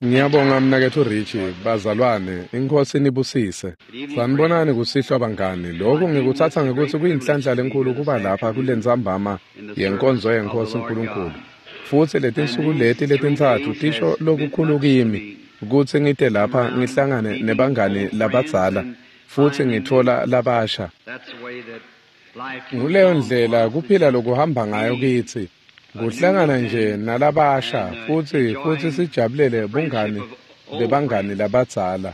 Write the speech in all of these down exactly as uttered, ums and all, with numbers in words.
Ngiyabonga mnaketfu Richie, bazalwane, iNkhosi inibusise. Sanibonani kusihlwa bangani. Lokhu ngikutsatsa ngekutsi kuyinhlanhla lenkhulu kuba lapha kulentsambama yenkonzo yeNkhosi Nkulunkulu. Futsi letinsuku leti letintsatfu tisho lokukhulu kimi kutsi ngite lapha ngihlangane nebangani labadzala futsi ngitfola labasha. Nguleyo ndlela kuphila lokuhamba ngayo kitsi. Kuhlangana nje nalabasha futsi futsi sijabulele bungani bebangani labadzala.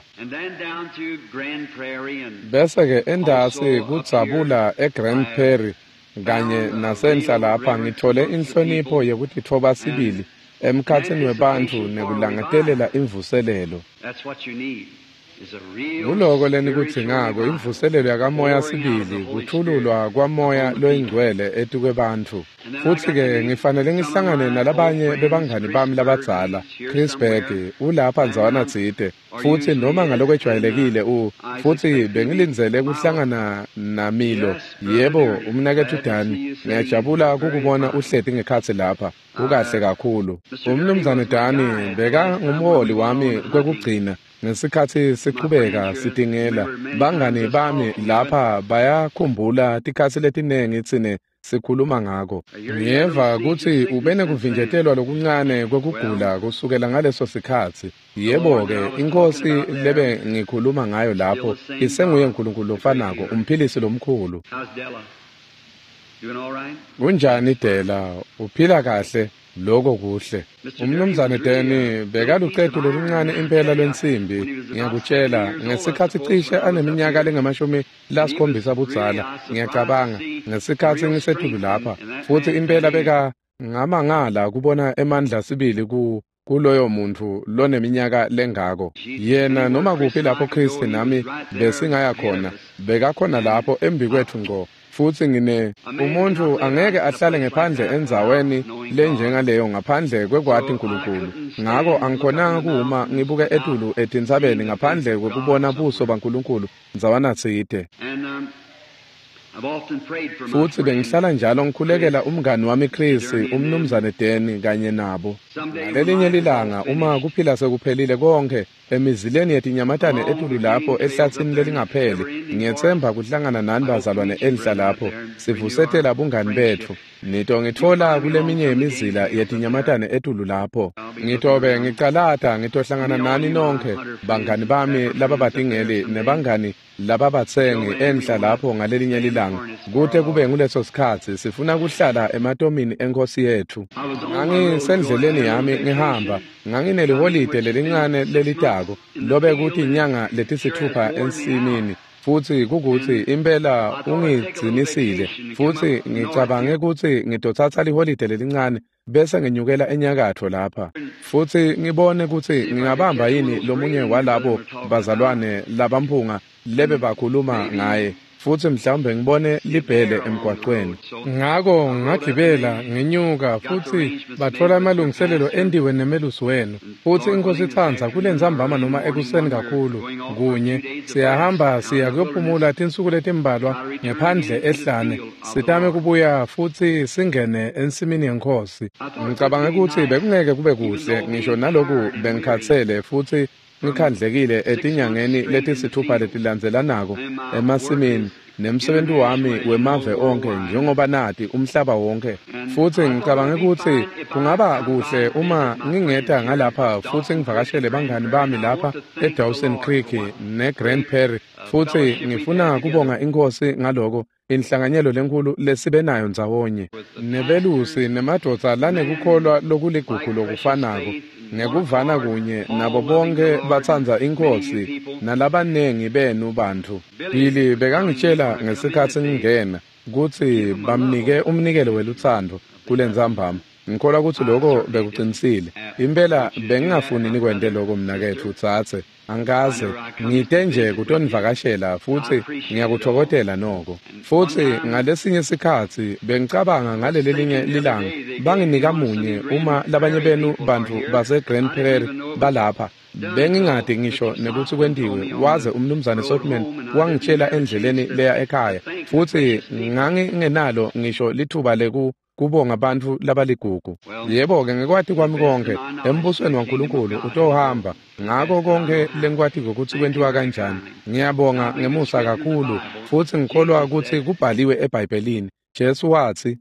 Bese-ke entasi kudzabula eGrand Prairie kanye nasenhla lapha ngitfole inhlonipho yekutitfoba sibili emkhatsini webantfu nekulangatelela imvuselelo. Nguloko lenikudzingako, imvuselelo yakamoya sibili, kutfululwa kwamoya loyingcwele etikwebantfu. Futsi-ke ngifanele ngihlangane nalabanye bebangani bami labadzala. Chris Berg ulapha ndzawana tsite, futsi noma ngalokwejwayelekile u futsi bengilindzele kuhlangana naMilo. Yebo, umnaketfu Dani, ngiyajabula kukubona uhleti ngekhatsi lapha. Ukahle kakhulu. Umnumzane Dani bekangumholi wami kwekugcina ngesikhatsi sichubeka sitingela. Bangani bami lapha bayakhumbula tikhatsi letinengi tsine sikhuluma ngako. Ngiyeva kutsi ube nekuvinjetelwa lokuncane kwekugula kusukela ngaleso sikhatsi. Yebo-ke, iNkhosi lebe ngikhuluma ngayo lapho isenguye Nkulunkulu lofanako, umphilisi lomkhulu. Kunjani Dela? Uphila kahle? Lokho kuhle. Umnumzane Deni bekalucetu loluncane impela lwensimbi, ngiyakutshela, ngesikhatsi cishe aneminyaka lengamashumi lasikhombisa budzala, ngiyacabanga, ngesikhatsi ngisetulu lapha, futsi impela beka ngamangala kubona emandla sibili ku kuloyo muntfu loneminyaka lengako. Yena noma kuphi lapho Chris nami besingaya khona, bekakhona lapho embikwetfu ngco. Futsi ngine umuntfu angeke ahlale ngephandle endzaweni lenjengaleyo ngaphandle kwekwati Nkulunkulu. Ngako angikhonanga kuma ngibuke etulu etintsabeni ngaphandle kwekubona buso baNkulunkulu ndzawana tsite. Futsi bengihlala njalo ngikhulekela umngani wami Chris, umnumzane Deni kanye nabo. Ngalelinye lilanga uma kuphila sekuphelile konke emizileni yetinyamatane etulu lapho ehlatsini lelingapheli, ngiyetsemba kuhlangana nani bazalwane enhla lapho sivusetela bungani betfu. Nito ngitfola kuleminye yemizila yetinyamatane etulu lapho. Ngitobe ngicalata ngitohlangana nani nonkhe bangani bami lababatingeli nebangani lababatsengi enhla lapho ngalelinye lilanga. Kute kube nguleso sikhatsi sifuna kuhlala ematomini eNkhosi yetfu. Ngangisendleleni yami ngihamba, ngangineliholide lelincane lelitako lobe kuthi inyanga letisithupha ensimini. Futsi kukutsi impela ungigcinisile, futsi ngicabange kutsi ngitotsatsa liholide lelincane bese nginyukela enyakatfo lapha futsi ngibone kutsi ngingabamba yini lomunye walabo bazalwane labamphunga lebe bakhuluma ngaye, futsi mhlawumbe ngibone libhele emgwaqweni. Ngako ngagibela ngenyuka futsi batfola amalungiselelo entiwe nemelusi wenu. Futsi iNkhosi itsandza kulentsambama noma ekuseni kakhulu kunye siyahamba siya kuyophumula tinsuku letimbalwa ngephandle ehlane, sitame kubuya futsi singene ensimini yeNkhosi. Ngicabange kutsi bekungeke kube kuhle ngisho naloku bengikhatsele futsi ngikhandlekile etinyangeni letisithupha letilandzelanako emasimini nemsebenti wami wemave onkhe njengoba nati umhlaba wonke. Futsi ngicabange kutsi kungaba kuhle uma ngingeta ngalapha futsi ngivakashele bangani bami lapha eDawson Creek neGrand Prairie. Futsi ngifuna kubonga iNkhosi ngaloko inhlanganyelo lenkhulu lesibe nayo ndzawonye nebelusi nemadvodza lanekukholwa lokuligugu lokufanako ngekuvana kunye nabo bonke batsandza iNkhosi nalabanengi benu bantfu. Billy bekangitshela ngesikhatsi ngingena kutsi bamnike umnikelo welutsandvo kulentsambama. Ngikholwa kutsi loko bekucinisile. Impela bengingafuni nikwente loko mnaketfu tsatse. Angikaze ngite nje kutonivakashela futsi ngiyakutfokotela noko. Futsi ngalesinye sikhatsi bengicabanga ngaleli linye lilanga banginika munye uma labanye benu bantfu base Grand Prairie balapha. Bengingadi ngisho nekutsi kwentiwe waze umnumzane Sotman wangitshela endleleni leya ekhaya, futsi ngangingenalo ngisho lithuba leku Kubonga bantfu labaligugu. Yebo-ke, ngekwati kwami konke embusweni waNkulunkulu utohamba ngako konke lengikwatiko kutsi kwentiwa kanjani. Ngiyabonga ngemusa kakhulu, futsi ngikholwa kutsi kubhaliwe eBhayibhelini. Jesu watsi,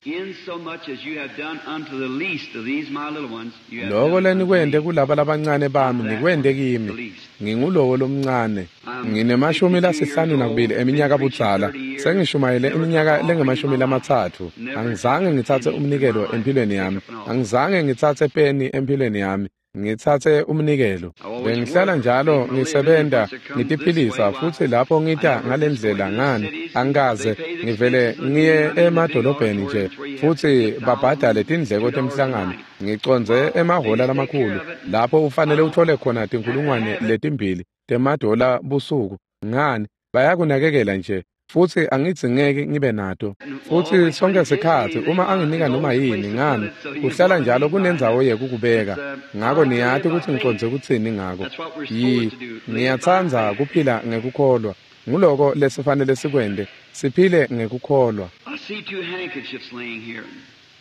loko lenikwente kulaba labancane bami nikwente kimi. Ngingulowo lomncane. Nginemashumi lasihlanu nakubili eminyaka budzala. Sengishumayele iminyaka lengemashumi lamatsatfu. Angizange ngitsatse umnikelo empilweni yami. Angizange ngitsatse peni empilweni yami. Ngitsatse umnikelo. Bengihlala njalo ngisebenta ngitiphilisa, futsi lapho ngita ngalendlela ngani angikaze ngivele ngiye emadolobheni nje futsi babhadale tindleko temhlangano. Ngicondze emahhola lamakhulu lapho ufanele uthole khona tinkulungwane letimbili temadola busuku. Ngani bayakunakekela nje, futsi angidzingeki ngibe nato. Futsi sonke sikhatsi uma anginika noma yini ngani kuhlala njalo kunendzawo yekukubeka. Ngako niyati kutsi ngicondze kutsini ngako. Yi ngiyatsandza kuphila ngekukholwa. Nguloko lesifanele sikwente, siphile ngekukholwa.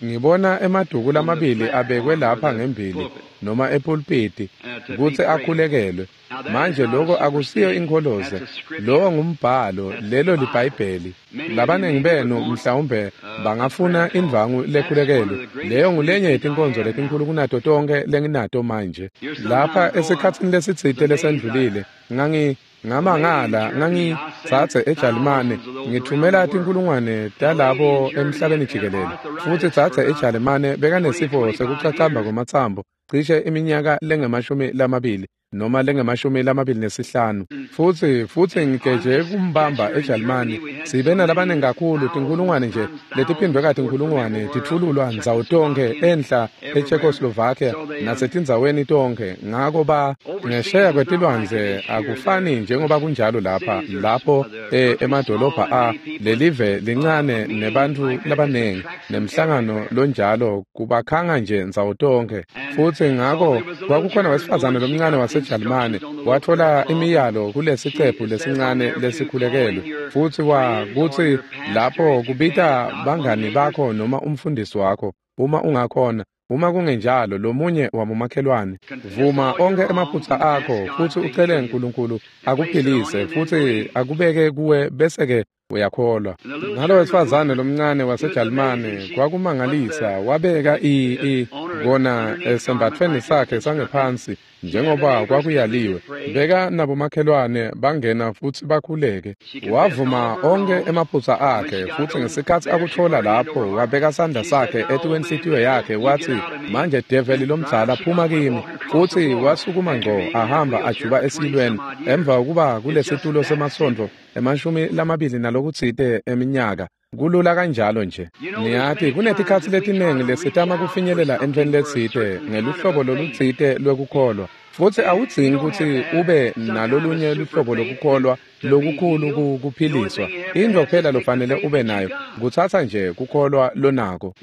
Ngibona emaduku lamabili abekwe lapha ngembili noma epulpiti kutsi akhulekelwe. Manje lokho akusiyo inkholoze, lowo ngumbhalo, lelo liBhayibheli. Labaningi benu mhlawumbe bangafuna indvangu lekhulekelwe. Leyo ngulenye yetinkonzo letinkhulu kunato tonkhe lenginato manje. Lapha esikhatsini lesitsite lesendlulile ngangi ngamangala ngangitsatse eJalimane ngithumela tinkulungwane talabo emhlabeni jikelele. Futsi tsatse eJalimane bekanesifo sekucacamba kwematsambo cishe iminyaka lengemashumi lamabili noma lengemashumi lamabili nesihlanu. Futsi futsi ngigeje kumbamba eJalimane sibe nalabaningi kakhulu, tinkulungwane nje letiphindwe katinkulungwane titfululwa ndzawo tonkhe enhla eCzechoslovakia nasetindzaweni tonkhe. Ngako ba ngesheya kwetilwandle akufani njengoba kunjalo lapha lapho e, emadolobha a lelive lincane nebantfu labaningi nemhlangano lonjalo kubakhanga nje ndzawo tonkhe. Futsi ngako kwakukhona wesifazane lomncane wase Jalimane wathola imiyalo kulesicephu lesincane lesikhulekelwe, futsi wa kutsi lapho kubita bangani bakho noma umfundisi wakho uma ungakhona, uma kungenjalo lomunye wabomakhelwane. Vuma onke emaphutsa akho futsi ucele uNkulunkulu akuphilise futsi akubeke kuwe, bese-ke uyakholwa. Ngalo wesifazane lomncane waseJalimane kwakumangalisa, wabeka i i kona esembathweni sakhe sangephansi njengoba kwakuyaliwe. Beka nabomakhelwane bangena futsi bakhuleke. Wavuma onke emaphutsa akhe, futsi ngesikhatsi akuthola lapho wabeka sandla sakhe etikwenhlitiyo yakhe wathi, manje develi lomdzala phuma kimi. Futsi wasukuma ngco ahamba ajuba esilweni emva kokuba kulesitulo semasontfo emashumi lamabili nalokutsite eminyaka. Kulula kanjalo nje. Niyati kunetikhatsi letiningi lesitama kufinyelela entfweni letsite ngeluhlobo lolutsite lwekukholwa, futsi awudzingi kutsi ube nalolunye luhlobo lokukholwa lokukhulu kuphiliswa. Intfo kuphela lofanele ube nayo kutsatsa nje kukholwa lonako.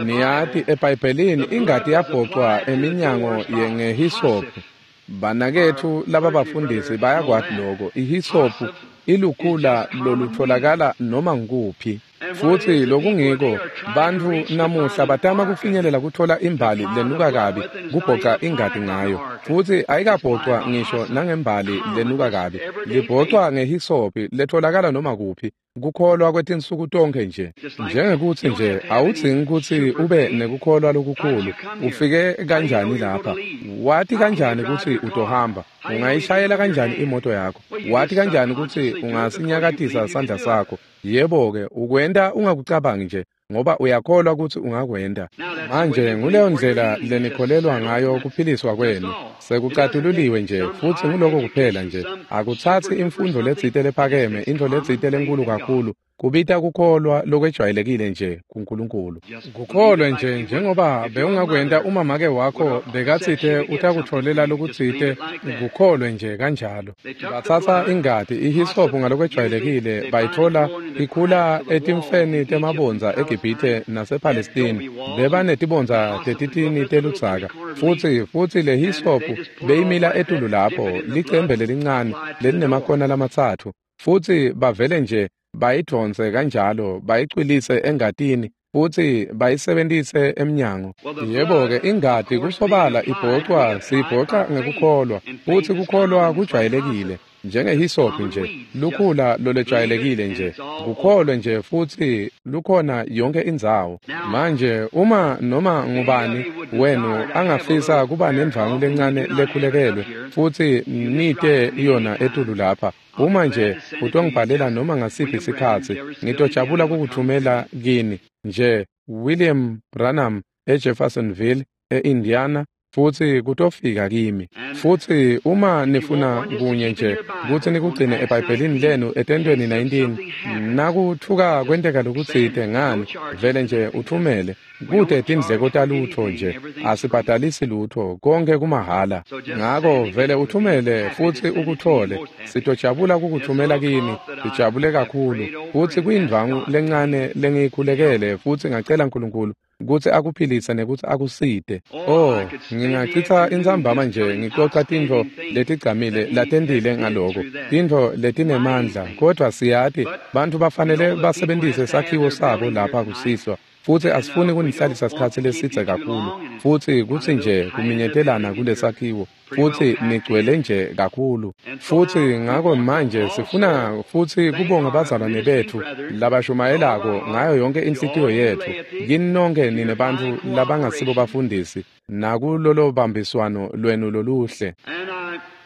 Niyati eBhayibhelini ingati yabhocwa eminyango ngehisophu. Banaketfu lababafundisi bayakwati loko. Ihisophu ilukhula lolutfolakala noma ngukuphi. Futsi lokungiko bantfu namuhla batama kufinyelela kuthola imbali lenuka kabi kubhoca ingati ngayo, futsi ayikabhocwa ngisho nangembali lenuka kabi, libhocwa ngehisophi letholakala noma kuphi. Kukholwa kwetinsuku tonkhe nje, njengekutsi nje awudzingi kutsi ube nekukholwa lokukhulu. Ufike kanjani lapha? Wati kanjani kutsi utohamba? Ungayishayela kanjani imoto yakho? Wati kanjani kutsi ungasinyakatisa sandla sakho? Yebo-ke, ukwenta ungakucabangi nje ngoba uyakholwa kutsi ungakwenta. Manje nguleyo ndlela lenikholelwa ngayo kuphiliswa kwenu. Sekucatululiwe nje, futsi nguloko kuphela nje. Akutsatsi imfundo letsite lephakeme, intfo letsite lenkulu kakhulu. Kubita kukholwa lokwejwayelekile nje kuNkulunkulu. Kukholwe nje njengoba bewungakwenta uma make wakho bekatsite utakutfolela lokutsite, kukholwe nje kanjalo. Batsatsa ingati ihisophu ngalokwejwayelekile bayitfola ikhula etimfeni temabondza eGibhithe nasePalestine. Bebanetibondza tetitini teludzaka, futsi futsi le hisophu beyimila etulu lapho, licembe lelincane lelinemakona lamatsatfu, futsi bavele nje bayidvonse kanjalo bayicwilise engatini Futsi bayisebentise emnyango. Yebo-ke ingati kusobala ibhocwa siyibhoca ngekukholwa, futsi kukholwa kujwayelekile njengehisophi nje, lukhula lolejwayelekile nje, kukholwe nje futsi lukhona yonke indzawo. Manje uma noma ngubani wenu angafisa kuba nendvwangu lencane lekhulekelwe futsi nite yona etulu lapha, uma nje utongibhalela noma ngasiphi isikhatsi, ngitojabula kukuthumela kini nje William Branham eJeffersonville eIndiana, futsi kutofika kimi. Futsi uma nifuna kunye nje kutsi nikugcine eBhayibhelini lenu etentweni nineteen, nakutfuka kwenteka lokutsite ngani, vele nje uthumele. Kute tindleko talutho nje, asibhadalisi lutho, konke kumahhala. Ngako vele uthumele futsi ukuthole. Sitojabula kukuthumela kini, sijabule kakhulu. Futsi kuyindvwangu lencane lengiyikhulekele futsi ngacela uNkulunkulu kutsi akuphilise nekutsi akusite. Oh, ngingachitha intsambama nje ngixoxa tintfo letigcamile latentile ngaloko, tintfo letinemandla, kodvwa siyati bantfu bafanele basebentise sakhiwo sabo lapha kusihlwa. Futsi asifuni kunihlalisa sikhatsi lesidze kakhulu, futsi kutsi nje kuminyetelana kulesakhiwo, futsi nigcwele nje kakhulu. Futsi ngako manje sifuna futsi kubonga bazalwane betfu labashumayelako ngayo yonke inhlitiyo yetfu. Kini nonke nine bantfu labangasibo bafundisi nakulolo bambiswano lwenu loluhle.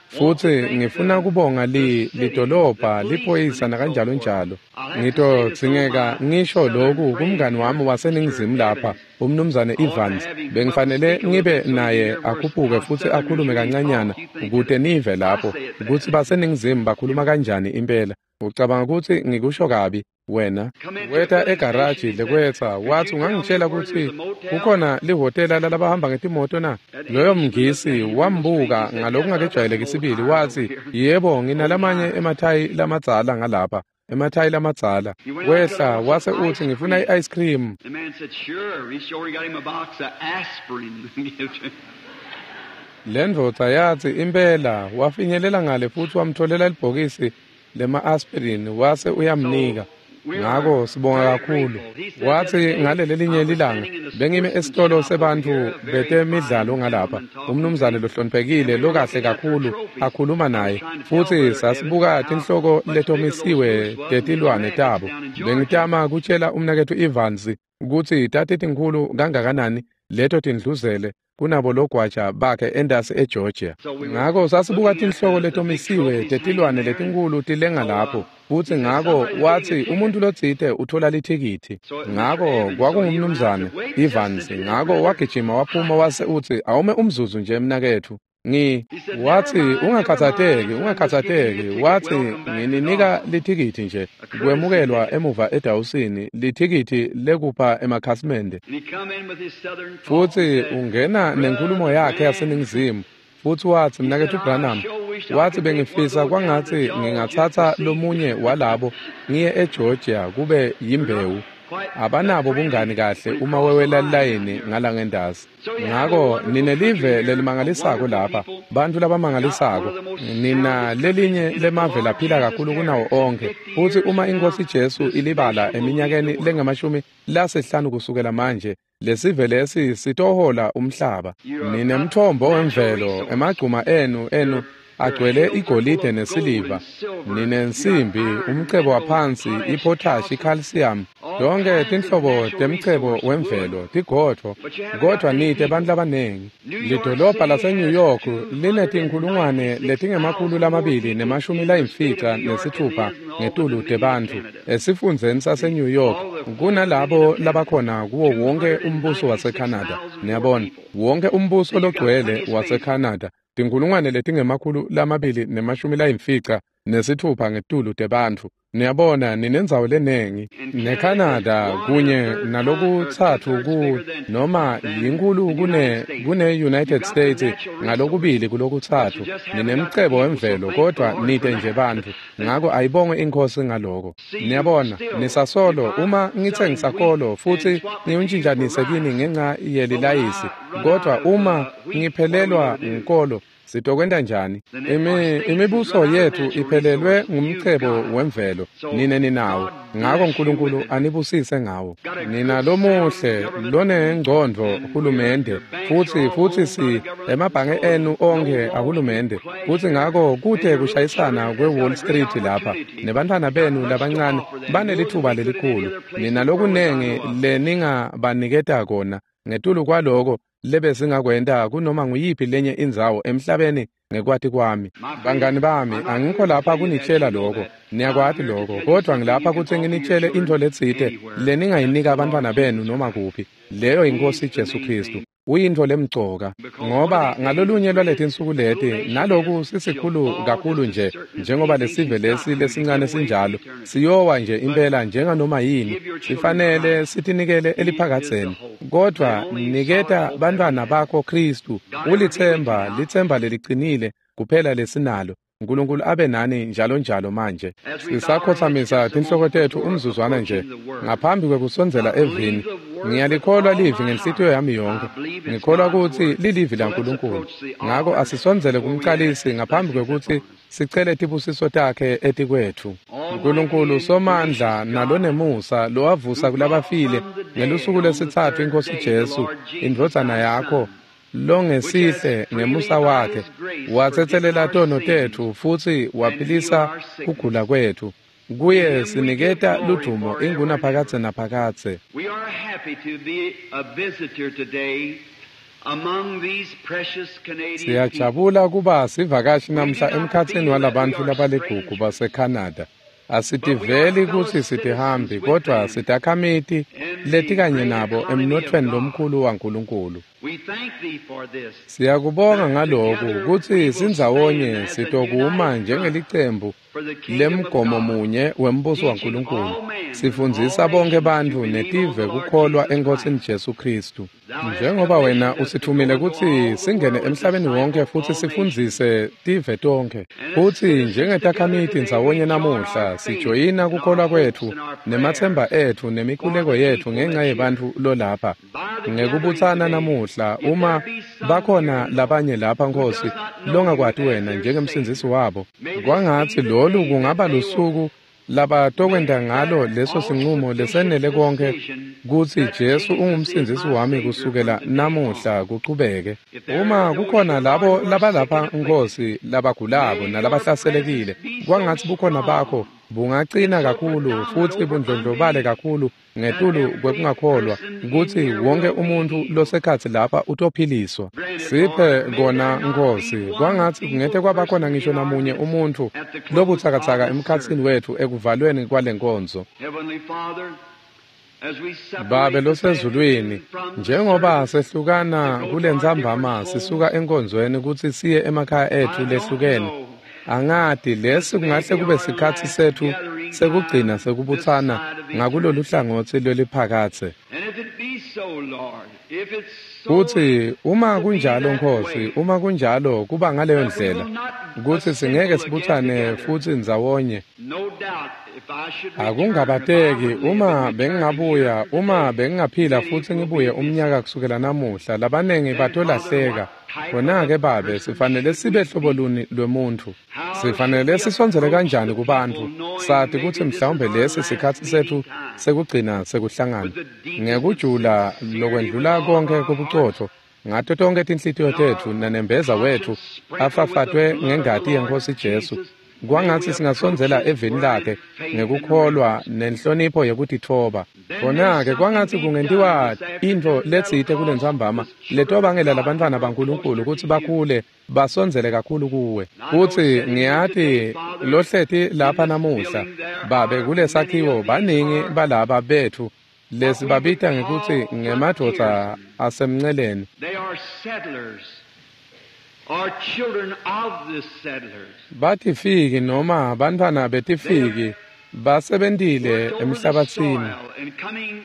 Futsi ngifuna kubonga li lidolobha, liphoyisa nakanjalo njalo. Ngitodzingeka ngisho loku kumngani wami waseNingizimu lapha, umnumzane Evans. Bengifanele ngibe naye akhuphuke futsi akhulume kancanyana kute nive lapho kutsi baseNingizimu bakhuluma kanjani impela. Ucabanga kutsi ngikusho kabi wena? Weta egaraji lekwetsa watsi ungangitshela kutsi kukhona lihhotela lalabahamba ngetimoto na? Loyo mngisi wambuka ngalokungakejwayeleki sibili watsi, yebo, nginalamanye emathayi lamadzala ngalapha, emathayi lamadzala. Wehla wase utsi ngifuna i-ice cream. Lendvodza yatsi impela. Wafinyelela ngale futsi wamtholela libhokisi lema-aspirin wase uyamnika. Ngako sibonga kakhulu. Watsi ngalelelinye lilanga bengime esitolo sebantfu betemidlalo ngalapha, umnumzane lohloniphekile lokahle kakhulu akhuluma naye, futsi sasibuka tinhloko letomisiwe tetilwane tabo. Bengitama kutshela umnaketfu Evans kutsi tatitinkhulu kangakanani leto tindluzele kunabo logwaja bakhe endasi eGeorgia. Ngako sasibuka tinhloko letomisiwe tetilwane letinkhulu tilenga lapho, futsi ngako watsi umuntu lotsite uthola lithikithi. Ngako kwakungumnumzane Evans. Ngako wagijima waphuma wase utsi awume umzuzu nje mnaketfu. Ngi watsi ungakhatsateki, ungakhatsateki. Watsi ngininika lithikithi nje kwemukelwa emuva edawusini, lithikithi lekupha emakhasimende. Futsi ungena nenkhulumo yakhe yaseNingizimu futsi watsi mnaketfu Branham, watsi bengifisa kwangatsi ngingatsatsa lomunye walabo ngiye eGeorgia kube yimbewu. Abanabo bungani kahle uma wewela layini ngalangendasi. Ngako ninelive lelimangalisako lapha, bantfu labamangalisako. Nina lelinye lemave laphila kakhulu kunawo onkhe. Futsi uma iNkhosi Jesu ilibala eminyakeni lengamashumi lasihlanu kusukela manje, lesive lesi sitohola umhlaba. Ninemthombo wemvelo, emagcuma enu enu agcwele igolide nesiliva, ninensimbi, umcebo waphansi, ipotash, icalcium, yonke tinhlobo temcebo wemvelo, tigodvo, kodvwa nite bantfu labanengi. Lidolobha laseNew York linetinkhulungwane letingemakhulu lamabili nemashumi layimfica nesitfupha ngetulu tebantfu esifundzeni saseNew York kunalabo labakhona kuwo wonke umbuso waseCanada. Niyabona, wonke umbuso logcwele waseCanada, tinkhulungwane letingemakhulu lamabili nemashumi layimfica nesitfupha ngetulu tebantfu. Niyabona, ninendzawo lenengi. NeCanada kunye nalokutsatfu ku noma yinkulu kune kune United States ngalokubili kulokutsatfu. Ninemcebo wemvelo kodvwa nite nje bantfu. Ngako ayibongwe iNkhosi ngaloko. Niyabona, nisasolo uma ngitsengisa kolo futsi ngiwuntjintjanise kini ngenca yelilayisi, kodvwa uma ngiphelelwa ngukolo Sitokwenta njani? Imi, imibuso yethu iphelelwe ngumcebo wemvelo, nine ninawo. Ngako Nkulunkulu anibusise ngawo. Nina lomuhle lonengcondvo hulumende, futsi futsi si emabhange enu onkhe ahulumende, futsi ngako kute kushayisana kwe-Wall Street lapha. Nebantfwana benu labancane banelitfuba lelikhulu. Nina lokunengi leningabaniketa kona ngetulu kwaloko lebesingakwenta kunoma nguyiphi lenye indzawo emhlabeni ngekwati kwami. Bangani bami, angikho lapha kunitshela lokho, niyakwati lokho, kodwa ngilapha kutsi nginitshele intfo letsite leningayinika abantwana benu noma kuphi. Leyo yiNkhosi Jesu Khristu. Uyintfo lemcoka, ngoba ngalolunye lwaletinsuku leti, naloku sisikhulu kakhulu nje njengoba lesive lesi lesincane sinjalo, siyowa nje impela njenganoma yini, sifanele sitinikele eliphakadzeni. Kodwa niketa bantfwana bakho Khristu, ulitsemba, litsemba leliqinile kuphela lesinalo. Nkulunkulu abe nani njalo njalo. Manje sisakhothamisa tinhloko tetfu umzuzwana nje ngaphambi kwekusondzela evini. Ngiyalikholwa livi ngenhlitiyo yami yonke. Ngikholwa kutsi lilivi laNkulunkulu. Ngako asisondzele kumcalisi ngaphambi kwekutsi sicele tibusiso takhe etikwetfu. Nkulunkulu somandla nalonemusa, lowavusa kulabafile ngelusuku lwesitsatfu iNkhosi Jesu, indvodzana yakho, longesihle ngemusa wakhe watsetselela tono tetfu futsi waphilisa kugula kwetfu. Kuye siniketa ludvumo ingunaphakadze naphakadze. We are happy to be a visitor today among these precious Canadian people. Siyajabula kuba sivakashi namhla emkhatsini walabantfu labaligugu baseCanada. Asitiveli kutsi sitihambi, kodwa sitakhamiti letikanye nabo emnothweni lomkhulu waNkulunkulu. We thank thee for this. Siyakubonga ngaloku kutsi sindzawonye sitokuma njengelicembu For the kingdom of lemgomo God. munye wembuso waNkulunkulu, sifundzisa bonke bantfu netive kukholwa eNkhosini Jesu Khristu. Njengoba wena usithumile kutsi singene emhlabeni wonke futsi sifundzise tive tonkhe, futsi njengetakhamiti ndzawonye namuhla sijoyina kukholwa kwetfu nematsemba etfu nemikhuleko yetfu ngenca yebantfu lolapha. Ngekubutsana namuhla, uma bakhona labanye lapha, Nkhosi, longakwati wena njengemsindzisi wabo, kwangatsi lolu kungaba lusuku labatokwenta ngalo leso sinqumo lesenele konke kutsi Jesu ungumsindzisi wami kusukela namuhla kuchubeke. Uma kukhona labo labalapha, Nkhosi, labagulako nalabahlaselekile, kwangatsi bukhona bakho bungacina kakhulu futsi bundlondlobale kakhulu ngetulu kwekungakholwa kutsi wonke umuntfu losekhatsi lapha utophiliswa. Siphe kona, Nkhosi, kwangatsi kungete kwaba khona ngisho namunye umuntfu lobutsakatsaka emkhatsini wetfu ekuvalweni kwale nkonzo. Heavenly Father, as we separate Babe this losezulwini, afternoon from the njengoba service sehlukana to go kule to our ntsambama different sisuka homes, enkonzweni kutsi siye emakhaya etfu I don't lehlukene, know. angati lesi This may kungahle be kube our sikhatsi last setfu gathering sekugcina time this sekubutsana side of ngakulolu eternity. hlangotsi lweliphakadze. And if it be so, Lord, if it's so Kutsi uma to be kunjalo, that Nkhosi, way, uma kunjalo kuba ngaleyo that we ndlela will not kutsi singeke assemble again sibutsane together. futsi ndzawonye. No doubt if I should return, if I Akungabateki would live uma and return a year bengingabuya, from uma today, bengingaphila many futsi will ngibuye be missing. umnyaka kusukela namuhla, labanengi Then, Father, batolahleka. what type of Khona-ke a Babe, person sifanele should sibe we hlobo be? luni lwemuntfu? How should Sifanele we sisondzele approach kanjani the kubantfu, people knowing sati kutsi maybe this is mhlawumbe our lesi last sikhatsi meeting setfu time? sekugcina sekuhlangana? With the deepest of Ngekujula sincerity with lokwendlula all of konke our hearts kobucotfo, ngato tonkhe tinhlitiyo and our tetfu nanembeza wetfu conscience sprinkled with the afafatwe blood of the ngengati Lord yeNkhosi Jesu, Jesus, may kwangatsi we approach singasondzela His eveni word lakhe in faith and ngekukholwa reverence. nenhlonipho yekutitfoba. Then may Khona-ke something kwangatsi be done kungentiwa this intfo afternoon that'll letsite cause kulentsambama the children of letobangela God to labantfwana grow baNkulunkulu closer kutsi to you. bakhule basondzele kakhulu kuwe. And I know Futsi sitting here today, ngiyati Father, lohleti in lapha this namuhla, building there Babe, are many kulesakhiwo of these baningi are balaba betfu what we would lesibabita ngekutsi call ngemadvodza frontiersmen. asemnceleni. They are settlers, or children of the settlers. Batifiki noma bantfwana They have betifiki basebentile worked over the emhlabatsini. soil and coming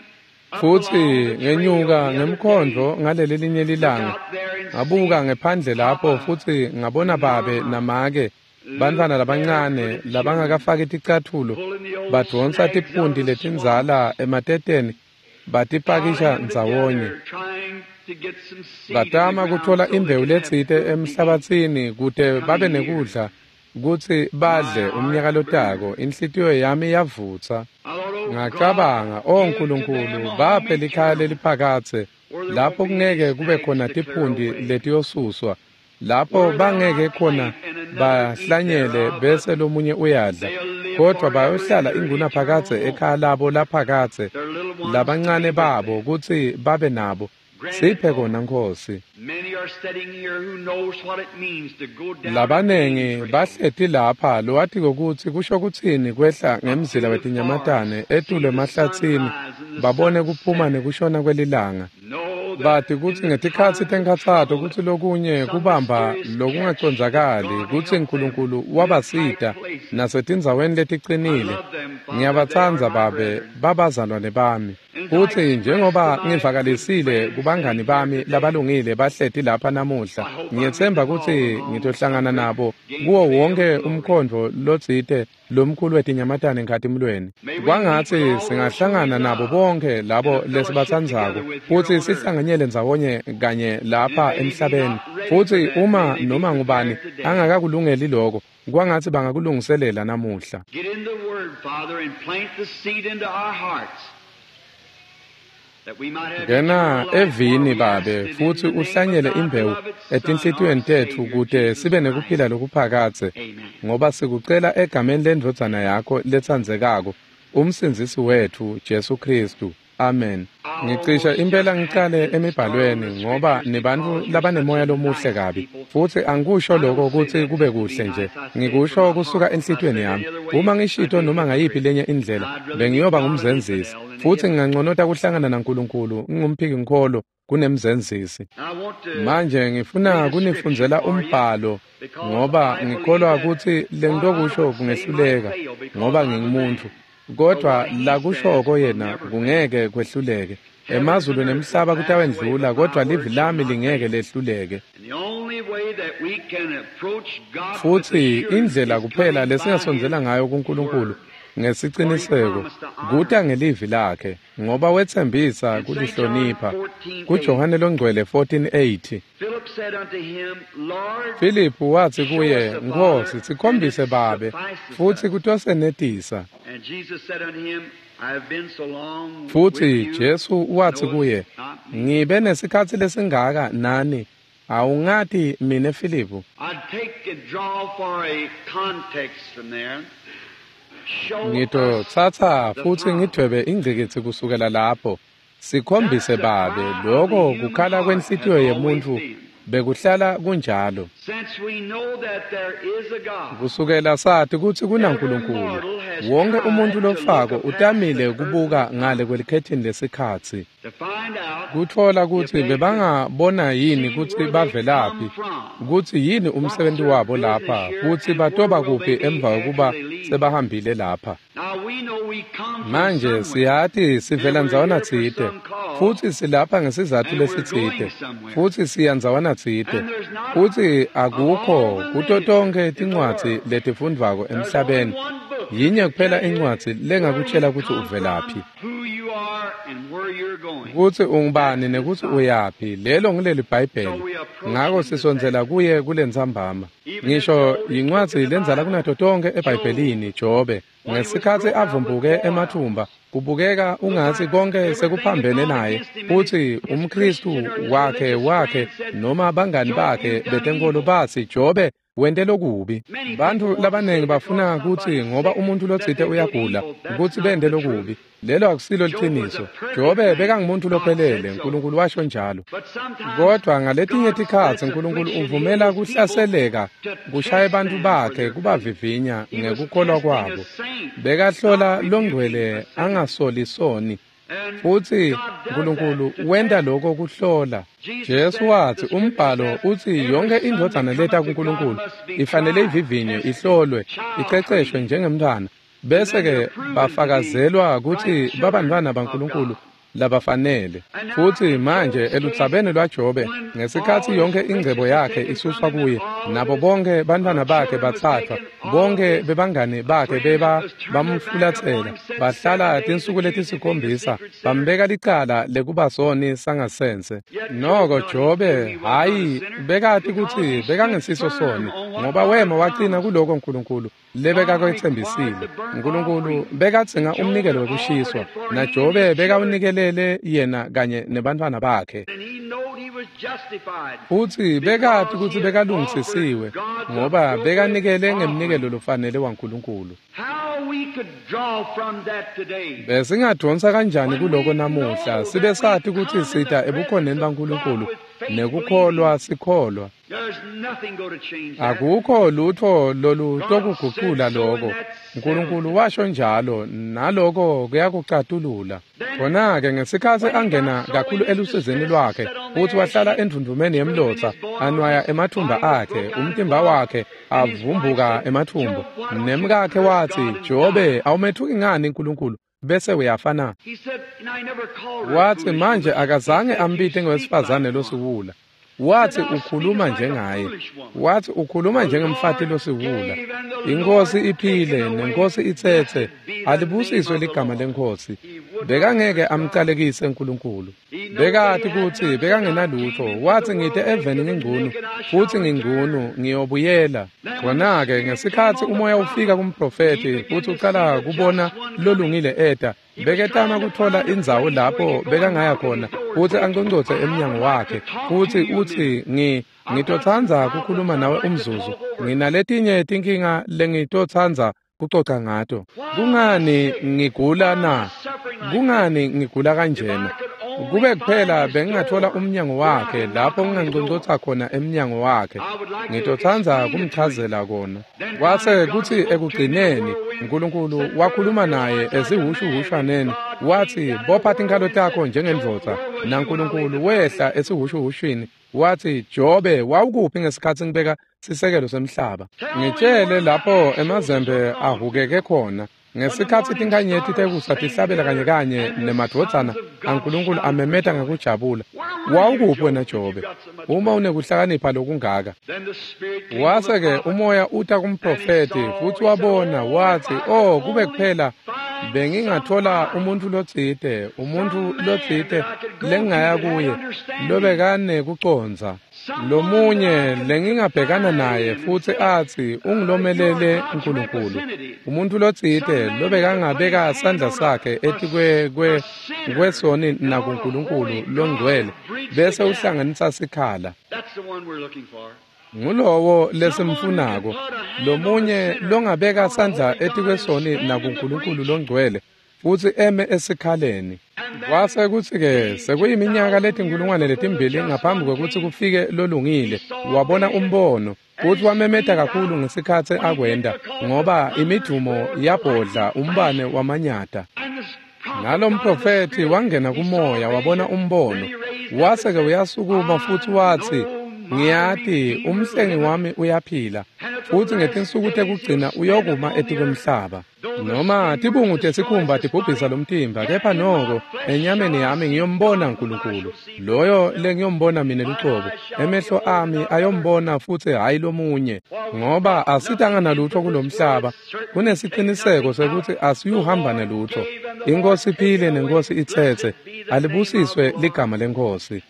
up Futsi along the trail ngenyuka the other ngemkhondvo day, ngaleli linye look lilanga, out there and ngabuka see ngephandle lapho Papa futsi ngabona and babe Mama namake, bantfwana Luke labancane barefooted children labangakafaki ticatfulo, pulling the old badvonsa snags out of tiphunti the swamp, letindzala emateteni batipakisha piling them ndzawonye. together, trying Batama kutfola imbewu letsite emhlabatsini kute babe nekudla kutsi badle umnyaka lotako. Inhlitiyo yami yavutsa. Ngacabanga, o Nkulunkulu, baphe likhaya leliphakadze lapho kungeke kube khona tiphunti letiyosuswa, lapho bangeke khona bahlanyele bese lomunye uyadla, kodvwa bayohlala ingunaphakadze ekhaya labo laphakadze, labancane babo kutsi babe nabo. Siphe kona Nkhosi. Labanengi bahleti lapha lowatiko kutsi kusho kutsini kwehla ngemzila wetinyamatane etulu emahlatsini babone kuphuma nekushona kwelilanga. Bati kutsi ngetikhatsi tenkhatsato kutsi lokunye kubamba lokungacondzakali kutsi Nkulunkulu wabasita nasetindzaweni leticinile. Ngiyabatsandza babe, babazalwane bami. Futsi njengoba ngivakalisile kubangani bami labalungile bahleti lapha namuhla, ngiyetsemba kutsi ngitohlangana nabo kuwo wonke umkhondvo lotsite lomkhulu wetinyamatane enkhatimulweni. Kwangatsi singahlangana nabo bonke labo lesibatsandzako futsi sihlanganyele ndzawonye kanye lapha emhlabeni. Futsi uma noma ngubani angakakulungeli lokho, kwangatsi bangakulungiselela namuhla. Ngena evini babe futsi uhlanyele imbewu etinhlitiyweni tetfu kute sibe nekuphila lokuphakadze, ngoba sikucela egameni lendvodzana yakho letsandzekako, umsindzisi wetfu Jesu Khristu. Amen. Ngicishe impela ngicale emibhalweni ngoba nibantfu labanemoya lomuhle kabi, futsi angikusho lokho kutsi kube kuhle nje, ngikusho kusuka enhlitiyweni yami. Uma ngishito noma ngayiphi lenye indlela, bengiyoba ngumzenzisi, futsi nginganconota kuhlangana naNkulunkulu ngingumphiki-nkholo kunemzenzisi. Manje ngifuna kunifundzela umbhalo ngoba ngikholwa kutsi lengitokusho kungehluleka ngoba ngingumuntu, kodvwa lakushoko yena kungeke kwehluleke. Emazulu nemhlaba kutawendlula, kodvwa livi lami lingeke lehluleke. Futsi indlela kuphela lesingasondzela ngayo kuNkulunkulu ngesiciniseko kuta ngelivi lakhe, ngoba wetsembisa kulihlonipha. KuJohane longcwele fourteen eight, Filiphu watsi kuye, Nkhosi, sikhombise Babe, futsi kutosenetisa. Futsi Jesu watsi kuye, ngibe nesikhatsi lesingaka nani, awungati mine Filiphu? Ngitotsatsa futsi ngidvwebe ingcikitsi kusukela lapho. Sikhombise Babe, lokho kukhala kwenhlitiyo yemuntfu bekuhlala kunjalo. Kusukela sati kutsi kunaNkulunkulu, wonke umuntfu lofako utamile kubuka ngale kwelikhethini lesikhatsi, kutfola kutsi bebangabona yini kutsi bavelaphi, kutsi yini umsebenzi wabo lapha, futsi batoba kuphi emva kokuba sebahambile lapha. Manje siyati sivela ndzawana tsite, futsi silapha ngesizatfu lesitsite, futsi siya ndzawana tsite, futsi akukho kuto tonkhe tincwadzi letifundvwako emhlabeni yinye kuphela incwadzi lengakutshela kutsi uvelaphi, kutsi ungubani nekutsi uyaphi. Lelo ngileli Bhayibheli. Ngako sisondzela kuye kulentsambama. Ngisho yincwadzi lendzala kunato tonkhe eBhayibhelini, Jobe, ngesikhatsi avumbuke emathumba, kubukeka ungatsi konke sekuphambene naye, futsi umKhristu wakhe wakhe noma bangani bakhe betenkolo batsi, Jobe wente lokubi. Bantfu labanengi bafuna kutsi ngoba umuntu lotsite uyagula kutsi bente lokubi. Lelo akusilo liciniso. Jobe bekangumuntu lophelele, Nkulunkulu washo njalo. Kodvwa ngaletinye tikhatsi Nkulunkulu uvumela kuhlaseleka kushaye bantfu bakhe kubavivinya ngekukholwa kwabo. Bekahlola longcwele angasoli soni, futsi Nkulunkulu wenta lokho kuhlola. Jesu watsi umbhalo utsi yonke indvodzana leta kuNkulunkulu ifanele ivivinywe, ihlolwe, iceceshwe njengemntfwana, bese-ke bafakazelwa kutsi babantfwana baNkulunkulu labafanele. Futsi manje eludzabeni lwaJobe, ngesikhatsi yonke ingcebo yakhe isuswa kuye, nabo bonke bantfwana bakhe batsatfwa, Bonke bebangani bakhe beba bamfulatsela, bahlala tinsuku letisikhombisa, bambeka licala lekuba soni sangasense. Noko Jobe hhayi bekati kutsi bekangesiso soni, ngoba wema wacina kuloko Nkulunkulu lebekakwetsembisile. Nkulunkulu bekadzinga umnikelo wekushiswa, naJobe bekawunikelele yena kanye nebantfwana bakhe. Futsi bekati kutsi bekalungisisiwe ngoba bekanikele ngemnikelo lofanele waNkulunkulu. Besingadonsa kanjani kuloko namuhla sibe sati kutsi sita ebukhoneni baNkulunkulu nekukholwa sikholwa. Akukho lutho lolutokugucula loko. Nkulunkulu washo njalo, naloko kuyakucatulula. Khona-ke ngesikhatsi angena kakhulu elusizini lwakhe futsi wahlala endvundvumeni yemlotsa, anwaya emathumba akhe, umtimba wakhe avumbuka emathumbu. Nemkakhe watsi, Jobe, awumethuki ngani Nkulunkulu bese uyafa na? Watsi manje akazange ambite ngewesifazane losiwula. Watsi ukhuluma njengaye. Watsi ukhuluma njengemfati losiwula. Inkosi iphile nenkosi itsetse, alibusiswe ligama lenkosi. Bekangeke amcalekise Nkulunkulu. Bekati kutsi bekangenalutho. Watsi ngite eveni ngingcunu futsi ngingcunu ngiyobuyela. Khona-ke ngesikhatsi umoya ufika kumprofethi futsi ucala kubona lolungile eta, beketama kutfola indzawo lapho bekangaya khona futsi anconcotse emnyango wakhe futsi utsi ngi ngitotsandza kukhuluma nawe umzuzu, nginaletinye tinkinga lengitotsandza kucoca ngato. Kungani ngigula na? Kungani ngigula kanjena? Kube kuphela bengingathola umnyango wakhe lapho nginganconcotsa khona emnyango wakhe, ngitotsandza kumchazela kona. Kwase kutsi ekugcineni Nkulunkulu wakhuluma naye esihhushuhhushwaneni, watsi bopha tinkhalo takho njengendvodza. NaNkulunkulu wehla esihhushuhhushwini watsi, Jobe, wawukuphi ngesikhatsi ngibeka sisekelo semhlaba? Ngitshele lapho emazembe ahukeke khona, ngesikhatsi tinkhanyeti tekusa tihlabela kanye kanye nemadvodzana aNkulunkulu amemeta ngekujabula. Wawukuphi wena Jobe, uma unekuhlakanipha lokungaka? Wase-ke umoya uta kumprofethi futsi wabona, watsi, oh, kube kuphela bengingathola umuntfu lotsite, umuntfu lotsite lengingaya kuye lobekanekucondza, lomunye lengingabhekana naye futsi atsi ungilomelele Nkulunkulu, umuntfu lotsite lobekangabeka sandla sakhe etikwe kwe kwesoni nakuNkulunkulu longcwele bese uhlanganisa sikhala. Ngulowo lesimfunako, lomunye longabeka sandla etikwesoni nakuNkulunkulu longcwele futsi eme esikhaleni. Kwase kutsi-ke sekuyiminyaka letinkulungwane letimbili ngaphambi kwekutsi kufike lolungile, wabona umbono futsi wamemeta kakhulu ngesikhatsi akwenta, ngoba imidumo yabhodla umbane wamanyata. Nalomprofethi wangena kumoya wabona umbono, wase-ke uyasukuma futsi watsi, ngiyati umhlengi wami uyaphila futsi ngetinsuku tekugcina uyokuma etikwemhlaba. Noma tibungu tesikhumba tibhubhisa lomtimba, kepha noko enyameni yami ngiyombona Nkulunkulu, loyo lengiyombona mine lucobo. Emehlo ami ayombona futsi hhayi lomunye, ngoba asitanga nalutho kulomhlaba. Kunesiciniseko sekutsi asiyuhamba nelutho. Inkosi iphile nenkosi itsetse, alibusiswe ligama lenkosi.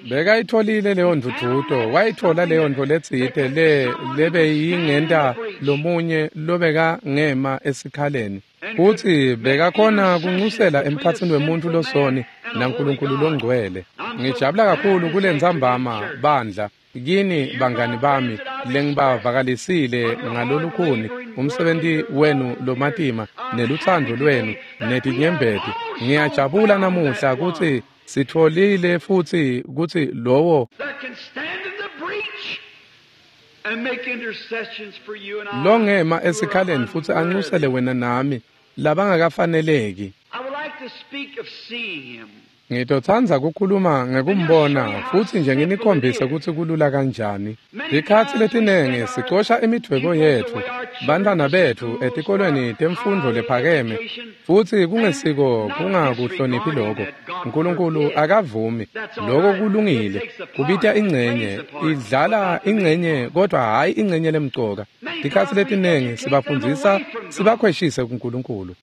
Bekayitholile leyo ndvudvuto, wayithola leyo ntfo letsite le lebeyingenta lomunye lobekangema esikhaleni futsi bekakhona kunxusela emkhatsini wemuntfu losoni naNkulunkulu longcwele. Ngijabula kakhulu kulentsambama bandla kini bangani bami lengibavakalisile ngalolukhuni umsebenti wenu lomatima nelutsandvo lwenu netinyembeti. Ngiyajabula namuhla kutsi sitfolile futsi kutsi lowo longema esikhaleni futsi anxusele wena nami labangakafaneleki. I would like to speak of seeing him. Ngitotsandza kukhuluma ngekumbona futsi nje nginikhombise kutsi kulula kanjani. Tikhatsi letinengi sicosha imidvwebo yetfu, bantfwana betfu etikolweni temfundvo lephakeme, futsi kungesiko kungakuhloniphi loko. Nkulunkulu akavumi. Loko kulungile. Kubita incenye, idlala incenye kodwa hhayi incenye lemcoka. Tikhatsi letinengi sibafundzisa sibakhweshise kuNkulunkulu.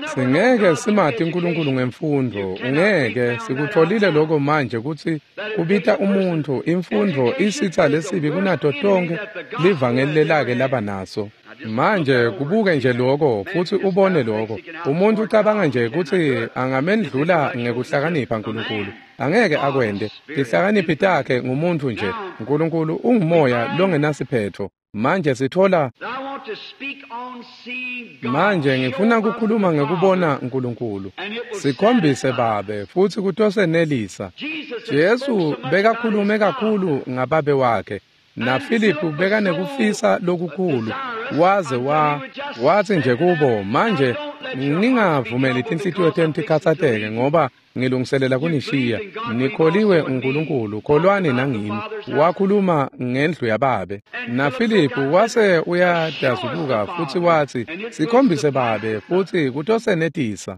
Singeke simati uNkulunkulu ngemfundvo, ungeke sikutfolile lokho manje kutsi kubita umuntfu imfundvo isitsa lesibi kunato tonkhe livangeli lelake laba naso. Manje kubuke nje lokho futsi ubone lokho. Umuntu ucabanga nje kutsi angamendlula ngekuhlakanipha uNkulunkulu. Angeke akwente. Tihlakaniphi takhe ngumuntu nje. uNkulunkulu ungumoya longenasiphetho. Manje sithola manje ngifuna kukhuluma ngekubona uNkulunkulu. Sikhombise Babe futsi kutosenelisa. Jesu bekakhulume kakhulu ngababe wakhe. Na Philip bekanekufisa lokukhulu waze wa wathi nje kubo, manje ningavumeli tinhlitiyo tenu tikhatsateke ngoba ngilungiselela kunishiya. Nikholiwe uNkulunkulu, kholwani nangimi. Wakhuluma ngendlu yababe. Na Philip wase uyadazubuka futsi watsi, sikhombise Babe futsi kutosenetisa.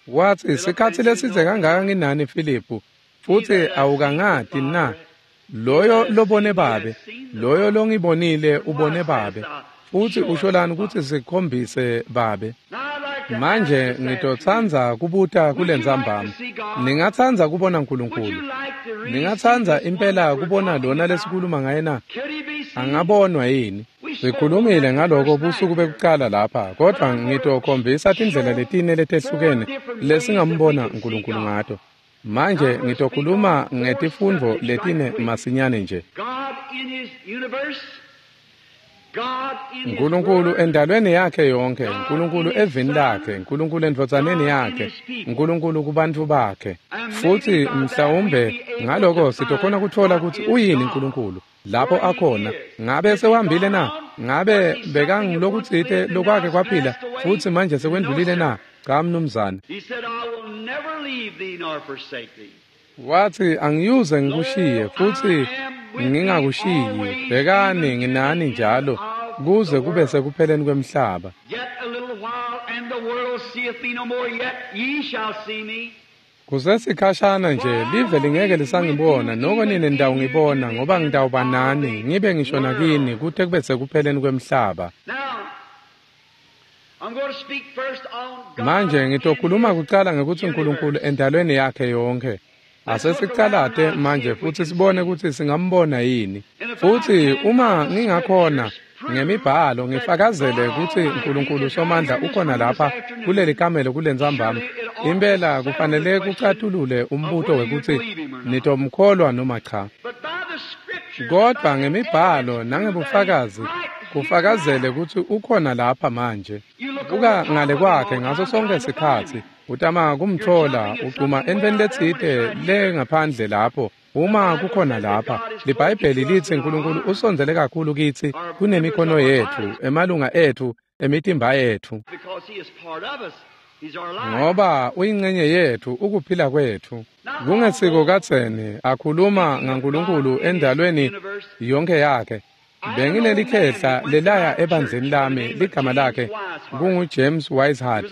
Watsi, sikhatsi lesidze kangaka nginani Philip, futsi awukangati na? Loyo lobone Babe, loyo longibonile ubone Babe. Futsi usholani kutsi sikhombise Babe? Manje ngitotsandza kubuta kulentsambama. Ningatsandza kubona uNkulunkulu? Ningatsandza impela kubona lona lesikhuluma ngaye na? Angabonwa yini? Sikhulumile ngaloko busuku bekucala lapha, kodwa ngitokhombisa tindlela letine letehlukene lesingambona uNkulunkulu ngato. Manje ngitokhuluma ngetifundvo letine masinyane nje. uNkulunkulu endalweni yakhe yonke, uNkulunkulu evini lakhe, uNkulunkulu endvodzaneni yakhe, uNkulunkulu kubantfu bakhe. Futsi mhlawumbe ngaloko sitokhona kutfola kutsi uyini uNkulunkulu lapho akhona. Ngabe sewuhambile na? Ngabe bekangulokutsite lokwake kwaphila futsi manje sekwendlulile na? Cha mnumzane. Watsi, angiyuze ngikushiye futsi ngingakushiyi. Bhekani nginani njalo kuze kube sekupheleni kwemhlaba. Kusesikhashana nje live lingeke lisangibona, noko nine nitawungibona, ngoba ngitawuba nani ngibe ngisho nakini kute kube sekupheleni kwemhlaba. Manje ngitokhuluma kucala ngekutsi uNkulunkulu endalweni yakhe yonke. Asesicalate manje futsi sibone kutsi singambona yini. Futsi uma ngingakhona ngemibhalo ngifakazele kutsi uNkulunkulu Somandla ukhona lapha kuleli kamelo kulentsambama, impela kufanele kucatulule umbuto wekutsi nitomkholwa noma cha. Kodwa ngemibhalo nangebufakazi kufakazele kutsi ukhona lapha manje. Buka ngale kwakhe ngaso sonke sikhatsi, utama kumtfola ucuma entweni letsite le ngaphandle lapho. Uma kukhona lapha, liBhayibheli litsi uNkulunkulu usondzele kakhulu kitsi kunemikhono yetfu, emalunga etfu, emitimba yetfu. Ngoba uyincenye yetfu, ukuphila kwetfu. Kungesiko kadzeni akhuluma ngaNkulunkulu endalweni yonke yakhe. Benginelikhehla lelaya ebandleni lami, ligama lakhe kungu James Wisehart.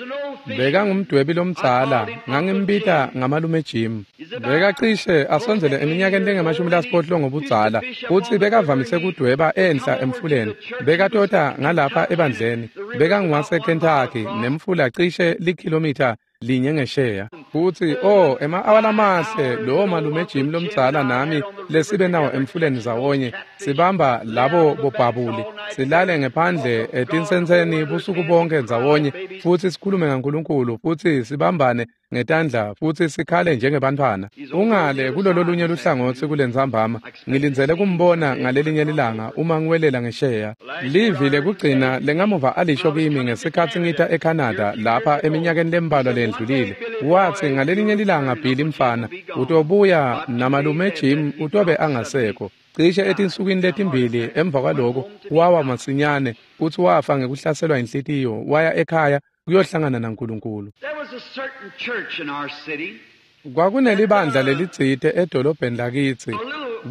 Bekangumdwebi lomdzala, ngangimbita ngamalume Jim. Bekacishe asondzele eminyakeni lengemashumi lasiphohlongo budzala, futsi bekavamise kudweba enhla emfuleni. Bekatota ngalapha ebandleni. Bekanguwase Kentucky nemfula cishe likhilomitha linye ngesheya. Futsi oh, ema-awa lamahle lowo malume Jim lomdzala nami lesibe nawo emfuleni zawonye, sibamba labo bobhabuli, silale ngephandle etinsentseni busuku bonke ndzawonye, futsi sikhulume ngaNkulunkulu, futsi sibambane ngetandla futsi sikhale njengebantfwana. Ungale kulolo lunye luhlangotsi kulentsambama, ngilindzele kumbona ngalelinye lilanga uma ngiwelela ngesheya. Livi lekugcina lengamuva alisho kimi ngesikhatsi ngita eCanada lapha eminyakeni lembalwa lendlulile. Watsi ngalelinye lilanga, Billy mfana, utobuya namalume Jim utobe angasekho. Cishe etinsukwini letimbili emva kwaloko wawa masinyane futsi wafa ngekuhlaselwa inhlitiyo, waya ekhaya kuyohlangana naNkulunkulu. There was a certain church in our city. Kwakunelibandla lelitsite edolobheni lakitsi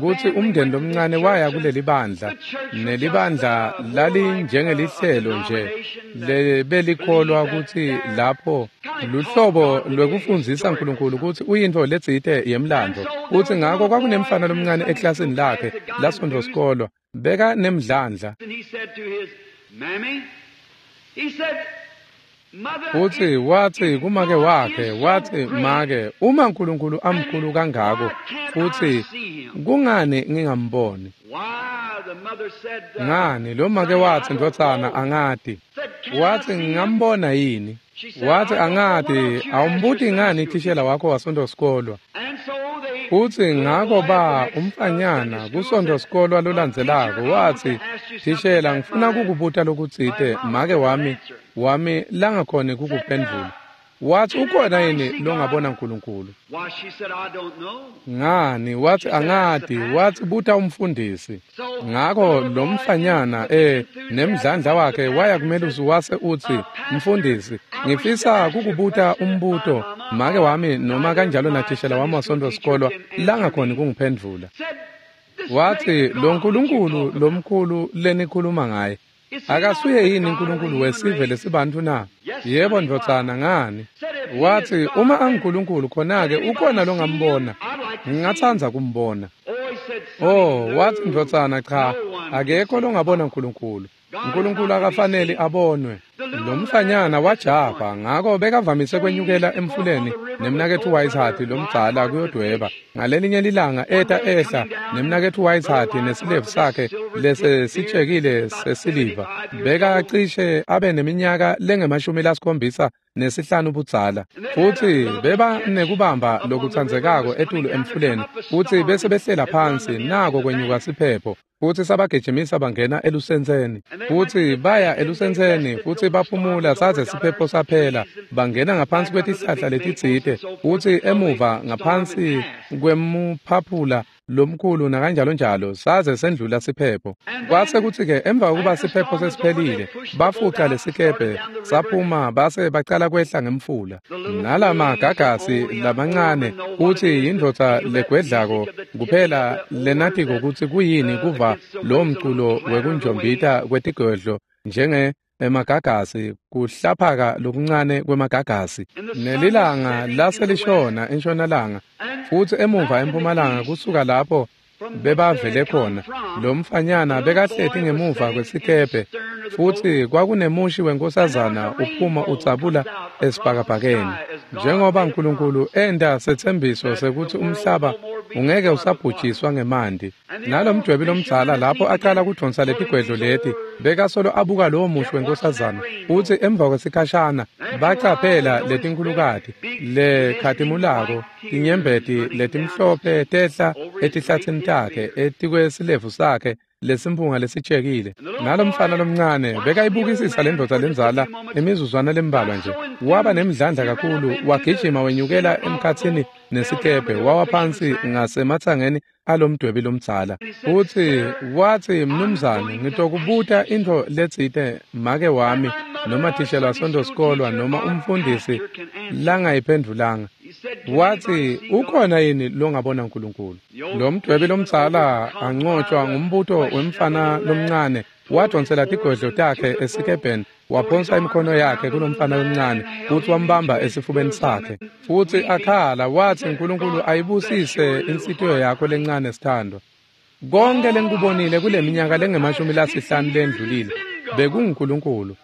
kutsi umndeni lomncane waya kuleli bandla, nelibandla lalinjengelihlelo nje lebelikholwa kutsi lapho luhlobo lwekufundzisa uNkulunkulu kutsi uyintfo letsite yemlandvo. Kutsi ngako kwakunemfana lomncane eklasini lakhe lasontfo sikolwa beka nemdlandla. And he said to his mammy, he said, Mother, Futsi if watsi kumake God wakhe, is so watsi great, make, uma uNkulunkulu amkhulu kangako, why can't I futsi see him? kungani ngingamboni? Why, the mother said, uh, Ngani lo make Sonny, I watsi don't ndvodzana know. angati. Said, can I Watsi see him? ngingambona yini? She said, Watsi I don't know. Why angati, don't you ask your awumbuti Sunday ngani school thishela teacher? wakho wasontfo sikolwa? And so they, Futsi the little ngako boy at the ba next uh, Sunday umfanyana school kusontfo said, sikolwa uh, teacher, lolandzelako I want to watsi, ask you something thishela that ngifuna my, kukubuta my lokutsite mama make could not wami answer. wami langakhoni Said, uh, kukuphendvula. Watsi can ukhona anybody yini see God? longabona uNkulunkulu? Why, she said, I don't know. Ngani watsi She said, ask the angati, watsi pastor. buta umfundisi. So the Ngako little lo boy, in, mfanyana with eh enthusiasm, nemdlandla went to wakhe the waya pastor and said, kumelusi wase utsi, uh, Pastor, mfundisi, I wish to ngifisa ask you a kukubuta question that my umbuto mama make or wami noma neither kanjalo my nathishela wami Sunday school wasontfo teacher sikolwa can answer langakhoni me. kungiphendvula. Said, this Watsi great lo God that you Nkulunkulu talk about, lomkhulu lenikhuluma ngaye is he not akasuye the yini God of the uNkulunkulu human wesive race? lesibantfu na? Yes, Yebo sonny, why? ndvodzana ngani? Said if he is Watsi uma God, then anguNkulunkulu can khona-ke anybody ukhona see him? longambona. I'd like to see him. Ngingatsandza kumbona. Oh, he said, sonny, Oh, watsi no, ndvodzana cha, no one can akekho see longabona God. uNkulunkulu. God is uNkulunkulu not to be akafanele seen. abonwe. The Lo little lad mfanyana was wajabha disappointed. ngako bekavamise So he kwenyukela used to go up on emfuleni the river with nemnaketfu old Whitehart brother lomdzala Whitehart to kuyodweba. fish. Ngalelinye lilanga One eta day ehla coming down, nemnaketfu brother Whitehart Whitehart nesilevu with his sakhe silver tipped lese beard, sitshekile about sesiliva. seventy-five years old. Bekacishe abe neminyaka lengemashumi lasikhombisa nesihlanu budzala. And they had a Futsi lovely beba catch nekubamba up on the river lokutsandzekako was coming etulu down. There come emfuleni up a futsi storm bese and behlela had run the phansi men in nako the kwenyuka bank. siphepho futsi sabagijimisa bangena elusentseni. And they went to Futsi the baya bank and they elusentseni rested futsi till the storm baphumula was over, saze got siphepho under some saphela trees and bangena ngaphansi back under the kwetihlahla big maples letitsite and so forth futsi until the emuva storm had ngaphansi passed. kwemuphaphula lomkhulu nakanjalonjalo saze sendlula siphepho. And Kwase then kutsi-ke emva kokuba after the siphepho storm was over, they sesiphelile pushed the boat bafuca out and started lesikebhe down the river. saphuma base bacala kwehla ngemfula. The little Nalama fleas gagasi only a lamancane foreman know what it kutsi is to yindvodza feel that music legwedlako of the tipping of kuphela the oars lenatiko that kutsi kuyini uh, kuva against the lo waves, a little mculo clatter of the waves. wekunjombita kwetigwedlo njenge emagagasi kuhlaphaka lokuncane kwemagagasi. And the sun was Nelilanga setting in the west, laselishona entshonalanga and futsi emuva back in the empumalanga east, kusuka lapho from which they bebavele had come khona from, lo the mfanyana little bekahleti boy was ngemuva sitting in the kwesikebhe stern of the boat, futsi kwakunemushi and there was wenkosazana a uphuma rainbow udzabula comes out across the esibhakabhakeni. sky as God Njengoba made a uNkulunkulu promise enta setsembiso that the sekutsi world will umhlaba no more be ungeke flooded with water. usabhujiswa ngemanti. And the Nalo old mdwebi fisherman lomdzala as he lapho aqala began kudvonsa pulling letigwedlo these leti oars, bekasolo abuka lowo mushi kept watching that wenkosazana rainbow. futsi emva kwesikhashana After a while, they bacaphela noticed great letinkhulukati big glistening lekhatimulako white tears tinyembeti running down his letimhlophe cheek tehla over his great etihlatsini thick takhe beard. etikwesilevu sakhe lesimphunga lesitshekile. And the little Nalomfana boy lomncane watched the old bekayibukisisa man lendvodza for just a lendzala few moments, imizuzwana lembalwa got nje. so Waba enthused nemdlandla he ran up kakhulu into the wagijima wenyukela center of the emkhatsini boat, fell down nesikebhe where the wawa old fisherman's phansi back, ngasematsangeni alomdwebi lomdzala. and he said, Futsi Sir, watsi I'm mnumzane going to ask ngitokubuta you intfo something letsite make that wami my mother noma or thishela Sunday school wasonto-sikolwa teacher noma or umfundisi pastor can answer. langayiphendvulanga. He said, Can Watsi anybody see God? ukhona yini longabona uNkulunkulu? The old Lo mdwebi fisherman, lomdzala overcome by ancotshwa the ngumbuto question of the wemfana little lad, lomncane pulled his wadvonsela oars tigwedlo into takhe the boat, esikebheni put his waphonsa arms imikhono around yakhe the little kulomfana lad lomncane and held futsi him into wambamba his esifubeni bosom sakhe and futsi weeping. akhala He watsi said, uNkulunkulu God bless ayibusise your little inhlitiyo heart, yakho honey. lencane sithandwa. Konke All I've lengikubonile kule seen minyaka for the lengemashumi past fifty lasihlanu years has lendlulile been God. bekunguNkulunkulu.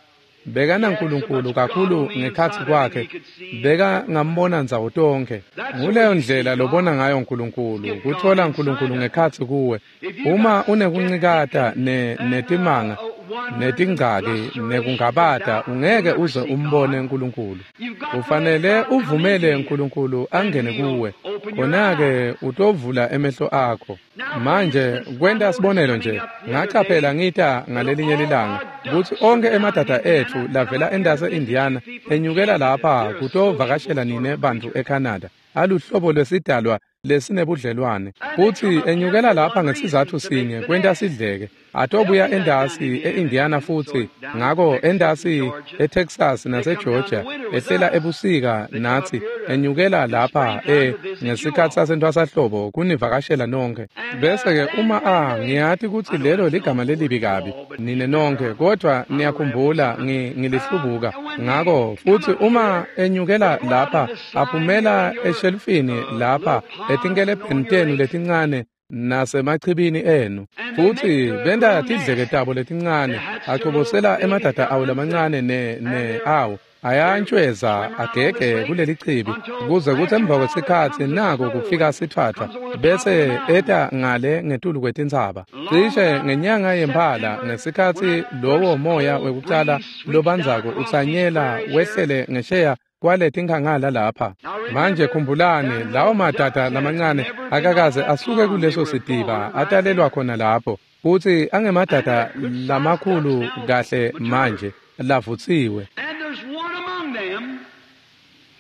He Bekana had so uNkulunkulu much God kakhulu on the ngekhatsi inside of him kwakhe he could see beka everywhere. ngambona ndzawo tonkhe. That's the way Nguleyo you see ndlela lobona God. ngayo uNkulunkulu, Get God kuthola inside uNkulunkulu of you. ngekhatsi kuwe. If you Uma got unekuncikata skeptics ne and uh, netimanga uh, wonders and netingcaki flusterations and nekungabata doubt, you'll ungeke never uze see umbone God. uNkulunkulu. You've got to let Ufanele God come into uvumele you. uNkulunkulu Then angene He'll kuwe. open your Khona-ke eyes. utovula emehlo akho. Now, for Manje instance, I kwenta noticed sibonelo coming nje up the other ngacaphela day ngita that ngalelinye all lilanga our kutsi ducks onkhe from down in emadada etfu Indiana come lavela up here to endase visit you Indiana people in enyukela Canada. lapha They're a sociable kutovakashela sort nine of bantfu creature. eCanada. Aluhlobo lwesidalwa lesinebudlelwane. Futsi enyukela lapha ngesizatfu sinye kwenta sidleke. Atobuya endasi e-Indiana futsi, ngako endasi eTexas naseGeorgia, ehlela ebusika natsi, enyukela lapha e ngesikhatsi sasentwasahlobo kunivakashela nonkhe. Bese-ke uma a ngiyati kutsi lelo ligama lelibi kabi, nine nonkhe, kodvwa niyakhumbula ngilihlubuka. Ngako futsi uma enyukela lapha, aphumela eshelufini lapha, etinkelebheni tenu letincane, nasemachibini enu. Futsi benta tidleke tabo letincane, achobosela emadada awo lamancane ne ne awo, ayantshweza agege kuleli chibi, kuze kutsi emva kwesikhatsi nako kufika sitfwatfwa, bese eta ngale ngetulu kwetintsaba. Cishe ngenyanga yemphala, ngesikhatsi lowo moya wekucala lobandzako utsanyela wehlele ngesheya kwaletinkhangala lapha. Manje khumbulani, lawo madada lamancane akakaze asuke kuleso sitiba, atalelwa khona lapho, futsi angemadada lamakhulu kahle manje lavutsiwe. And there's one among them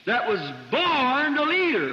that was born a leader.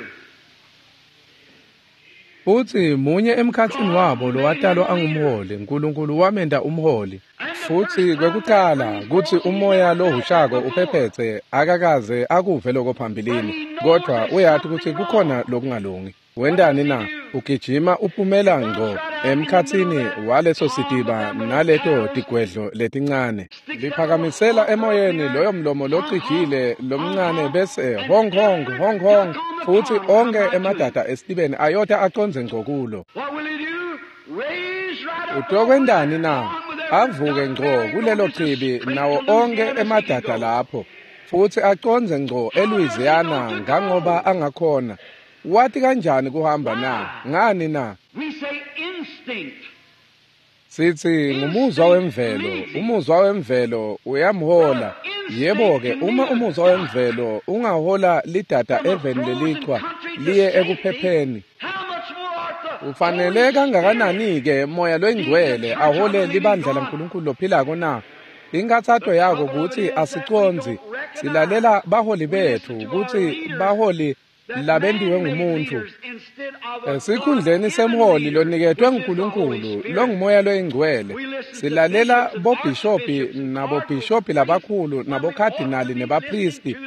Futsi munye emkhatsini wabo lowatalwa angumholi, Nkulunkulu wamenta umholi. Futsi kwekucala kutsi umoya lohushako uphephetse akakaze akuve lokho phambilini, kodvwa uyati kutsi kukhona lokungalungi. Wentani na? Ugijima uphumela ngco emkhatsini waleso sitiba naleto tigwedlo letincane. Liphakamisela emoyeni loyo mlomo locijile lomncane bese honk honk honk honk, futsi onkhe emadada esitibeni ayota acondze ngco kulo. What will he do? Raise right up Utokwentani na? Avuke ngco kulelo chibi nawo onkhe emadada lapho, futsi acondze ngco eLouisiana ngangoba angakhona. Wati kanjani kuhamba na? Ngani na? We say instinct. Sithi ngumuzwa wemvelo, umuzwa wemvelo uyamhola. Yebo-ke, uma umuzwa wemvelo ungahola lidada eveni lelichwa liye ekuphepheni, How much more art the ufanele kangakanani-ke moya loyingcwele ahole libandla laNkulunkulu lophilako na? Inkathato yako kutsi asicondzi, silalela baholi betfu kutsi baholi labentiwe ngumuntfu. Esikhundleni semholi loniketwe nguNkulunkulu longumoya loyingcwele, silalela bobhishopi nabobhishopi labakhulu nabokhadinali nebaphristi,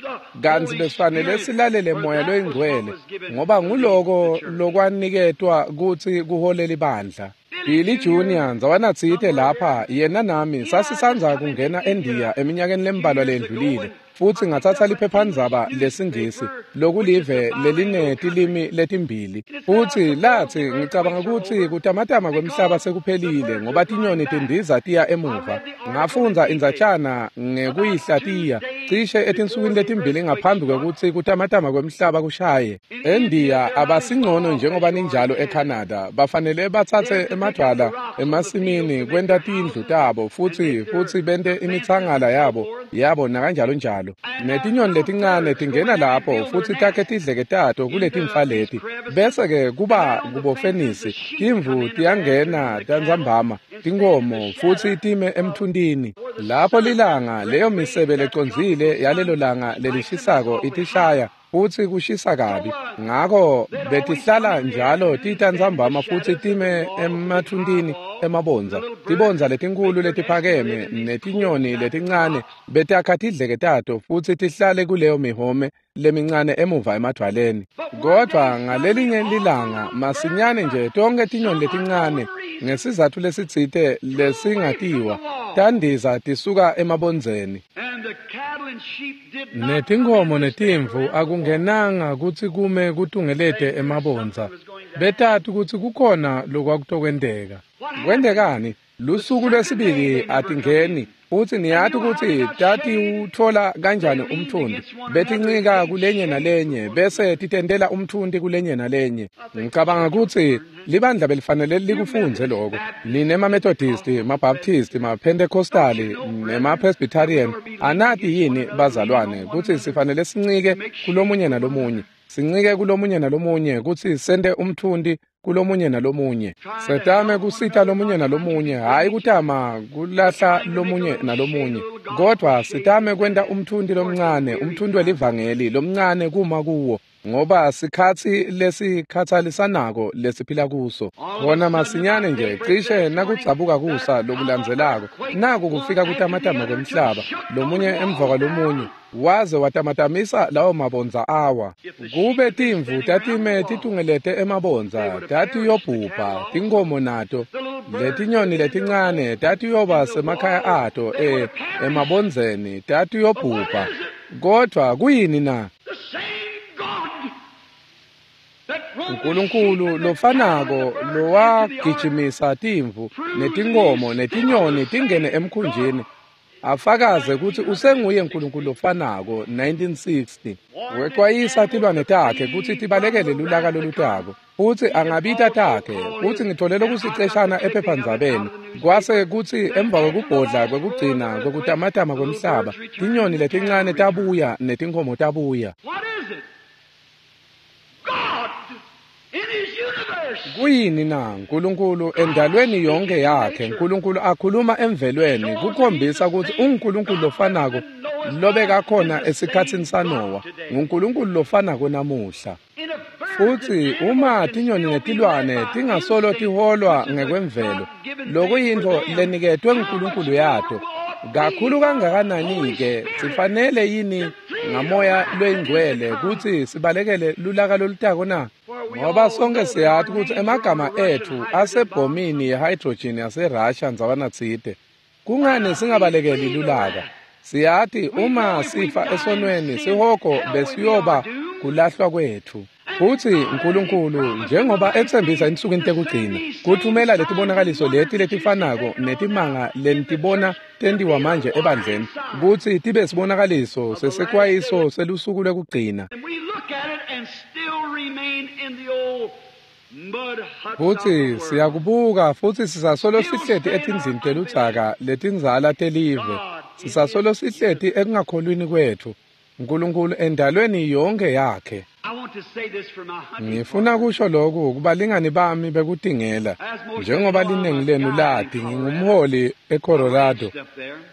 kantsi besifanele silalele moya loyingcwele, ngoba nguloko lokwaniketwa kutsi kuhole libandla. Billy Junior ndzawanatsite lapha, yena nami sasisandza kungena eNdiya eminyakeni lembalwa lendlulile, futsi ngatsatsa liphephandzaba lesingisi lokulive lelinetilimi letimbili, futsi latsi ngicabanga kutsi kutamatama kwemhlaba sekuphelile ngoba tinyoni tindiza tiya emuva. Ngafundza indzatshana ngekuyihlatiya cishe etinsukwini letimbili ngaphambi kwekutsi kutamatama kwemhlaba kushaye. ENdiya abasingcono njengoba ninjalo eCanada, bafanele batsatse emadvwala emasimini kwenta tindlu tabo futsi futsi bente imitsangala yabo yabo nakanjalo njalo. Netinyoni letincane tingena lapho futsi takhe tidleke tato kuletimfa leti, bese-ke kuba kubofenisi, timvu tiyangena tantsambama, tinkhomo futsi time emthuntini. Lapho lilanga, leyo misebe lecondzile yalelo langa lelishisako itishaya, futsi kushisa kabi. Ngako betihlala njalo titantsambama futsi time emathuntini emabondza. Tibondza letinkulu letiphakeme netinyoni letincane betakha tidleke tato futsi tihlale kuleyo mihome lemincane emuva emadvwaleni. Kodvwa ngalelinye lilanga masinyane nje tonkhe tinyoni letincane ngesizatfu lesitsite lesingatiwa tandiza tisuka emabondzeni. And the cattle and sheep did not Netinkhomo netimvu akungenanga kutsi kume kutungelete emabondza. Betati kutsi kukhona lokwakutokwenteka. Kwentekani? Lusuku lwesibili atingeni, futsi niyati kutsi tatiwutfola kanjani umtfundi. Betincika kulenye nalenye, bese titentela umtfundi kulenye nalenye. Ngicabanga kutsi libandla belifanele likufundze loko. Nine maMethodisti, maBaptisti, maPentecostali nemaPresbyterian, anati yini bazalwane kutsi sifanele sincike kulomunye nalomunye. Sincike kulomunye nalomunye kutsi sente umtfundi kulomunye nalomunye. Setame kusita lomunye nalomunye, hhayi kutama kulahla lomunye nalomunye, kodvwa sitame kwenta umtfundi lomncane, umtfundi welivangeli lomncane kuma kuwo. ngoba sikhatsi lesikhatsalisanako lesiphila kuso. Khona masinyane nje cishe nakudzabuka kusa lokulandzelako, naku kufika kutamatama kwemhlaba, lomunye emva kwalomunye, waze watamatamisa lawo mabondza awa. Kube timvu tatime titungelete emabondza, tatiyobhubha, tinkhomo nato, letinyoni letincane tatiyoba semakhaya ato e emabondzeni, tatiyobhubha. Kodvwa kuyini na? uNkulunkulu lofanako lowagijimisa timvu netinkhomo netinyoni tingene emkhunjini, afakaze kutsi usenguye uNkulunkulu lofanako. nineteen sixty Wexwayisa tilwane takhe kutsi tibalekele lulaka lolutako, futsi angabita takhe. Futsi ngithole lokusiceshana ephephandzabeni, kwase kutsi emva kwekubhodla kwekugcina kwekutamatama kwemhlaba, tinyoni letincane tabuya netinkhomo tabuya. Kuyini na? uNkulunkulu endalweni yonke yakhe, uNkulunkulu akhuluma emvelweni kukhombisa kutsi unguNkulunkulu lofanako lobekakhona esikhatsini saNowa, nguNkulunkulu lofanako namuhla. Futsi uma tinyoni netilwane tingasolo tiholwa ngekwemvelo, lokuyintfo leniketwe nguNkulunkulu yato, kakhulu kangakanani-ke sifanele yini ngamoya loyingcwele kutsi sibalekele lulaka lolutako na? Ngoba sonke siyati kutsi emagama etfu asebhomini ye-hydrogen yaseRussia ndzawanatsite. Kungani singabalekeli lulaka? Siyati uma sifa esonweni, sihogo besiyoba kulahlwa kwetfu. Futsi uNkulunkulu njengoba etsembisa ensukwini tekugcina kuthumela letibonakaliso leti letifanako netimanga lenitibona tentiwa manje ebandleni, kutsi tibe sibonakaliso sesekwayiso selusuku lwekugcina. Futsi siyakubuka futsi sisasolo sihleti etindlini teludzaka letindzala telive, sisasolo sihleti ekungakholwini kwetfu uNkulunkulu endalweni yonke yakhe. Ngifuna kusho lokhu kubalingani bami bekutingela. Njengoba linengi lenu lati, ngingumholi eColorado.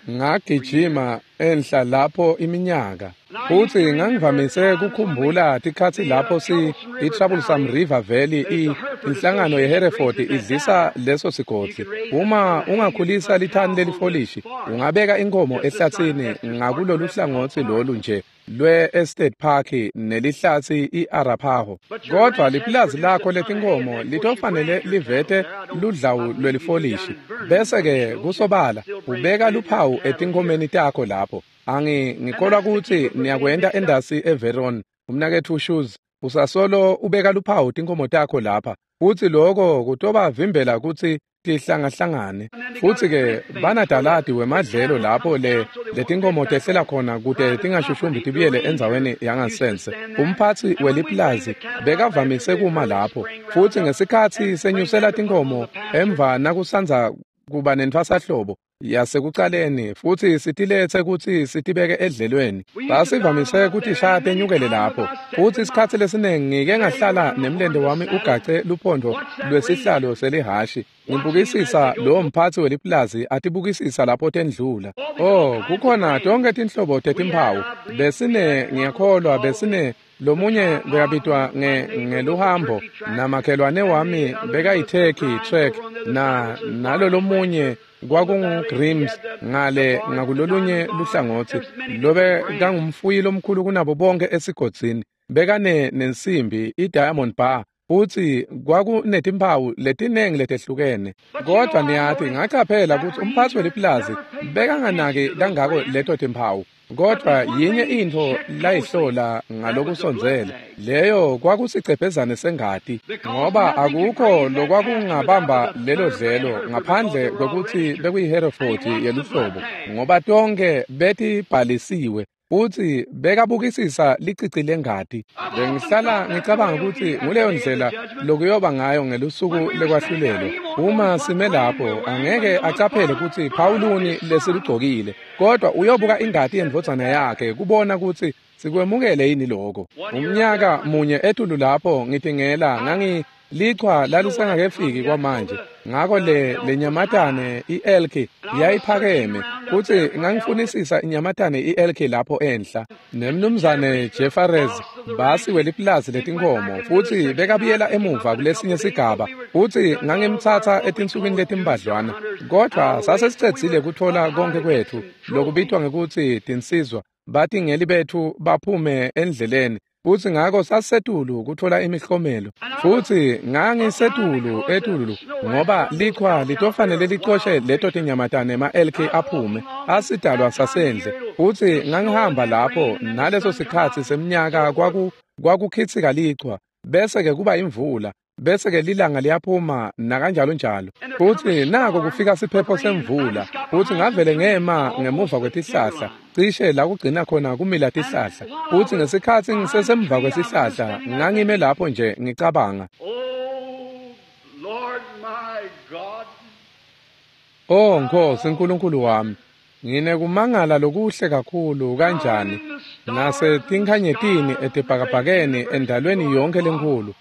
Ngagijima enhla lapho iminyaka. Futsi ngangivamise kukhumbula tikhatsi lapho si i-Troublesome River Valley i inhlangano yeHereford idlisa leso sigodzi. Uma ungakhulisa lithani lelifolishi, ungabeka inkomo ehlatsini ngakulolu hlangotsi lolu nje lwe-Estate Park nelihlatsi i-Arapaho. Kodvwa lipulazi lakho letinkomo litofanele livete ludlawu lwelifolishi, bese-ke kusobala ubeka luphawu etinkomeni takho lapho. Angi ngikholwa kutsi niyakwenta endasi eVeron, umnaketfu Shoes, usasolo ubeka luphawu tinkomo takho lapha, futsi loko kutobavimbela kutsi tihlangahlangane. Futsi-ke banadaladi wemadlelo lapho le letinkomo tehlela khona kute tingashushumbi tibuyele endzaweni yangasense. Umphatsi weliplazi bekavamise kuma lapho, futsi ngesikhatsi senyusela tinkomo emva nakusandza kuba nentfwasahlobo yasekucaleni, futsi sitiletse kutsi sitibeke edlelweni. Sasivamise kutishaya tenyukele lapho, futsi isikhatsi lesiningi ngike ngahlala nemlente wami ugace luphondvo lwesihlalo selihhashi, ngibukisisa lowo mphatsi weliplazi atibukisisa lapho tendlula. Oh, kukhona tonke tinhlobo tetimphawu. Besine, ngiyakholwa, besine lomunye bekabitwa nge ngeluhambo, namakhelwane wami bekayitheki trek, na nalo lomunye kwakungu Grims ngale ngakulolunye luhlangotsi, lobe kangumfuyi lomkhulu kunabo bonke esigodzini, bekane nensimbi i-diamond bar, futsi kwakunetimphawu letinengi letehlukene. Kodvwa niyati, ngacaphela kutsi umphatsi weliplazi bekanganaki kangako leto timphawu, kodvwa yinye intfo layihlola ngalokusondzele, leyo kwakusicebhezane sengati, ngoba akukho lokwakungabamba lelo dlelo ngaphandle kwekutsi bekuyiHereford yeluhlobo, ngoba tonke betibhalisiwe. Futsi bekabukisisa licici lengati. Bengihlala ngicabanga kutsi nguleyo ndlela lokuyoba ngayo ngelusuku lekwahlulelwa. Uma sime lapho, angeke acaphele kutsi phawuluni lesilugcokile, kodwa uyobuka ingati yendvodzana yakhe kubona kutsi sikwemukele yini lokho. Umnyaka munye etulu lapho ngitingela ngangi Lichwa lalisengakefiki kwamanje, ngako le lenyamatane i-elki yayiphakeme, futsi ngangifunisisa inyamatane i-elki lapho enhla. Nemnumzane Jefferies basi welipulazi letinkhomo, futsi bekabuyela emuva kulesinye sigaba, futsi ngangimtsatsa etinsukwini letimbadlwana, kodvwa sasesicedzile kutfola konkhe kwetfu lokubitwa ngekutsi tinsizwa, batingeli betfu baphume endleleni, futsi ngako sasisetulu kutfola imihlomelo, futsi ngangisetulu etulu ngoba lichwa litofanele licoshe leto tinyamatane ema-elki aphume asidalwa sasendle, futsi ngangihamba lapho naleso sikhatsi semnyaka kwaku kwakukhitsika lichwa, bese-ke kuba imvula, bese-ke lilanga liyaphuma nakanjalo njalo, futsi nako kufika siphepho semvula, futsi ngavele ngema ngemuva kwetihlahla, cishe la kugcina khona kumila tihlahla, futsi ngesikhatsi ngisesemva kwesihlahla ngangime lapho nje ngicabanga, "Oh Nkosi Nkulunkulu wami, nginekumangala lokuhle kakhulu kanjani nasetinkhanyetini etibhakabhakeni endalweni yonke lenkulu.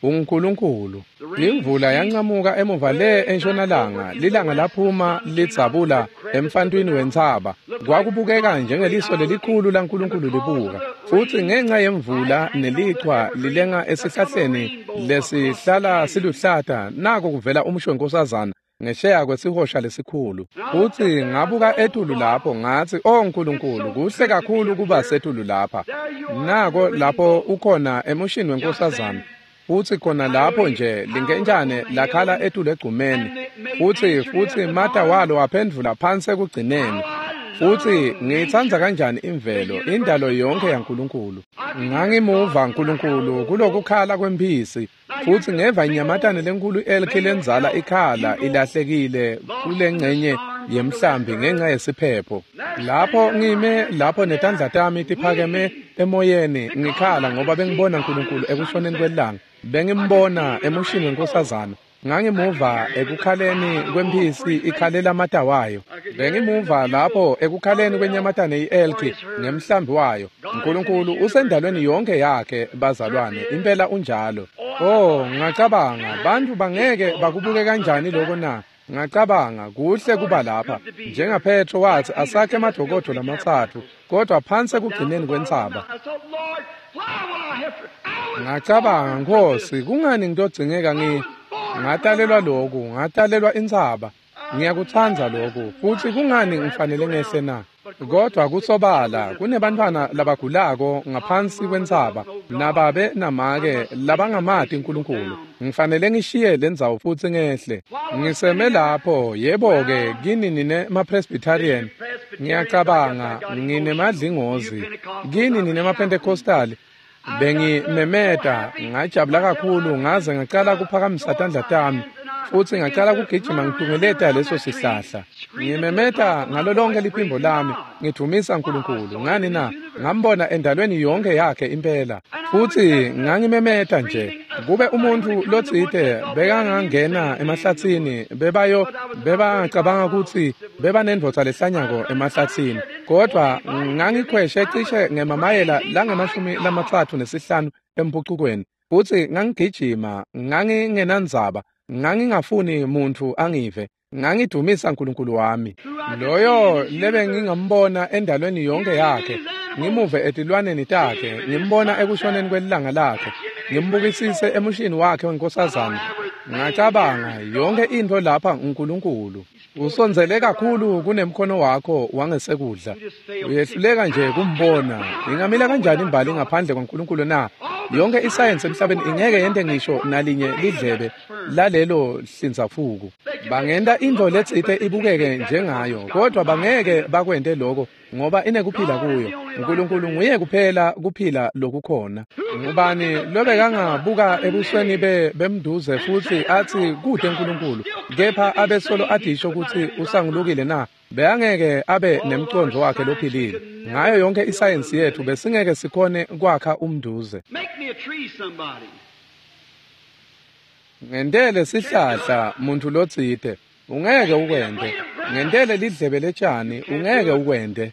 UNkulunkulu." Imvula yancamuka emuva le entshonalanga, lilanga laphuma lidzabula emfantwini wentsaba. Kwakubukeka njengeliso lelikhulu laNkulunkulu libuka, futsi ngenxa yemvula nelichwa lilenga esihlahleni lesihlala siluhlata, nako kuvela umusho wenkosazana ngesheya kwesihosha lesikhulu. Futsi ngabuka etulu lapho ngatsi, "Oh Nkulunkulu, kuhle kakhulu kuba setulu lapha. Nako lapho ukhona emushini wenkosazana." Futsi khona lapho nje linkentshane lakhala etulu egcumeni, futsi futsi mata walo waphendvula phansi ekugcineni. Futsi ngiyitsandza kanjani imvelo, indalo yonke yaNkulunkulu. Ngangimuva Nkulunkulu kulokukhala kwemphisi, futsi ngeva inyamatane lenkulu elki lenzala ikhala ilahlekile kulengcenye yemhlambi ngenxa yesiphepho. Lapho ngime lapho netandla tami tiphakeme emoyeni ngikhala ngoba bengibona Nkulunkulu ekushoneni kwelanga, bengimbona emushini wenkosazana. Ngangimuva ekukhaleni kwemphisi ikhalela amata wayo, bengimuva lapho ekukhaleni kwenyamatane i-elki ngemhlambi wayo. Nkulunkulu usendalweni yonke yakhe, bazalwane, impela unjalo. Oh, ngacabanga, bantu bangeke bakubuke kanjani lokho na? Ngacabanga, kuhle kuba lapha. NjengaPetro wathi asakhe emadokodo lamatsatfu, kodwa phansi ekugcineni kwentsaba. Ngacabanga, Nkosi, kungani ngitodzingeka ngi ngatalelwa loku, ngatalelwa intsaba. Ngiyakutsandza loku, futsi kungani ngifanele ngehle na? Kodwa kusobala kunebantfwana labagulako ngaphansi kwentsaba, nababe namake labangamati Nkulunkulu. Ngifanele ngishiye lendzawo futsi ngehle. Ngiseme lapho, yebo-ke, kini nine ma-Presbyterian, ngiyacabanga nginemadlingozi, kini nine ma-Pentecostal. Bengimemeta, ngajabula kakhulu ngaze ngacala kuphakamisa tandla tami, futsi ngacala kugijima ngitungeleta leso sihlahla. Ngimemeta ngalo lonke liphimbo lami, ngidvumisa Nkulunkulu. Ngani na? Ngambona endalweni yonke yakhe impela. Futsi ngangimemeta nje. Kube umuntfu lotsite bekangangena emahlatsini, bebayo bebangacabanga kutsi bebanendvodza lehlanyako emahlatsini. Kodwa ngangikhweshe cishe ngemamayela langemashumi lamatsatfu nesihlanu empucukweni, futsi ngangigijima, ngangingenandzaba, ngangingafuni muntfu angive, ngangidvumisa Nkulunkulu wami. Loyo lebengingambona endalweni yonke yakhe, ngimuve etilwaneni takhe, ngimbona ekushoneni kwelilanga lakhe, ngimbukisise emushini wakhe wenkosazana. Ngacabanga, yonke intfo lapha uNkulunkulu. Usondzele kakhulu kunemkhono wakho wangesekudla. Uyehluleka nje kumbona. Ingamila kanjani imbali ngaphandle kwaNkulunkulu na? Yonke isayensi emhlabeni ingeke yente ngisho nalinye lidlebe lalelo hlinzafuku. Bangenta intfo letsite ibukeke njengayo, kodwa bangeke bakwente lokho ngoba inekuphila kuyo. Nkulunkulu nguye kuphela kuphila lokukhona. Ngubani lobekangabuka ebusweni be bemduze futsi atsi kude Nkulunkulu, kepha abe solo adisho kutsi usangulukile na? Beyangeke abe nemcondvo wakhe lophilile. Ngayo yonke isayensi yetfu besingeke sikhone kwakha umduze. Ngentele sihlahla muntfu lotsite, ungeke ukwente. Ngentele lidlebe letjani, ungeke ukwente.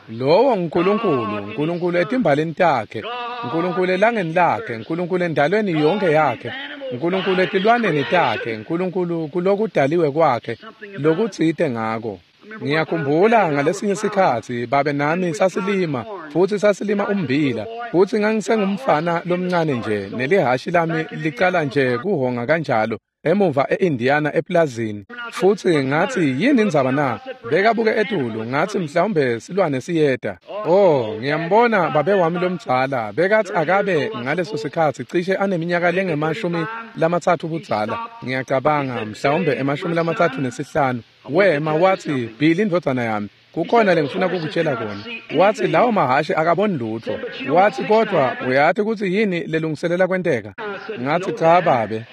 Lowo nguNkulunkulu, uNkulunkulu etimbalini takhe, uNkulunkulu elangeni lakhe, uNkulunkulu endalweni yonke yakhe, uNkulunkulu etilwaneni takhe, uNkulunkulu kulokudaliwe kwakhe, lokutsite ngako. Ngiyakhumbula ngalesinye sikhatsi babe nami sasilima futsi sasilima ummbila futsi ngangisengumfana lomncane nje nelihhashi lami licala nje kuhonga kanjalo emuva e-Indiana eplazini futsi ngatsi yini indzaba na bekabuke etulu ngatsi mhlawumbe silwane siyeta. Oh, ngiyambona babe wami lomdzala bekatsi akabe ngaleso sikhatsi cishe aneminyaka lengemashumi lamatsatfu budzala, ngiyacabanga mhlawumbe emashumi lamatsatfu nesihlanu. Wema watsi, Billy indvodzana yami, kukhona lengifuna kukutshela kona. Watsi lawo mahhashi akaboni lutfo. Watsi kodwa uyati kutsi yini lelungiselela kwenteka? Ngatsi cha babe.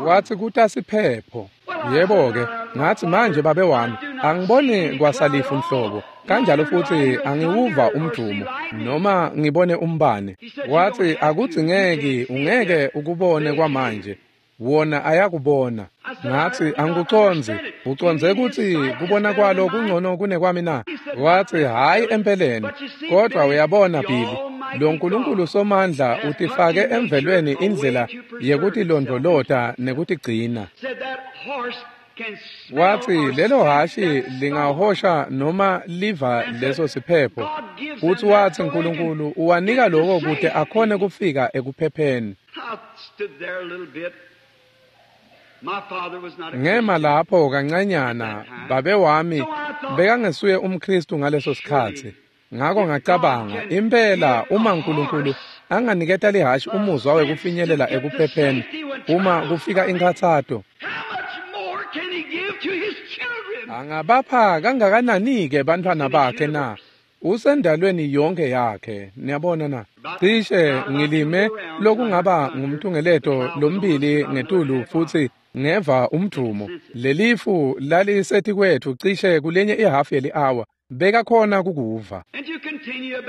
Watsi kutasiphepho. Yebo-ke, ngatsi manje babe wami, angiboni kwasalifu mhlobo. Kanjalo futsi angiwuva umdumo noma ngibone umbane. Watsi akudzingeki, ungeke ukubone kwamanje. Wona ayakubona. Ngatsi angikucondzi, ucondze kutsi kubona kwalo kungcono kunekwami na? Watsi hhayi empeleni, kodwa uyabona Billy, lo Nkulunkulu somandla utifake emvelweni indlela yekutilondvolota nekutigcina. Watsi lelo hhashi lingahosha noma liva leso siphepho. Futsi watsi Nkulunkulu uwanika loko kute akhone kufika ekuphepheni. Ngema lapho kancanyana, babe wami bekangesuye umKhristu ngaleso sikhatsi. Ngako ngacabanga, impela uma Nkulunkulu anganiketa lihhashi umuzwa wekufinyelela ekuphepheni uma kufika inkhatsato, angabapha kangakanani-ke bantfwana bakhe na? Usendalweni yonke yakhe, niyabona na? Cishe ngilime lokungaba ngumtungeleto lombili ngetulu futsi ngeva umdumo. Lelifu lalisetikwetfu cishe kulenye ihhafu yeli-awa, bekakhona kukuva.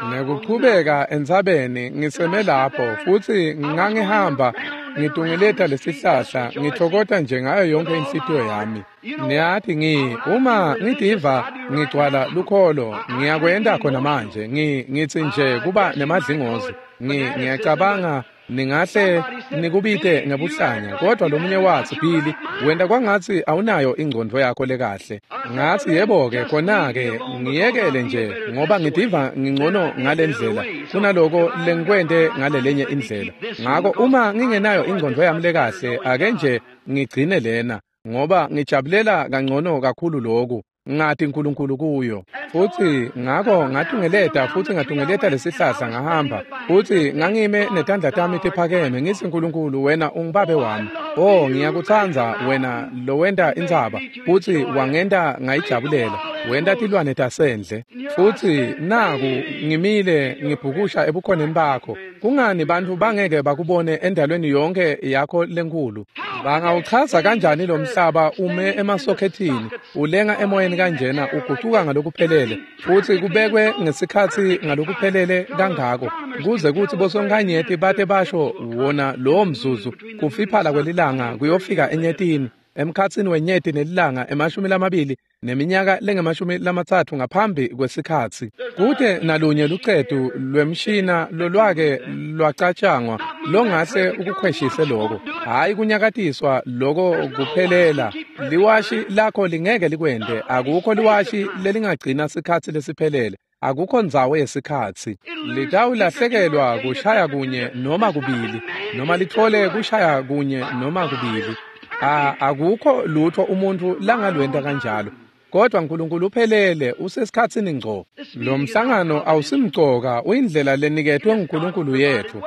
Ngekuchubeka entsabeni ngiseme lapho futsi ngangihamba ngitungeleta lesihlahla ngithokota nje ngayo yonke inhlitiyo yami. Niyati ngi uma ngitiva ngigcwala lukholo ngiyakwenta khona manje ngi ngitsi nje kuba nemadlingozi ngi ngiyacabanga ningahle nikubite ngebuhlanya, kodwa lomunye watsi Billy wenta kwangatsi awunayo ingcondvo yakho lekahle. Ngatsi yebo-ke khona-ke ngiyekele nje ngoba ngitiva ngingcono ngalendlela kunaloko lengikwente ngalelenye indlela. Ngako uma ngingenayo ingcondvo yami lekahle ake nje ngigcine lena ngoba ngijabulela kangcono kakhulu loku ngati Nkulunkulu kuyo. Futsi ngako ngatungeleta futsi ngatungeleta lesihlahla ngahamba futsi ngangime netandla tami tiphakeme ngitsi Nkulunkulu wena ungubabe wami. Oh, ngiyakutsandza wena lowenta intsaba futsi wangenta ngayijabulela, wenta tilwane tasendle. Futsi naku ngimile ngibhukusha ebukhoneni bakho. Kungani bantfu bangeke bakubone endalweni yonke yakho lenkulu? Bangawuchaza kanjani lo mhlaba ume emasokhethini ulenga emoyeni kanjena ugucuka ngalokuphelele futsi kubekwe ngesikhatsi ngalokuphelele kangako kuze kutsi bosonkhanyeti bate basho wona lowo mzuzu kufiphala kwelilanga kuyofika enyetini emkhatsini wenyeti nelilanga emashumi lamabili neminyaka lengemashumi lamatsatfu ngaphambi kwesikhatsi. Kute nalunye lucetu lwemshina lolwake lwacatshangwa longahle ukukhweshise loko, hhayi kunyakatiswa loko kuphelela. Liwashi lakho lingeke likwente, akukho liwashi lelingagcina sikhatsi lesiphelele, akukho ndzawo yesikhatsi. Litawulahlekelwa kushaya kunye noma kubili, noma litfole kushaya kunye noma kubili. A akukho lutho umuntu langalwenta kanjalo. Kodwa Nkulunkulu uphelele usesikhatsini ngco. Lo mhlangano awusimcoka, uyindlela leniketwe nguNkulunkulu yethu.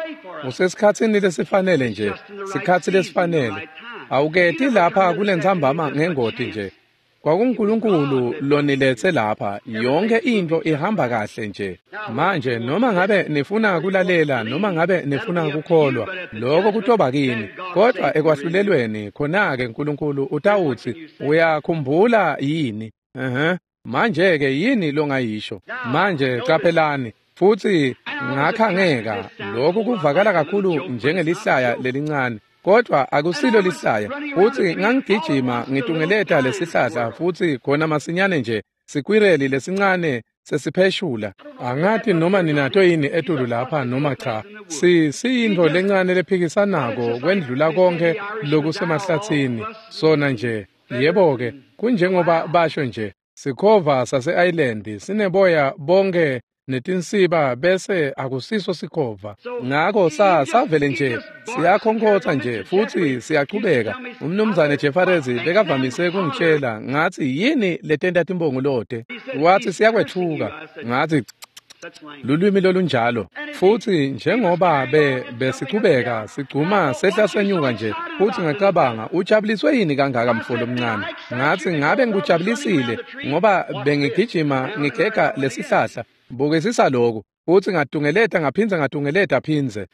Usesikhatsini lesifanele nje, sikhatsi lesifanele. Awuketi lapha kulentsambama ngengoti nje. KwakunguNkulunkulu loniletse lapha, yonke into ihamba kahle nje. Manje noma ngabe nifuna kulalela noma ngabe nifuna kukholwa, lokho kutoba kini. Kodwa ekwahlulelweni khona-ke Nkulunkulu utawutsi uyakhumbula yini? Uh-huh. Manje-ke yini longayisho? Manje caphelani. Futsi ngakhangeka, lokhu kuvakala kakhulu njengelihlaya lelincane. Kodwa akusilo lihlaya. Futsi ngangigijima ngitungeleta lesihlahla futsi khona masinyane nje Sikwireli lesincane sesipheshula. Angati noma ninato yini etulu lapha noma cha. Si siyintfo lencane lephikisanako kwendlula konke lokusemahlatsini. Sona nje, yebo-ke, kunjengoba basho nje, sikhova sase-Ireland sineboya bonke netinsiba bese akusiso sikhova. Ngako sa savele nje siyakhonkhotsa nje futhi siyachubeka. Umnumzane Jeffries bekavamise kungitshela ngathi yini letenta timbongolote. Wathi siyakwethuka. Ngathi lulwimi lolunjalo. Futhi njengoba be besichubeka sigcuma sehla senyuka nje, futhi ngacabanga ujabuliswe yini kangaka mfolo omncane. Ngathi ngabe ngikujabulisile ngoba bengigijima ngigega lesihlahla. Bukisisa lokhu. Futhi ngatungeleta ngaphindze ngatungeleta phindze.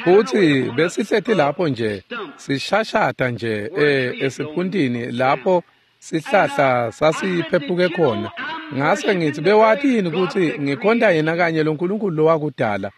Futhi besihleti lapho nje sishashada nje eh esiphuntini lapho sihlahla sasiphephuke khona. Ngase ngithi bewathi yini ukuthi ngikhonta yena kanye loNkulunkulu lowakudala.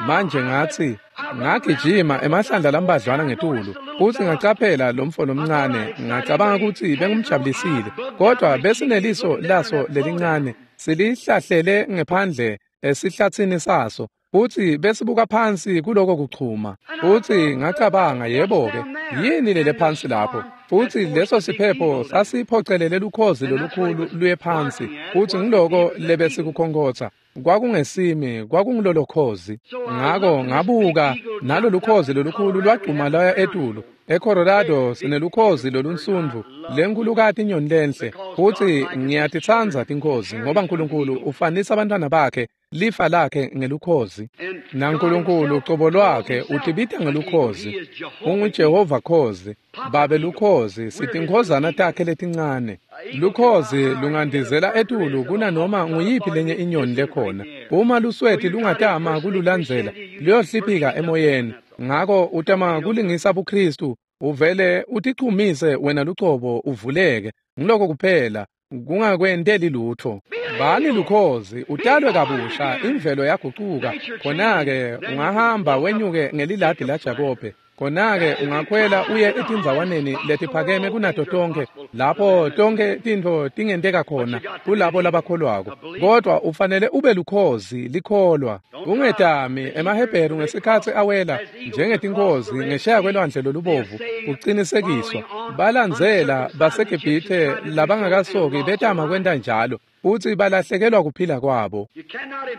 Manje ngathi ngagijima emahlandla lambadlwana ngetulu futhi ngacaphela lo mfo lomncane. Ngacabanga ukuthi bengumjabulisile, kodwa besineliso laso lelincane silihlahlele ngephandle esihlathini saso futhi besibuka phansi kuloko kuchuma. Futhi ngacabanga yebo-ke, yini lele phansi lapho? Futhi leso siphepho sasiphocelele lukhozi lolukhulu luye phansi, futhi ngiloko lebesikukhonkhotha. Kwakungesimi, kwakungilolo khozi. Ngako ngabuka nalolu khozi lolukhulu lwagcuma lwaya etulu. EColorado sinelukhozi lolunsundvu lenkulukati inyoni lenhle, futhi ngiyatitsandza tinkhozi ngoba uNkulunkulu ufanisa abantwana bakhe lifa lakhe ngelukhozi. NaNkulunkulu ucobo lwakhe utibita ngelukhozi. UnguJehova khozi, babe lukhozi, sitinkhozana takhe letincane. Lukhozi lungandizela etulu kunanoma nguyiphi lenye inyoni lekhona. Uma lusweti lungatama kululandzela, luyohliphika emoyeni. Ngako utama kulingisa buKristu, uvele utichumise wena lucobo uvuleke. Ngiloko kuphela, kungakwenteli lutho. Bani lukhozi, utalwe kabusha, imvelo yagucuka. Khona-ke ungahamba wenyuke ngeliladi laJakobe. Khona-ke ungakhwela uye etindzawaneni letiphakeme kunato tonke, lapho tonke tintfo tingenteka khona kulabo labakholwako. Kodwa ufanele ube lukhozi likholwa. Ungetami emaHebheru ngesikhatsi awela njengetinkhozi ngesheya kwelwandle lolubovu kucinisekiswa. Balandzela baseGibhithe labangakasoki betama kwenta njalo, futhi balahlekelwa kuphila kwabo.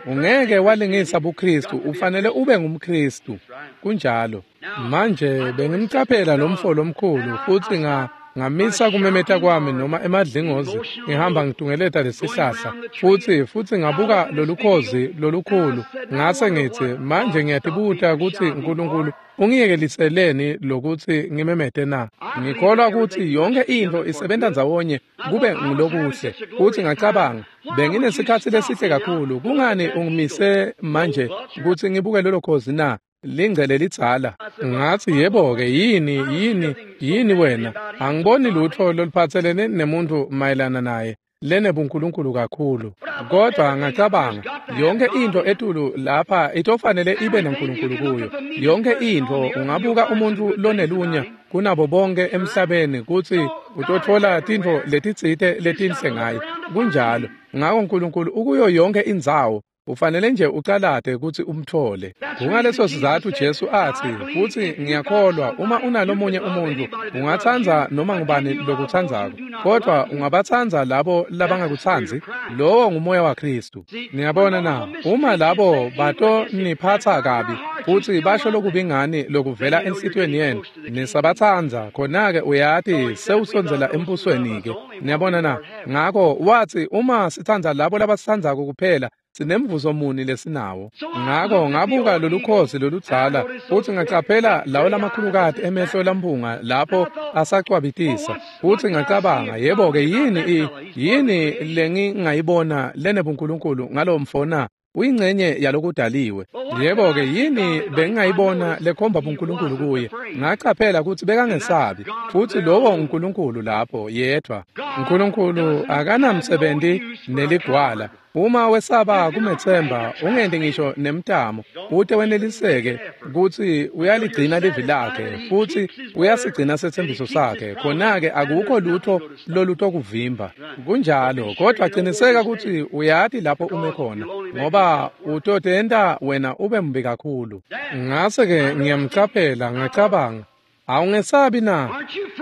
Ungeke walingisa buKristu, ufanele ube ngumKristu. Kunjalo. Manje bengimcaphela lo mfo lomkhulu futhi nga ngamisa kumemeta kwami noma emadlingozi ngihamba ngitungeleta lesihlahla futhi futhi ngabuka lolukhozi lolukhulu. Ngase ngithi manje ngiyatibuta ukuthi uNkulunkulu ungiyekeliseleni lokuthi ngimemete na. Ngikholwa ukuthi yonke into isebenza ndzawonye kube ngulokuhle. Futhi ngacabanga benginesikhatsi lesihle kakhulu, kungani ungimise manje ukuthi ngibuke lolo khozi na? Lingcele lidzala. Ngathi yebo-ke, yini yini yini wena? Angiboni lutho loluphatselene nemuntu mayelana naye lenebunkulunkulu kakhulu. Kodwa ngacabanga yonke into etulu lapha itofanele ibe noNkulunkulu kuyo. Yonke into ungabuka umuntu lonelunya kunabo bonke emhlabeni kuthi utothola tintfo letitsite letinhle ngaye. Kunjalo. Ngako uNkulunkulu ukuyo yonke indzawo. Ufanele nje ucalate ukuthi umthole. Kungaleso sizathu Jesu athi, futhi ngiyakholwa uma unalomunye umuntu ungatsandza noma ngubani lokutsandzako, kodwa ungabatsandza labo labangakutsandzi. Lowo ngumoya waKristu. Niyabona na, uma labo batoniphatsa kabi futhi basho lokubi ngani lokuvela enhlitiyweni yenu, nisabatsandza, khona-ke uyati sewusondzela embusweni-ke. Niyabona na? Ngako wathi uma sitsandza labo labasitsandzako kuphela, sinemvuzo muni lesinawo. Ngako ngabuka lolukhozi loludzala futhi ngacaphela lawo lamakhulukati emehlo lamphunga lapho asacwabitisa. Futhi ngacabanga yebo-ke, yini i yini lengingayibona lenebunkulunkulu ngalo mfo na? Uyingcenye yalokudaliwe. Yebo-ke, yini bengingayibona lekhomba buNkulunkulu kuye? Ngacaphela ukuthi bekangesabi, futhi lowo uNkulunkulu lapho yedwa. uNkulunkulu akanamsebenzi neligwala. Uma wesaba kumethemba ungenti ngisho nemtamo ute weneliseke kutsi uyaligcina livi lakhe futhi uyasigcina setsembiso sakhe, khona-ke akukho lutho lolutokuvimba. Kunjalo, kodwa qiniseka kutsi uyati lapho ume khona, ngoba utotenta wena ube mbi kakhulu. Ngase-ke ngiyamcaphela, ngacabanga, awungesabi na?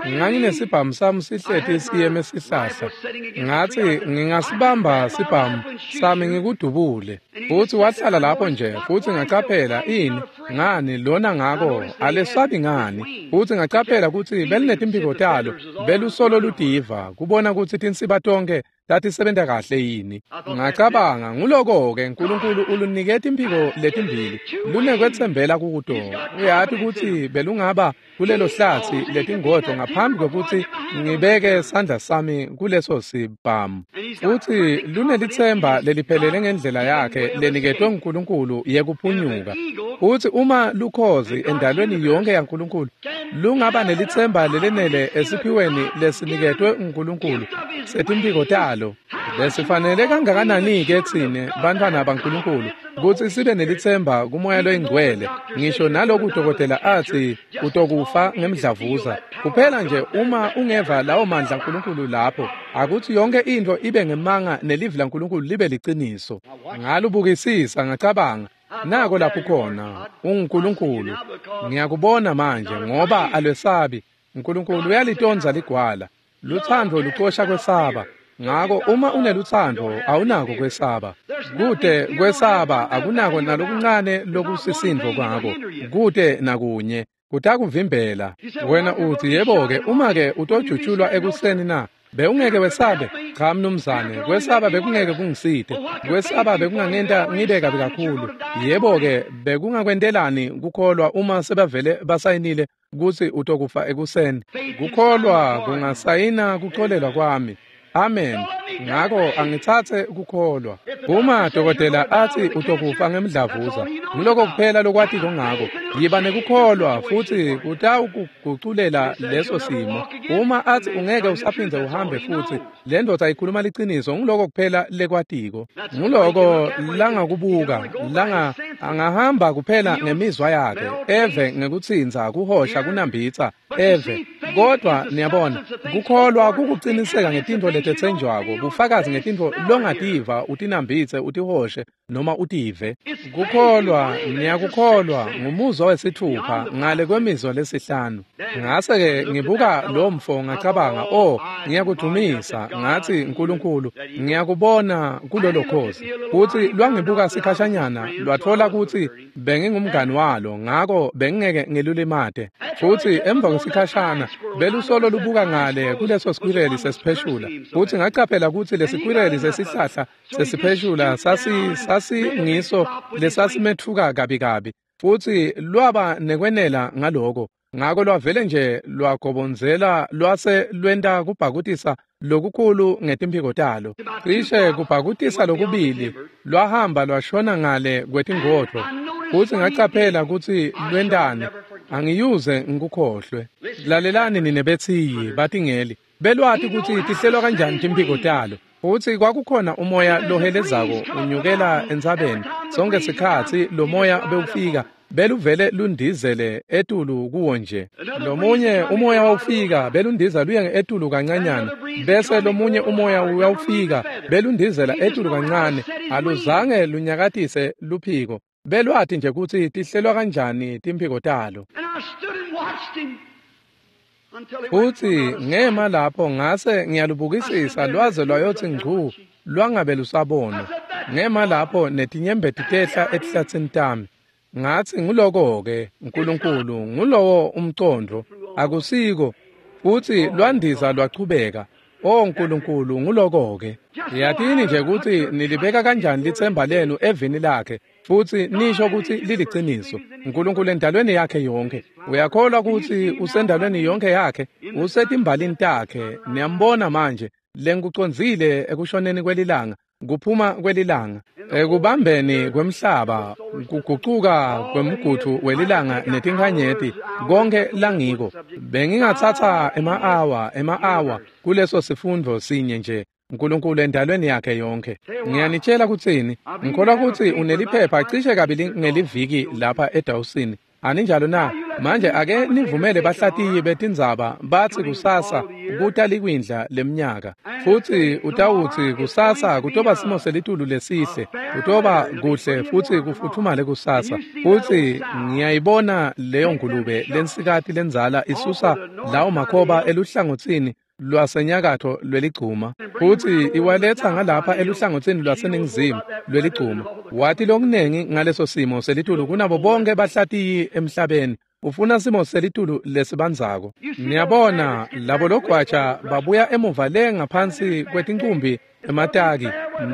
Nganginesibhamu sami sihleti siyeme sihlahla. Ngathi ngingasibamba sibhamu sami ngikudubule. Futhi wahlala lapho nje, futhi ngacaphela ini ngani lona ngako alesabi ngani. Futhi ngacaphela kutsi belinetimpiko talo belusolo ludiva kubona kutsi tinsiba tonke tatisebenta kahle yini. Ngacabanga nguloko-ke Nkulunkulu uluniketa imphiko letimbili lunekwetsembela kuto. Uyati kutsi belungaba kulelo hlatsi letingodvo ngaphambi kwekutsi ngibeke sandla sami kuleso sibhamu. Futsi lunelitsemba leliphelele ngendlela yakhe leniketwe nguNkulunkulu yekuphunyuka. Futsi uma lukhozi endalweni yonke yaNkulunkulu lungaba nelitsemba lelenele esiphiweni lesiniketwe nguNkulunkulu setimphiko talo, besifanele kangakanani-ke tsine bantfwana baNkulunkulu kutsi sibe nelitsemba kuMoya loyiNgcwele, ngisho naloku dokotela atsi utokufa ngemdlavuza. Kuphela nje uma ungeva lawo mandla aNkulunkulu lapho, akutsi yonke intfo ibe ngemanga nelivi laNkulunkulu libe liciniso. Ngalubukisisa ngacabanga, nako lapho khona unguNkulunkulu. Ngiyakubona manje ngoba alwesabi. Nkulunkulu uyalitondza ligwala. Lutsandvo lucosha kwesaba. Ngako uma unelutsandvo awunako kwesaba. Kute kwesaba akunako nalokuncane lokusisindvo kwako. Kute nakunye kutakuvimbela. Wena uthi yebo-ke uma-ke utojutshulwa ekuseni na? Bewungeke wesabe? Cha mnumzane, kwesaba bekungeke kungisite. Kwesaba bekungangenta ngibe kabi kakhulu. Yebo-ke bekungakwentelani kukholwa uma sebavele basayinile kutsi utokufa ekuseni? Kukholwa kungasayina kuxolelwa kwami. Amen. Ngako angitsatse kukholwa. Uma dokotela atsi utokufa ngemdlavuza, nguloko kuphela lokwatiko ngako. Yiba nekukholwa futsi kutawukuguculela leso simo. Uma atsi ungeke usaphindze uhambe futsi, le ndvodza ikhuluma liciniso, nguloko kuphela lekwatiko. Nguloko langakubuka, langa angahamba kuphela ngemizwa yakhe, eve ngekutsintsa, kuhosha, kunambitsa, eve. Kodwa niyabona, kukholwa kukuciniseka ngetintfo letetsenjwako, bufakazi ngetintfo longativa, utinambitse, utihoshe noma utive. Kukholwa, niyakukholwa, ngumuzwa wesithupha ngale kwemizwa lesihlanu. Ngase-ke ngibuka lo mfo ngacabanga, oh, ngiyakudumisa. Ngathi Nkulunkulu, ngiyakubona kulolo khozi. Futhi lwangibuka sikhashanyana, lwatfola kutsi bengingumngani walo, ngako bengingeke ngilulimate. Futhi emva kwesikhashana belusolo lubuka ngale kuleso sikwireli sesipheshula. Futhi ngacaphela kutsi lesikwireli sesihlahla sesipheshula sasi sasingiso lesasimetfuka kabi kabi. Futhi lwaba nekwenela ngaloko. Ngako lwavele nje lwagobonzela lwase lwenta kubhakutisa lokukhulu ngetimphiko talo. Cishe kubhakutisa lokubili lwahamba lwashona ngale kwetingodvo. Futhi ngacaphela kutsi lwentani, angiyuze ngikukhohlwe. Lalelani nine bethiyi batingeli, belwati kutsi tihlelwa kanjani timphiko talo. Futhi kwakukhona umoya lohelezako unyukela entsabeni. Sonke sikhatsi lo moya bewufika beluvele lundizele etulu kuwo nje. Lomunye umoya wawufika belundiza luye etulu kancanyana, bese lomunye umoya uyawufika belundizela etulu kancane. Aluzange lunyakatise luphiko. Belwati nje kutsi tihlelwa kanjani timphiko talo. Futhi ngema lapho ngase ngiyalubukisisa lwaze lwayotsi ngcu lwangabe lusabona. Ngema lapho netinyembeti tehla etihlatsini tami. Ngathi nguloko-ke Nkulunkulu, ngulowo umcondvo, akusiko. Futhi lwandiza lwachubeka. O Nkulunkulu, nguloko-ke. Yatini nje kutsi nilibeka kanjani litsemba lenu evini lakhe, futsi nisho kutsi liliciniso. Nkulunkulu endalweni yakhe yonke. Uyakholwa kutsi usendalweni yonke yakhe, usetimbalini takhe. Niyambona manje, lengikucondzile ekushoneni kwelilanga, kuphuma kwelilanga, ekubambeni kwemhlaba, kugucuka kwemgudvu welilanga netinkhanyeti, konke langiko. Bengingatsatsa ema-awa, ema-awa kuleso sifundvo sinye nje. Nkulunkulu endalweni yakhe yonke. Ngiyanitshela kutsini, ngikholwa kutsi uneliphepha cishe kabili ngeliviki lapha eDawson. Aninjalo na? Manje ake nivumele bahlatiyi betindzaba batsi kusasa kuta likwindla lemnyaka. Futsi utawutsi kusasa kutoba simo selitulu lesihle, kutoba kuhle futsi kufuthumale kusasa. Futsi ngiyayibona leyo ngulube lensikati lendzala isusa lawo makhoba eluhlangotsini lwasenyakatho lweligcuma, futsi iwaletsa ngalapha eluhlangotsini lwaseningizimu lweligcuma. Wati lokunengi ngaleso simo selitulu kunabo bonke bahlatiyi emhlabeni. Ufuna simo selitulu lesibandzako. Niyabona labo logwaja babuya emuva le ngaphansi kwetincumbi emataki,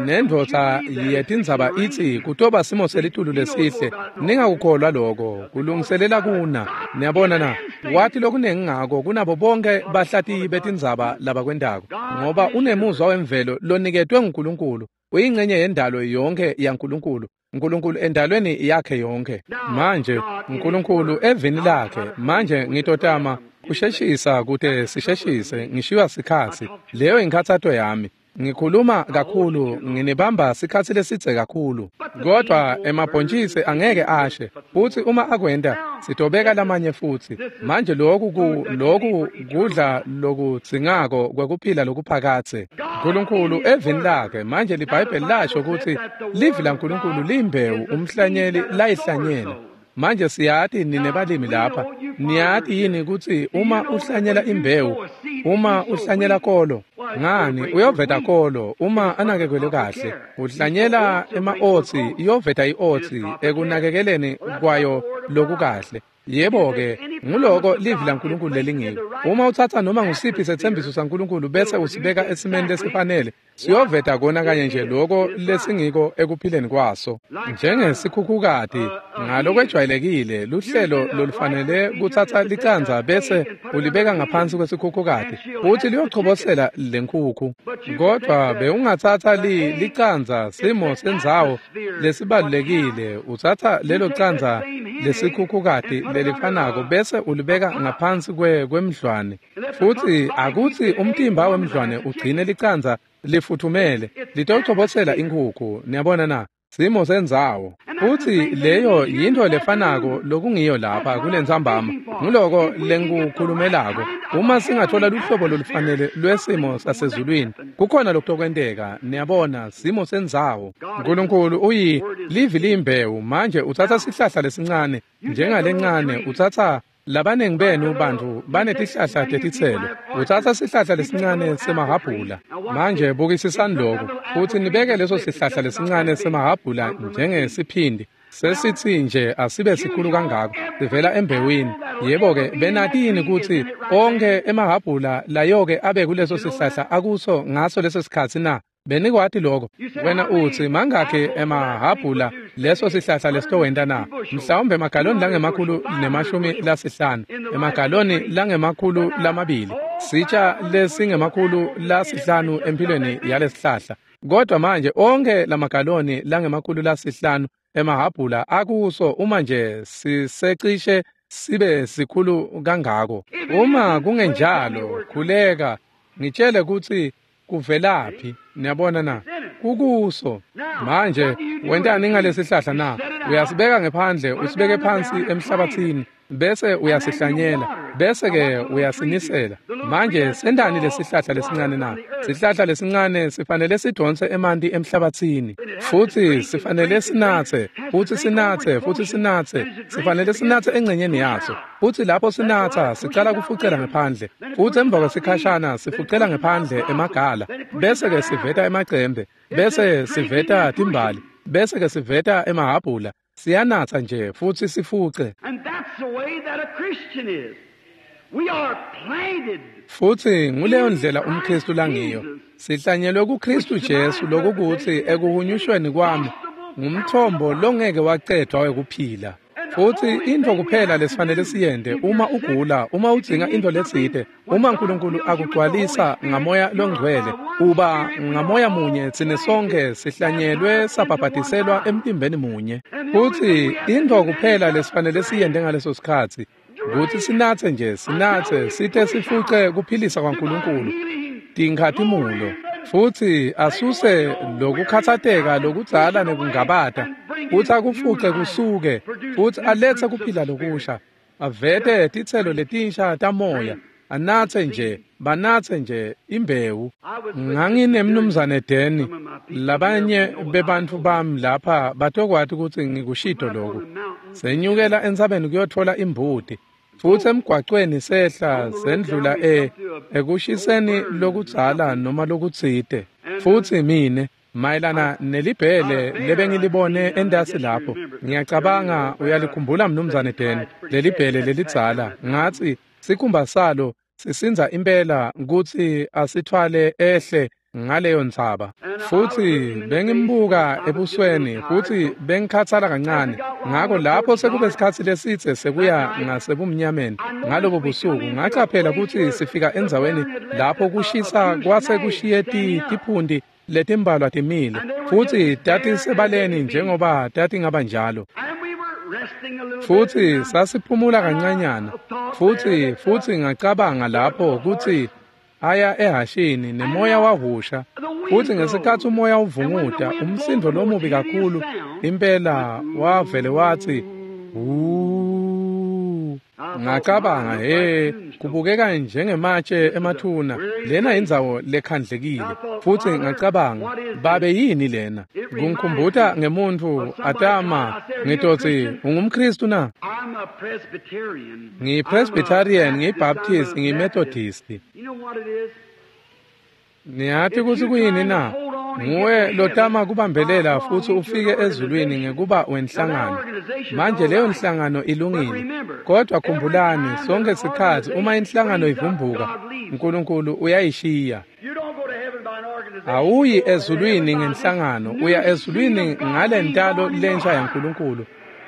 nendvodza yetindzaba itsi kutoba simo selitulu lesihle. Ningakukholwa lokho, kulungiselela kuna. Niyabona na? Wathi lokunengi ngako kunabo bonke bahlatiyi betindzaba labakwendako, ngoba unemuzwa wemvelo loniketwe nguNkulunkulu, uyingcenye yendalo yonke yaNkulunkulu. Nkulunkulu endalweni yakhe yonke. Manje Nkulunkulu evini lakhe. Manje ngitotama kusheshisa kute sisheshise, ngishiywa sikhatsi. Leyo inkhatsato yami. Ngikhuluma kakhulu, nginibamba sikhatsi lesidze kakhulu. Kodwa emabhontjisi angeke ashe, futsi uma akwenta sitobeka lamanye futsi. Manje lokhu ku lokhu kudla lokudzingako kwekuphila lokuphakadze. Nkulunkulu evini lakhe. Manje liBhayibheli lasho kutsi livi laNkulunkulu liyimbewu umhlanyeli layihlanyela. Manje siyati nine balimi lapha, niyati yini kutsi uma uhlanyela imbewu, uma uhlanyela kolo, ngani uyoveta kolo uma anakekelwe kahle. Uhlanyela ema-otsi, iyoveta i-otsi ekunakekeleni kwayo lokukahle. Yebo-ke, nguloko livi laNkulunkulu lelingiko. Uma utsatsa noma ngusiphi setsembiso saNkulunkulu bese usibeka esimeni lesifanele, siyoveta kona kanye nje loko lesingiko ekuphileni kwaso. Njengesikhukhukati, ngalokwejwayelekile, luhlelo lolufanele kutsatsa licandza bese ulibeka ngaphansi kwesikhukhukati, futsi liyochobosela lenkhukhu. Kodwa bewungatsatsa li licandza, simo sendzawo lesibalulekile, utsatsa lelo candza lesikhukhukati lelifanako bese ulibeka ngaphansi kwe kwemdlwane, futsi akutsi umtimba wemdlwane ugcine licandza lifuthumele, litochobosela inkhukhu. Niyabona na? Simo sendzawo. Futsi leyo yintfo lefanako lokungiyo lapha kulentsambama. Nguloko lengikukhulumelako. Uma singathola luhlobo lolufanele lwesimo sasezulwini, kukhona lokutokwenteka. Niyabona, simo sendzawo. Nkulunkulu uyi livi liyimbewu. Manje utsatsa sihlahla lesincane njengalencane, utsatsa labanengi benu bantu banetihlahla tetitselo. Utsatsa sihlahla lesincane semahhabhula. Manje bukisisani lokhu, futsi nibeke leso sihlahla lesincane semahhabhula njengesiphindi. Sesitsi nje asibe sikhulu kangako, sivela embewini. Yebo-ke, benati yini kutsi onkhe emahhabhula layo-ke abe kuleso sihlahla akuso ngaso leso sikhatsi na? Benikwati lokho? Wena utsi mangakhi emahhabhula leso sihlahla lesitowenta na? Mhlawumbe emagaloni langemakhulu nemashumi lasihlanu, emagaloni langemakhulu lamabili, sitsha lesingemakhulu lasihlanu empilweni yalesihlahla. Kodwa manje onke lamagaloni langemakhulu lasihlanu emahhabhula akuso uma nje sisecishe sibe sikhulu kangako. Uma kungenjalo, khuleka ngitshele kutsi kuvelaphi. Niyabona na? Kukuso. Manje wentani ngalesihlahla na? Uyasibeka ngephandle, usibeke phansi emhlabathini, bese uyasihlanyela, bese ke uyasinisela. Manje sentani lesihlahla lesincane na? Sihlahla lesincane sifanele sidonse emanti emhlabathini, futsi sifanele sinatse, futsi sinatse, futsi sinatse, sifanele sinatse engcenyeni yaso. Futsi lapho sinatsa sicala kufucela ngephandle, futsi emva kwesikhashana sifucela ngephandle emagala, bese ke siveta emacembe, bese siveta timbali, bese ke siveta emahhabhula. Siyanatsa nje futsi sifuce. And that's the way that a Christian is. We are planted. Futsi nguleyo ndlela umKristu langiyo. Sihlanyelwe kuKristu Jesu, lokukutsi ekuhunyushweni kwami ngumthombo longeke wacedwa wekuphila. Futsi intfo kuphela lesifanele siyente uma ugula, uma udzinga intfo letsite, uma Nkulunkulu akugcwalisa ngamoya longcwele, uba ngamoya munye tsine sonke sihlanyelwe sabhabhatiselwa emtimbeni munye. Futsi intfo kuphela lesifanele siyente ngaleso sikhatsi kutsi sinatse nje, sinatse site sifuce kuphilisa kwaNkulunkulu tinkhatimulo. Futhi asuse lokukhathateka lokudzala nekungabata, futhi akufuce kusuke, futhi alethe kuphila lokusha, avete titselo letinsha tamoya, anathe nje, banathe nje imbewu. Nganginemnumzane Deni, labanye bebantfu bami lapha batokwati kutsi ngikushito loku. Senyukela entsabeni kuyotfola imbuti, futhi emgwacweni sehla sendlula e ekushiseni lokudzala noma lokutsite. Futhi mine mayelana nelibhele lebengilibone entasi lapho, ngiyacabanga uyalikhumbula mnumzane Deni, lelibhele lelidzala. Ngatsi sikhumba salo sisindza impela kutsi asithwale ehle ngaleyo ntsaba. Futhi bengimbuka ebusweni futhi bengikhathala kancane. Ngako lapho sekube sikhatsi lesitse sekuya ngasebumnyameni ngalobo busuku, ngacaphela kutsi sifika endzaweni lapho kushisa kwase kushiye tiphundi letimbalwa timile, futhi tatisebaleni njengoba tatingaba njalo. Futhi sasiphumula kancanyana, futhi futhi ngacabanga lapho kutsi aya ehashini nemoya wahusha, futhi ngesikhatsi umoya uvunguta umsindo lomubi kakhulu impela wavele wathi wu. Ngacabanga, he, kubukeka njengematshe emathuna, lena indzawo lekhandlekile. Futhi ngacabanga, babe yini lena? Kungikhumbuta ngemuntfu atama ngitotsi ungumKristu na? NgiyiPresbyterian, ngiyiBaptist, ngiyiMethodist. Niyati kutsi kuyini na? Nguwe lotama kubambelela futhi ufike ezulwini ngekuba wenhlangano. Manje leyo nhlangano ilungile, kodwa khumbulani, sonke sikhatsi uma inhlangano ivumbuka, uNkulunkulu uyayishiya. Awuyi ezulwini ngenhlangano, uya ezulwini ngalentalo lensha yaNkulunkulu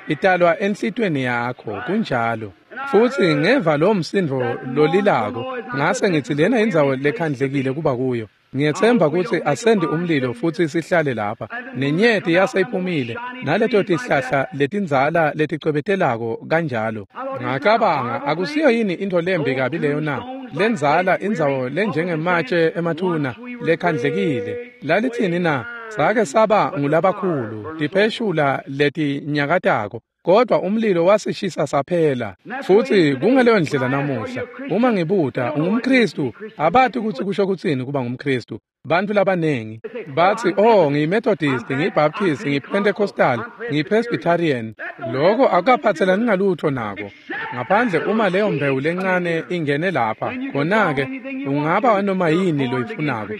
italwa enhlitweni yakho. Kunjalo. Futhi ngeva lo msindo lolilako, ngase ngithi lena indzawo lekhandlekile kuba kuyo. Ngiyethemba kutsi asendi umlilo futhi sihlale lapha. Nenyeti yaseyiphumile, naleto tihlahla letindzala leticwebetelako kanjalo. Ngacabanga, akusiyo yini into lembi kabi leyo na? Lenzala indzawo lenjengematshe emathuna lekhandlekile. Lalithini na? Sake saba ngulabakhulu, tipheshula letinyakatako, kodwa umlilo wasishisa saphela. Futhi kungaleyo ndlela namuhla. Uma ngibuta ungumKristu, abati kutsi kusho kutsini kuba ngumKristu. Bantfu labanengi batsi, oh, ngiyiMethodist, ngiyiBaptist, ngiyiPentecostal, ngiyiPresbyterian. Loko akukaphatselani ngalutho nako, ngaphandle uma leyo mbewu lencane ingene lapha. Khona-ke ungaba noma yini loyifunako,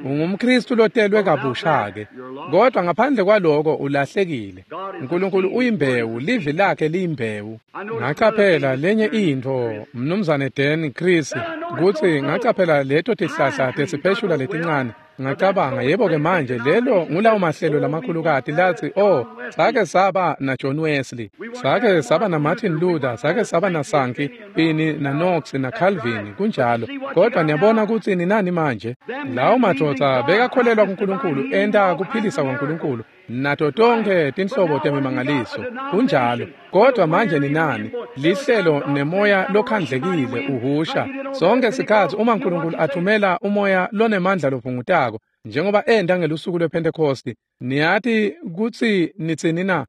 ungumKristu lotelwe kabusha-ke. Kodwa ngaphandle kwaloko ulahlekile. uNkulunkulu uyimbewu, livi lakhe liyimbewu. Ngacaphela lenye intfo, mnumzane Dan Chris, kutsi ngacaphela leto tihlahla tesipheshula letincane. Ngacabanga, yebo-ke manje lelo ngulawo mahlelo lamakhulukati latsi, oh, sake saba na John Wesley, sake saba na Martin Luther, sake saba na Sankey, Pini na Knox na Calvin, kunjalo. Kodwa niyabona kutsi ninani manje? Lawo madvodza bekakholelwa kuNkulunkulu, enta kuphilisa kwaNkulunkulu nato tonkhe tinhlobo temimangaliso, kunjalo. Kodwa manje ninani? Lihlelo nemoya lokhandlekile uhusha sonke sikhatsi. Uma uNkulunkulu athumela umoya lonemandla lovungutako njengoba enta ngelusuku lwePhentekosti, niyati kutsi nitsini na?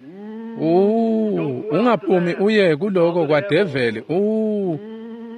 Uh, ungaphumi uye kuloko kwadeveli. Uh,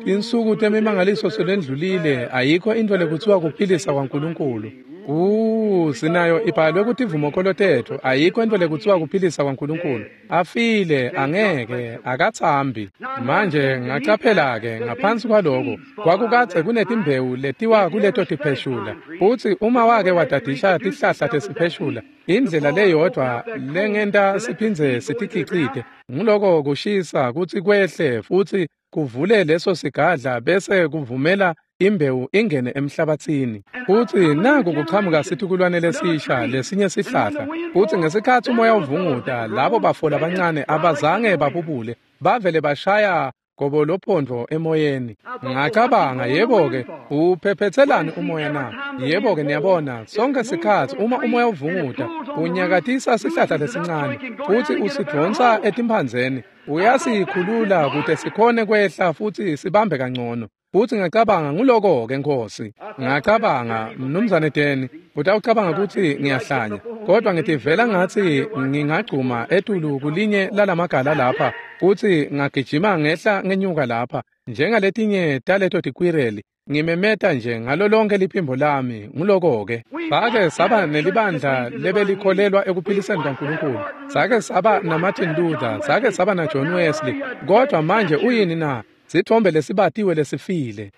tinsuku temimangaliso selendlulile, ayikho intfo lekutsiwa kuphilisa kwaNkulunkulu. Uh, sinayo ibhalwe kutivumokholo tetfu, ayikho intfo lekutsiwa kuphilisa kwaNkulunkulu. Afile, angeke, akatsambi. Manje ngacaphela-ke ngaphansi kwaloko kwakukadze kunetimbewu letiwa kuleto tipheshula. Futsi uma wake wadadisha tihlahla tesipheshula, indlela leyodvwa lengenta siphindze sitikhicite nguloko kushisa kutsi kwehle futsi kuvule leso sigadla bese kuvumela imbewu ingene emhlabatsini. Futsi naku kuchamuka situkulwane lesisha lesinye sihlahla. Futsi ngesikhatsi umoya uvunguta, labo bafo labancane abazange babubule, bavele bashaya gobolophondvo emoyeni. Ngacabanga, yebo-ke, uphephetselani umoya na? Yebo-ke, niyabona, sonke sikhatsi uma umoya uvunguta, unyakatisa sihlahla lesincane futsi usidvonsa etimphandzeni, uyasikhulula kute sikhone kwehla futsi sibambe kangcono. Futhi ngacabanga nguloko-ke Nkosi. Ngacabanga, Mnumzane Deni, utawucabanga ukuthi ngiyahlanya. Kodwa ngitivela ngathi ngingagcuma etulu kulinye lalamagala lapha, futhi ngagijima ngehla ngenyuka lapha, njengaletinye taleto tikwireli. Ngimemeta nje ngalo lonke liphimbo lami nguloko-ke. Sake saba nelibandla lebelikholelwa ekuphiliseni kaNkulunkulu. Sake saba naMartin Luther, sake saba na John Wesley. Kodwa manje uyini na? Sithombe lesibatiwe lesifile.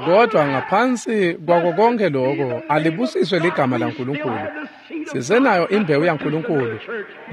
Kodwa ngaphansi kwako konke lokho alibusiswe ligama laNkulunkulu. Sisenayo imbewu yaNkulunkulu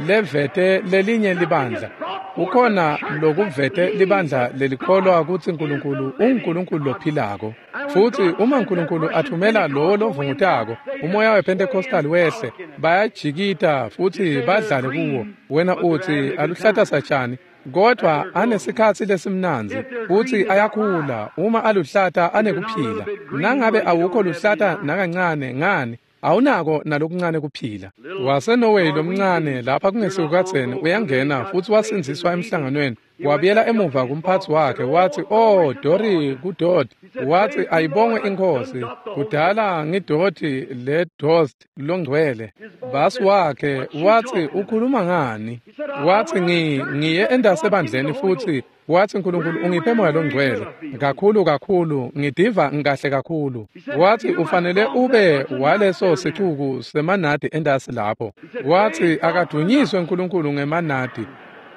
levete lelinye libandla. Kukhona lokuvete libandla lelikholwa ukuthi uNkulunkulu unguNkulunkulu lophilako. Futhi uma uNkulunkulu athumela lowo lovungutako, umoya wePentecostal wehle, bayajikita futhi badlale kuwo. Wena uthi aluhlata satshani, kodwa anesikhatsi lesimnandzi futhi ayakhula. Uma aluhlata anekuphila. Nangabe awukho luhlata nakancane ngani awunako nalokuncane kuphila. WaseNorway lomncane lapha kungesikukatseni uyangena futhi wasindziswa emhlanganweni. Wabuyela emuva kumphathi wakhe wathi, "Oh Dori kudot." Wathi, "Ayibongwe inkosi, kudala ngidoti le dost longcwele." Basi wakhe wathi, "Ukhuluma ngani?" Wathi, "Ngi ngiye endasebandleni futhi wathi uNkulunkulu ungiphe moya longcwele kakhulu kakhulu, ngidiva ngikahle kakhulu." Wathi, "Ufanele ube waleso sicuku semanadi endasi lapho." Wathi, "Akadunyiswe uNkulunkulu ngemanadi."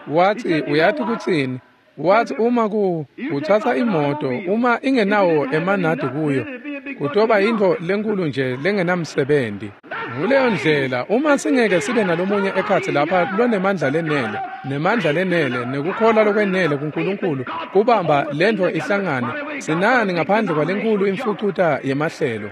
Wathi, "Uyathi kutsini?" Wathi, "Uma ku uthatha imoto uma ingenawo emanadi kuyo kutoba into lenkulu nje lengenamsebenzi." Nguleyo ndlela uma singeke sibe nalomunye ekhatsi lapha lonemandla lenele nemandla lenele nekukholwa lokwenele kuNkulunkulu kubamba lento ihlangane, sinani ngaphandle kwalenkulu imfucuta yemahlelo.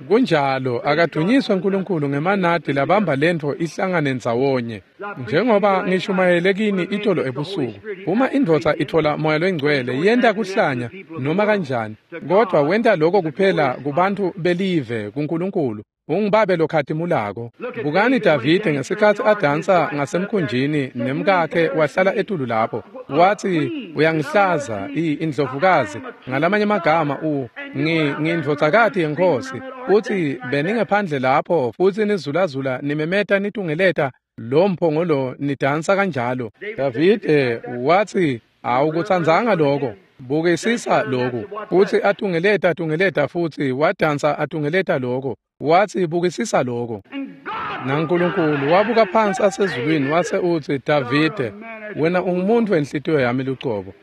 Kunjalo, akadunyiswe uNkulunkulu ngemanadi labamba lento ihlangane ndzawonye. Njengoba ngishumayele kini itolo ebusuku, uma indvodza ithola moya longcwele yenta kuhlanya noma kanjani, kodwa wenta lokho kuphela kubantu belive kuNkulunkulu. Ungibabe lokhatimulako. Bukani Davide ngesikhatsi adansa ngasemkhunjini nemkakhe wahlala etulu lapho. Wathi, "Uyangihlaza indlovukazi." Ngalamanye amagama u ngi ngindvodzakati yenkosi. Uthi beningephandle lapho futhi nizulazula nimemeta nitungeleta lo mphongolo nidansa kanjalo. Davide wathi, "Awukutsandzanga lokho. Bukisisa lokhu." Futhi atungeleta atungeleta futhi wadansa atungeleta lokho. Wathi, "Bukisisa lokho." NaNkulunkulu wabuka phansi asezulwini wase uthi, "Davide, wena ungumuntu wenhlitiyo yami lucobo.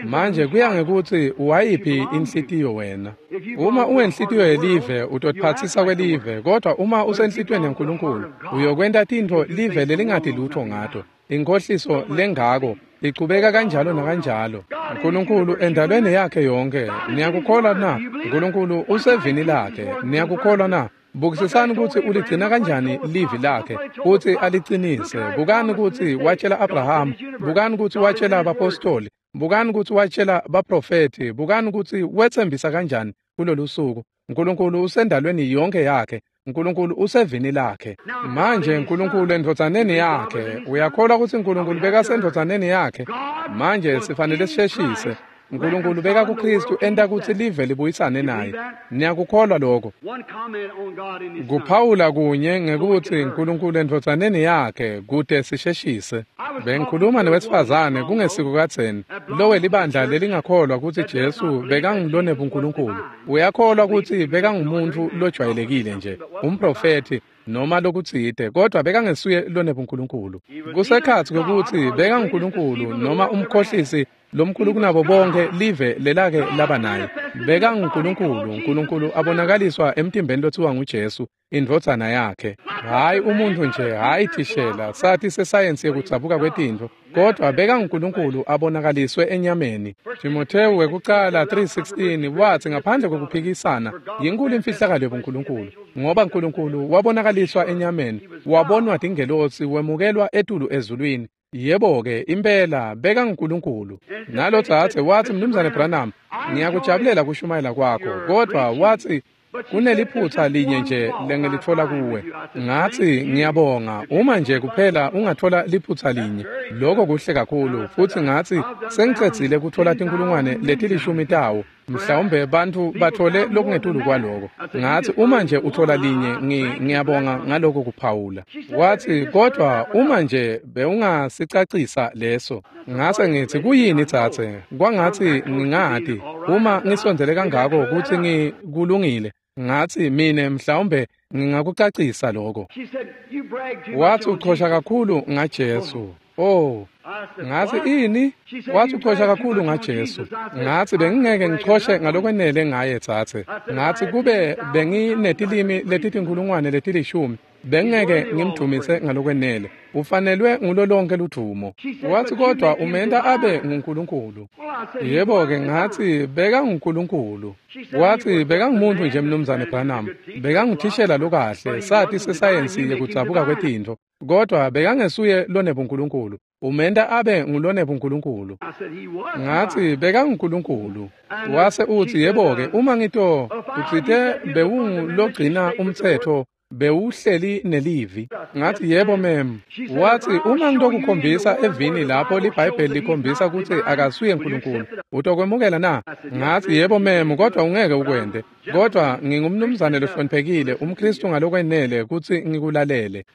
Manje kuya ngekuthi uwayiphi inhlitiyo wena. Uma uwenhlitiyo yelive utotiphatsisa kwelive, kodwa uma usenhlitiyweni yaNkulunkulu uyokwenta tintfo live lelingati lutho ngato. Inkohliso lengako ichubeka kanjalo nakanjalo. uNkulunkulu endalweni yakhe yonke, niyakukholwa na? uNkulunkulu usevini lakhe, niyakukholwa na? Bukisisani ukuthi uligcina kanjani livi lakhe futhi aliqinise. Bukani ukuthi watshela Abraham, bukani ukuthi watshela abapostoli, bukani ukuthi watshela baprofeti, bukani ukuthi wethembisa kanjani kulolu suku. uNkulunkulu usendalweni yonke yakhe. uNkulunkulu usevini lakhe. Manje uNkulunkulu endvodzaneni yakhe. Uyakholwa ukuthi uNkulunkulu bekasendvodzaneni yakhe? Manje sifanele sisheshise. uNkulunkulu beka kuKristu enta ukuthi live libuyisane naye. Niyakukholwa lokho? Kuphawula kunye ngekuthi uNkulunkulu endvodzaneni yakhe kude sisheshise. Bengikhuluma nowesifazane kungesiko kadzeni lowe libandla lelingakholwa ukuthi Jesu bekangilone buNkulunkulu. Uyakholwa ukuthi bekangumuntu lojwayelekile nje, umprofeti noma lokutsite, kodwa bekangesuye lone buNkulunkulu. Kusekhatsi kwekuthi bekanguNkulunkulu noma umkhohlisi lomkhulu kunabo bonke live lelake laba naye. BekanguNkulunkulu, uNkulunkulu abonakaliswa emtimbeni lothiwa nguJesu, indvodzana yakhe. Hayi umuntu nje, hayi thishela, sathi sesayensi yekudzabuka kwetintfo, kodwa bekanguNkulunkulu abonakaliswe enyameni. Timothewu wekucala three sixteen wathi ngaphandle kokuphikisana yinkulu imfihlakalo yobuNkulunkulu, ngoba uNkulunkulu wabonakaliswa enyameni, wabonwa tingelosi, wemukelwa etulu ezulwini. Yebo-ke impela bekanguNkulunkulu. Nalo dzadze wathi, "Mnumzane Branham, ngiyakujabulela kushumayela kwakho, kodwa wathi Kuneliphutha linye nje lengilitfola kuwe. Ngatsi, ngiyabonga, uma nje kuphela ungatfola liphutha linye, lokho kuhle kakhulu. Futsi ngatsi, sengicedzile kutfola tinkhulungwane letilishumi tawo. Mhlawumbe bantfu batfole lokungetulu kwaloko. Ngatsi, uma nje utfola linye, ngiyabonga ngaloko kuphawula. Watsi, kodwa uma nje bewungasicacisa leso. Ngase ngitsi, kuyini dzadze? Kwangatsi ngingati uma ngisondzele kangako kutsi ngikulungile. Ngatsi, mine mhlawumbe ngingakucacisa lokho. Watsi, uchosha kakhulu ngaJesu. Oh, ngatsi, ini? Watsi, uchosha kakhulu ngaJesu. Ngatsi, bengingeke ngichoshe ngalokwenele ngaye dzadze. Ngatsi, kube benginetilimi letitinkhulungwane letilishumi, bengeke ngimdumise ngalokwenele. Ufanelwe ngulo lonke ludvumo. Watsi, kodwa umenta abe nguNkulunkulu. Yebo-ke, ngatsi, bekanguNkulunkulu. Watsi, bekangumuntu nje Mnumzane Branham. Bekanguthishela lokahle, sati sesayensi yekudzabuka kwetintfo. Kodwa bekangesuye lonebuNkulunkulu. Umenta abe ngulonebuNkulunkulu. Ngatsi, bekanguNkulunkulu. Wase utsi, yebo-ke, uma ngito utsite bewungulogcina umtsetfo, bewuhleli nelivi. Ngatsi, yebo mem. Watsi, uma ngitokukhombisa evini lapho liBhayibheli likhombisa kutsi akasuye uNkulunkulu, utokwemukela na? Ngatsi, yebo mem, kodwa ungeke ukwente. Kodwa ngingumnumzane lohloniphekile, umKristu ngalokwenele kutsi ngikulalele.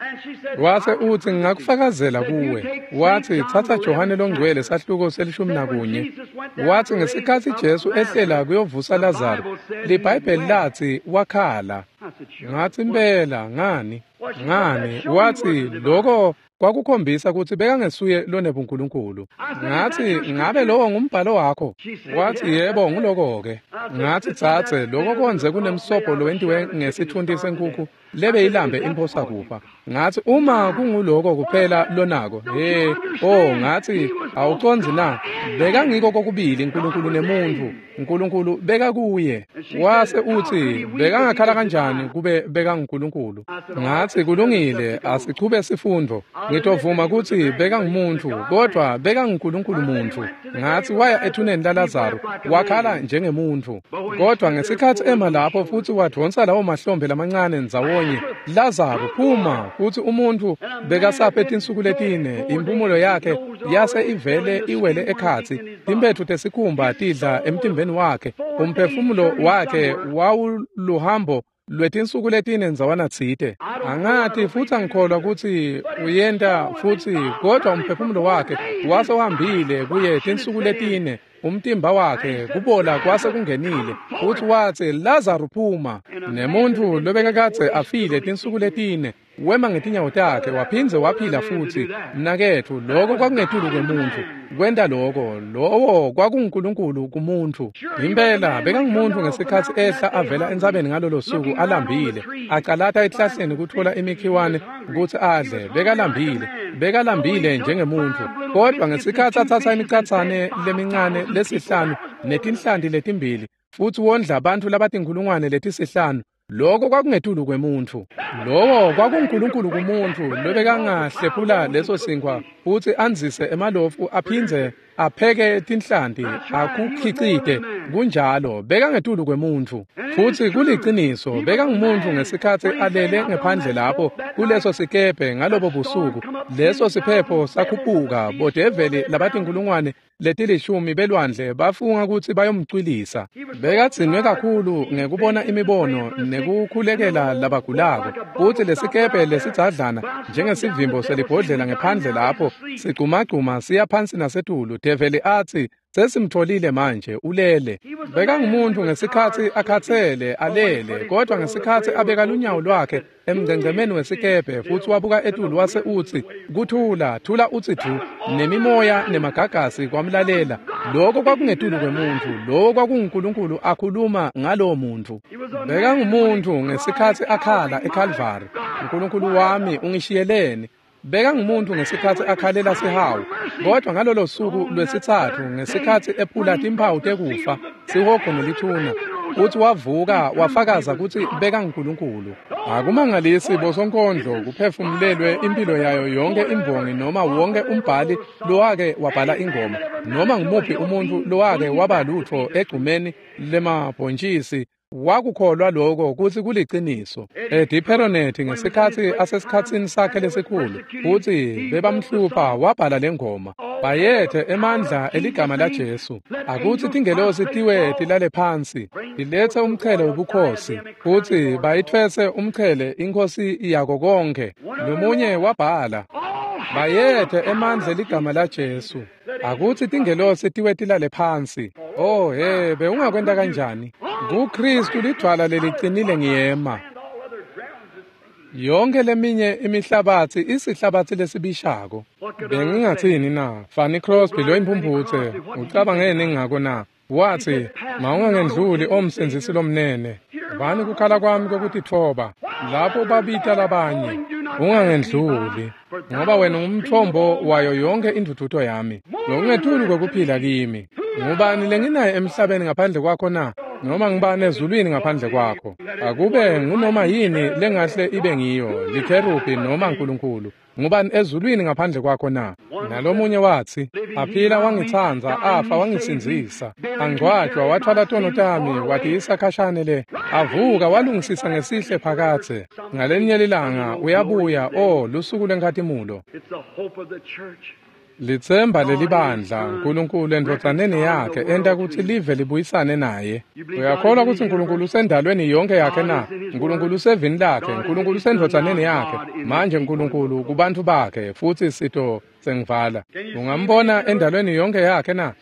Wase utsi, ngingakufakazela kuwe. Watsi, tsatsa Johane longcwele sahluko selishumi nakunye. Watsi, ngesikhatsi Jesu ehlela kuyovusa Lazaro, liBhayibheli latsi wakhala. Ngatsi, impela, ngani? Ngani? Watsi, lokho kwakukhombisa kutsi bekangesuye lonebuNkulunkulu. Ngatsi, ngabe lowo ngumbhalo wakho? Watsi, yebo, nguloko-ke. Ngatsi, dzadze, lokho kondze kunemsobho lowentiwe ngesitfunti senkukhu lebeyilambe imphosa kufa. Ngatsi, uma kunguloko kuphela lonako, he, oh, ngatsi, awucondzi na? Bekangiko kokubili uNkulunkulu nemuntfu. uNkulunkulu bekakuye. Wase utsi, bekangakhala kanjani kube bekanguNkulunkulu? Ngatsi, kulungile, asichube sifundvo. Ngitovuma kutsi bekangumuntu, kodwa bekanguNkulunkulu muntfu. Ngatsi, waya ethuneni laLazaro, wakhala njengemuntfu. Kodwa ngesikhatsi ema lapho futsi wadvonsa lawo mahlombe lamancane ndzawonye, Lazaro phuma, futsi umuntfu bekasaphe tinsuku letine, impumulo yakhe yase ivele iwele ekhatsi, timphetfu tesikhumba tidla emtimbeni wakhe, umphefumulo wakhe wawuluhambo lwetinsuku letine ndzawana tsite. Angati futsi angikholwa kutsi uyenta futsi, kodwa umphefumulo wakhe wase uhambile kuye tinsuku letine, umtimba wakhe kubola kwase kungenile. Futsi watsi, Lazaro phuma. Nemuntfu lobekakadze afile tinsuku letine wema ngetinyawo takhe waphindze waphila futsi. Mnaketfu, lokho kwakungetulu kwemuntfu kwenta lokho. Lowo kwakunguNkulunkulu kumuntfu. Impela bekangumuntu ngesikhatsi ehla avela entsabeni ngalolo suku alambile, acalata ehlahleni kutfola imikhiwane kutsi adle. Bekalambile, bekalambile njengemuntfu. Kodwa ngesikhatsi atsatsa imicatsane lemincane lesihlanu netinhlanti letimbili futsi wondla bantfu labatinkhulungwane letisihlanu, lokho kwakungetulu kwemuntfu. Lowo kwakunguNkulunkulu kumuntfu lobekangahlephula leso sinkhwa futsi andzise emalofu aphindze apheke tinhlanti akukhicite. Kunjalo, bekangetulu kwemuntfu. Futsi kuliciniso, bekangumuntu ngesikhatsi alele ngephandle lapho kuleso sikebhe ngalobo busuku. Leso siphepho sakhuphuka, bodeveli labatinkhulungwane letilishumi belwandle bafunga kutsi bayomcwilisa. Bekadzinwe kakhulu ngekubona imibono nekukhulekela labagulako, futsi lesikebhe lesidzadlana njengesivimbo selibhodlela ngephandle lapho sigcumagcuma siya phansi nasetulu. Develi atsi, sesimtholile manje, ulele. Bekangumuntu ngesikhatsi akhatsele alele, kodwa ngesikhatsi abeka lunyawo lwakhe emngcengcemeni wesikebhe futsi wabuka etulu wase utsi, kuthula, thula utsi du, nemimoya nemagagasi kwamlalela. Lokho kwakungetulu kwemuntfu, lokho kwakunguNkulunkulu akhuluma ngalowo muntfu. Bekangumuntu ngesikhatsi akhala eKalvari, uNkulunkulu wami ungishiyeleni? Bekangumuntu ngesikhatsi akhalela sihawu, kodwa ngalolo suku lwesitsatfu ngesikhatsi ephula timphawu tekufa, sihogo nelithuna, futsi wavuka wafakaza kutsi bekanguNkulunkulu. Akumangalisi bosonkondlo kuphefumulelwe impilo yayo yonke imbongi noma wonke umbhali lowake wabhala ingoma, noma ngumuphi umuntfu lowake waba lutfo egcumeni lemabhontjisi Wakukholwa lokho kutsi kuliciniso. Eddie Perronet ngesikhatsi asesikhatsini sakhe lesikhulu, futsi bebamhlupha, wabhala lengoma. Bayethe emandla eligama laJesu. Akutsi tingelosi tiwe tilale phansi, tilethe umchele wobukhosi, futsi bayitfwese umchele inkhosi yako konke. Lomunye wabhala, bayethe emandla eligama laJesu. Akutsi tingelosi tiwe tilale phansi. Oh he, bewungakwenta kanjani? KuKristu lidvwala lelicinile ngiyema. Yonke leminye imihlabatsi isihlabatsi lesibishako. Bengingatsini na? Fanny Crosby lo imphumphutse, ucabangeni ngako na? Watsi, mawungangendluli omsindzisi lomnene. Vani kukhala kwami kokutitfoba. Lapho babita labanye, ungangendluli, ngoba wena ungumthombo wayo yonke indvudvuto yami. Lokungetulu kwekuphila kimi. Ngubani lenginaye emhlabeni ngaphandle kwakho na? Noma ngibani ezulwini ngaphandle kwakho? Akube ngunoma yini lengahle ibe ngiyo, likherubhi noma uNkulunkulu. Ngubani ezulwini ngaphandle kwakho na? Nalomunye watsi, aphila wangitsandza, afa wangisindzisa. Angcwatjwa wathwala tono tami, watiyisa khashane le. Avuka walungisisa ngesihle phakadze. Ngalenye lilanga uyabuya, oh lusuku lwenkhatimulo. It's the hope of the church. Litsemba lelibandla, uNkulunkulu endvodzaneni yakhe enta kutsi live libuyisane naye. Uyakholwa kutsi uNkulunkulu usendalweni yonke yakhe na? uNkulunkulu usevini lakhe, uNkulunkulu usendvodzaneni yakhe. Manje uNkulunkulu kubantfu bakhe, futsi sito sengivala. Ungambona endalweni yonke yakhe na?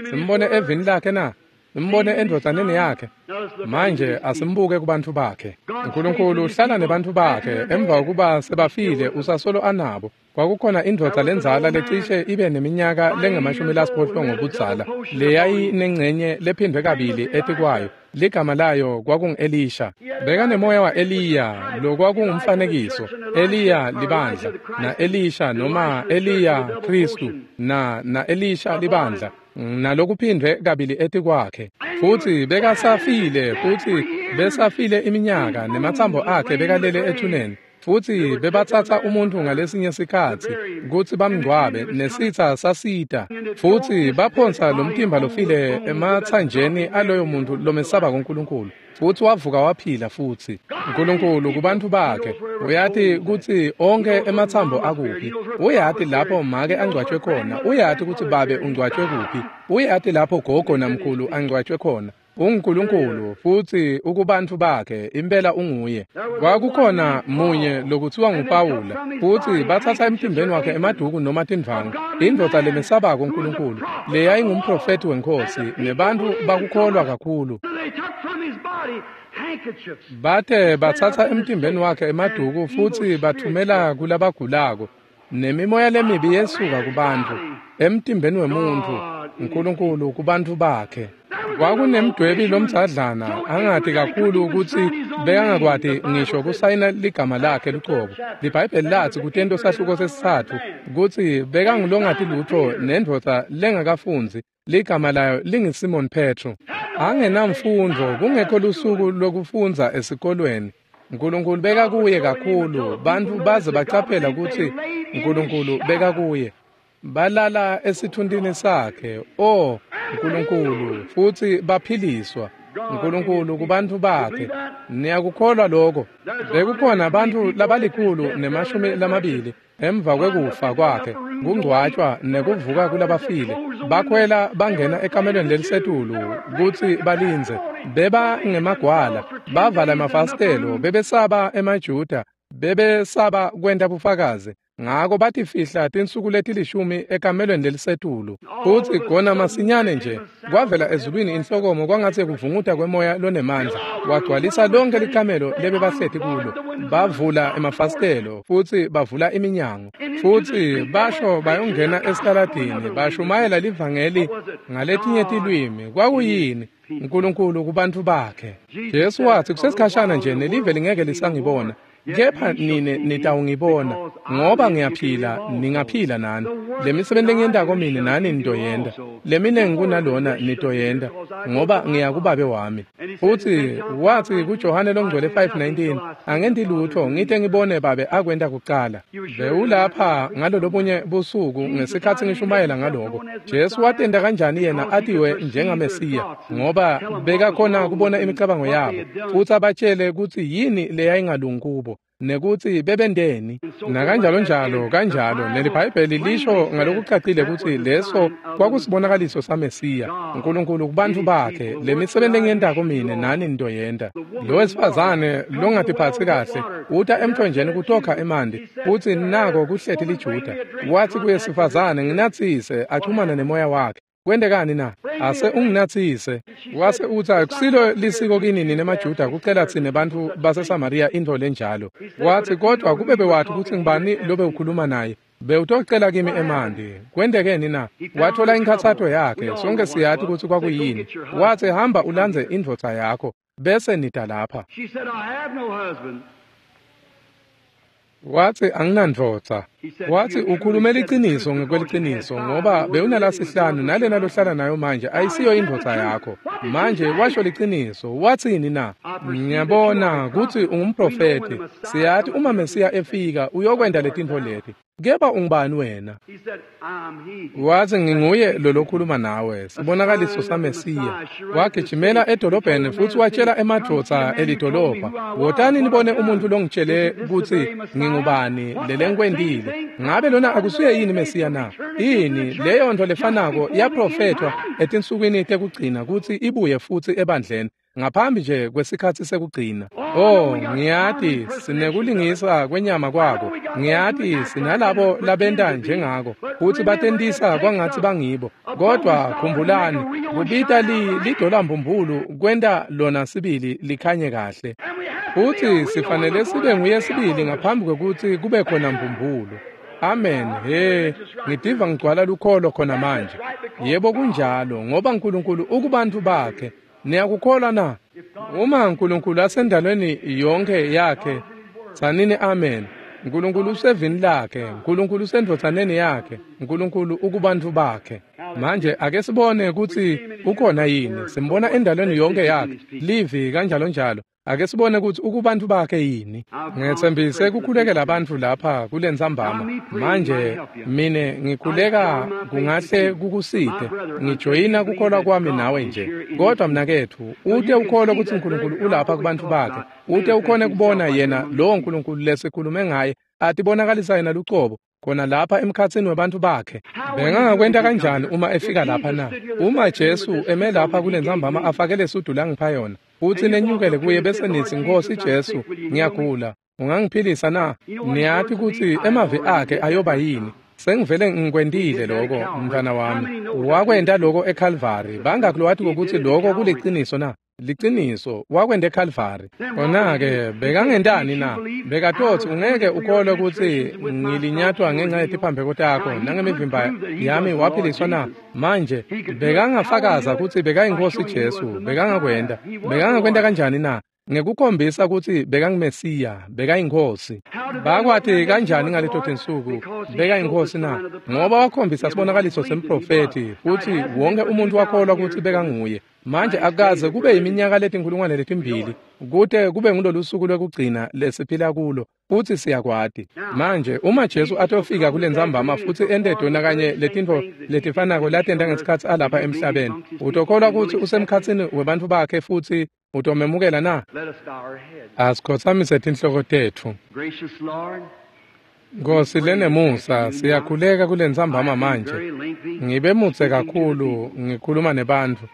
Simbone evini lakhe na? Simbone endvodzaneni yakhe. Manje asimbuke kubantfu bakhe. uNkulunkulu uhlala nebantfu bakhe emva kokuba sebafile usasolo anabo. Kwakukhona indvodza lendzala lecishe ibe neminyaka lengamashumi lasiphohlongo budzala, leyayinengcenye lephindwe kabili etikwayo. Ligama layo kwakungu-Elisha. Bekanemoya wa-Eliya, lokwakungumfanekiso. Eliya libandla, na-Elisha noma Eliya Khristu, na na-Elisha libandla, nalokuphindwe kabili etikwakhe. Futsi bekasafile, futsi besafile iminyaka, nematsambo akhe bekalele ethuneni. Futsi bebatsatsa umuntfu ngalesinye sikhatsi kutsi bamngcwabe, nesitsa sasita. Futsi baphonsa lomtimba lofile ematsanjeni aloyo muntu lomesaba kuNkulunkulu. Futsi wavuka waphila futsi. uNkulunkulu kubantfu bakhe uyati kutsi onke ematsambo akuphi. Uyati lapho make angcwatjwe khona, uyati kutsi babe ungcwatjwe kuphi, uyati lapho gogo namkhulu angcwatjwe khona. UnguNkulunkulu futsi ukubantfu bakhe, impela unguye. Kwakukhona munye lokutsiwa nguPawula, futsi batsatsa emtimbeni wakhe emaduku noma tindvwangu, indvodza lemesabako uNkulunkulu, leyayingumprofethi weNkhosi, nebantfu bakukholwa kakhulu. They took from his body handkerchiefs. Bate batsatsa emtimbeni wakhe emaduku futsi bathumela kulabagulako, nemimoya lemibi yesuka kubantfu, emtimbeni wemuntfu, uNkulunkulu kubantfu bakhe. Kwakunemdwebi lomdzadlana angati kakhulu kutsi bekangakwati ngisho kusayina ligama lakhe lucobo. LiBhayibheli latsi kutento sahluko sesitsatfu kutsi bekangulongati lutfo nendvodza lengakafundzi, ligama layo linguSimon Petro. Angenamfundvo, kungekho lusuku lokufundza esikolweni. uNkulunkulu bekakuye kakhulu, bantfu baze bacaphela kutsi uNkulunkulu bekakuye. Balala esithuntini sakhe, oh uNkulunkulu, futsi baphiliswa. uNkulunkulu kubantfu bakhe. Niyakukholwa lokho? Bekukhona bantfu labalikhulu nemashumi lamabili emva kwekufa kwakhe, kungcwatjwa nekuvuka kulabafile. Bakhwela bangena ekamelweni lelisetulu kutsi balindze. Beba ngemagwala, bavala emafasitelo, bebesaba emaJuda, bebesaba kwenta bufakazi. Ngako batifihla tinsuku letilishumi ekamelweni lelisetulu. Futsi khona masinyane nje kwavela ezulwini inhlokomo kwangatsi kuvunguta kwemoya lonemandla, wagcwalisa lonke likamelo lebebahleti kulo. Bavula emafasitelo futsi bavula iminyango, futsi basho bayongena esitaladini, bashumayela livangeli ngaletinye tilwimi. Kwakuyini? uNkulunkulu kubantfu bakhe. Jesu watsi, kusesikhashana nje nelive lingeke lisangibona, Kepha nine nitawungibona, ngoba ngiyaphila, ningaphila nani. Lemisebenti lengiyentako mine nani nitoyenta. Leminengi kunalona nitoyenta, ngoba ngiya kuBabe wami. Futsi watsi kuJohane longcwele five nineteen, angenti lutfo ngite ngibone Babe akwenta kucala. Bewulapha ngalolobunye busuku ngesikhatsi ngishumayela ngaloko. Jesu watenta kanjani yena atiwe njengaMesiya, ngoba bekakhona kubona imicabango yabo futsi abatshele kutsi yini leyayingalungi kubo nekutsi bebenteni nakanjalo njalo kanjalo. NeliBhayibheli lisho ngalokucacile kutsi leso kwakusibonakaliso saMesiya, uNkulunkulu kubantfu bakhe. Lemisebenti lengiyentako mine nani nitoyenta. Lo wesifazane longatiphatsi kahle uta emthonjeni kutokha emanti, futsi nako kuhleti liJuda. Watsi kuye, sifazane, nginatsise, achumana nemoya wakhe. Kwentekani na? Ase unginatsise. Wase utsi, akusilo lisiko kini nine maJuda kucela tsine bantfu baseSamariya intfo lenjalo. Watsi, kodvwa kube bewathi kutsi ngibani lobe ukhuluma naye, bewutocela kimi emanti. Kwentekeni na? Wathola inkhatsato yakhe. Sonke siyati kutsi kwakuyini. Watsi, hamba ulandze indvodza yakho, bese nita lapha. Watsi, anginandvodza. Watsi, ukhulume liciniso ngekweliciniso, ngoba bewunalasihlanu nalena lohlala nayo manje ayisiyo indvodza yakho. Manje washo liciniso. Watsini na? Ngiyabona kutsi ungumprofethi. Siyati uma Mesiya efika uyokwenta letintfo leti. Kepha ungubani wena? Watsi, nginguye lo lokhuluma nawe, sibonakaliso saMesiya. Wagijimela edolobheni futsi watshela emadvodza elidolobha, wotani nibone umuntu longitshele kutsi ngingubani lelengikwentile. Ngabe lona akusuye yini Mesiya na? Yini leyo nto lefanako yaprofethwa etinsukwini tekugcina kutsi ibuye futsi ebandleni ngaphambi nje kwesikhatsi sekugcina. Oh, ngiyati sinekulingisa kwenyama kwako. Ngiyati sinalabo labenta njengako kutsi batentisa kwangatsi bangibo. Kodwa khumbulani, kubita li lidola mbumbulu kwenta lona sibili likhanye kahle. Futsi sifanele sibe nguye sibili ngaphambi kwekutsi kube khona mbumbulu. Amen. He, ngitiva ngigcwala lukholo khona manje. Yebo kunjalo, ngoba uNkulunkulu ukubantu bakhe. Niyakukholwa na? Uma uNkulunkulu asendalweni yonke yakhe, tsanini amen. uNkulunkulu usevini lakhe, uNkulunkulu usendvodzaneni yakhe, uNkulunkulu ukubantu bakhe. Manje ake sibone kutsi ukhona yini. Simbona endalweni yonke yakhe, livi kanjalo njalo. Ake sibone kutsi ukubantu bakhe yini. Ngetsembise kukhulekela abantu lapha kulentsambama. Manje mine ngikhuleka kungahle kukusite. Ngijoyina kukholwa kwami nawe nje. Kodwa mnaketfu, ute ukholwa kutsi uNkulunkulu ulapha kubantu bakhe. Ute ukhone kubona yena lowo Nkulunkulu lesikhulume ngaye atibonakalisa yena lucobo khona lapha emkhatsini webantfu bakhe. Bengangakwenta kanjani uma efika lapha na? Uma Jesu eme lapha kulentsambama afake lesudu langipha yona, futsi nenyukele kuye bese nitsi, Nkosi Jesu, ngiyagula, ungangiphilisa na? Niyati kutsi emavi akhe ayoba yini. Sengivele ngikwentile lokho, mntfwana wami. Wakwenta lokho eCalvary. Bangaki lowati kutsi lokho kuliciniso na? Liciniso, wakwenta eCalvary. Kona-ke bekangentani na? Bekatotsi ungeke ukholwe kutsi ngilinyatwa ngenxa yetiphambeko takho nangemivimba yami waphiliswa na? Manje bekangafakaza kutsi bekayinkosi Jesu. Bekangakwenta. Bekangakwenta kanjani na? Ngekukhombisa kutsi bekanguMesiya, bekayinkosi. Bakwati kanjani ngaleto tinsuku bekayinkosi na? Ngoba wakhombisa sibonakaliso semprofethi, futsi wonke umuntu wakholwa kutsi bekanguye. Manje akaze kube iminyaka letinkulungwane letimbili kute kube ngulolu suku lwekugcina lesiphila kulo, futsi siyakwati. Manje uma Jesu atofika kulentsambama futsi ente tona kanye letintfo letifanako latenta ngesikhatsi alapha emhlabeni, utokholwa kutsi usemkhatsini webantfu bakhe futsi utomemukela na? Asikhotsamise tinhloko tetfu. Nkosi lenemusa, siyakhuleka kulentsambama manje. Ngibe mutse kakhulu ngikhuluma nebantfu,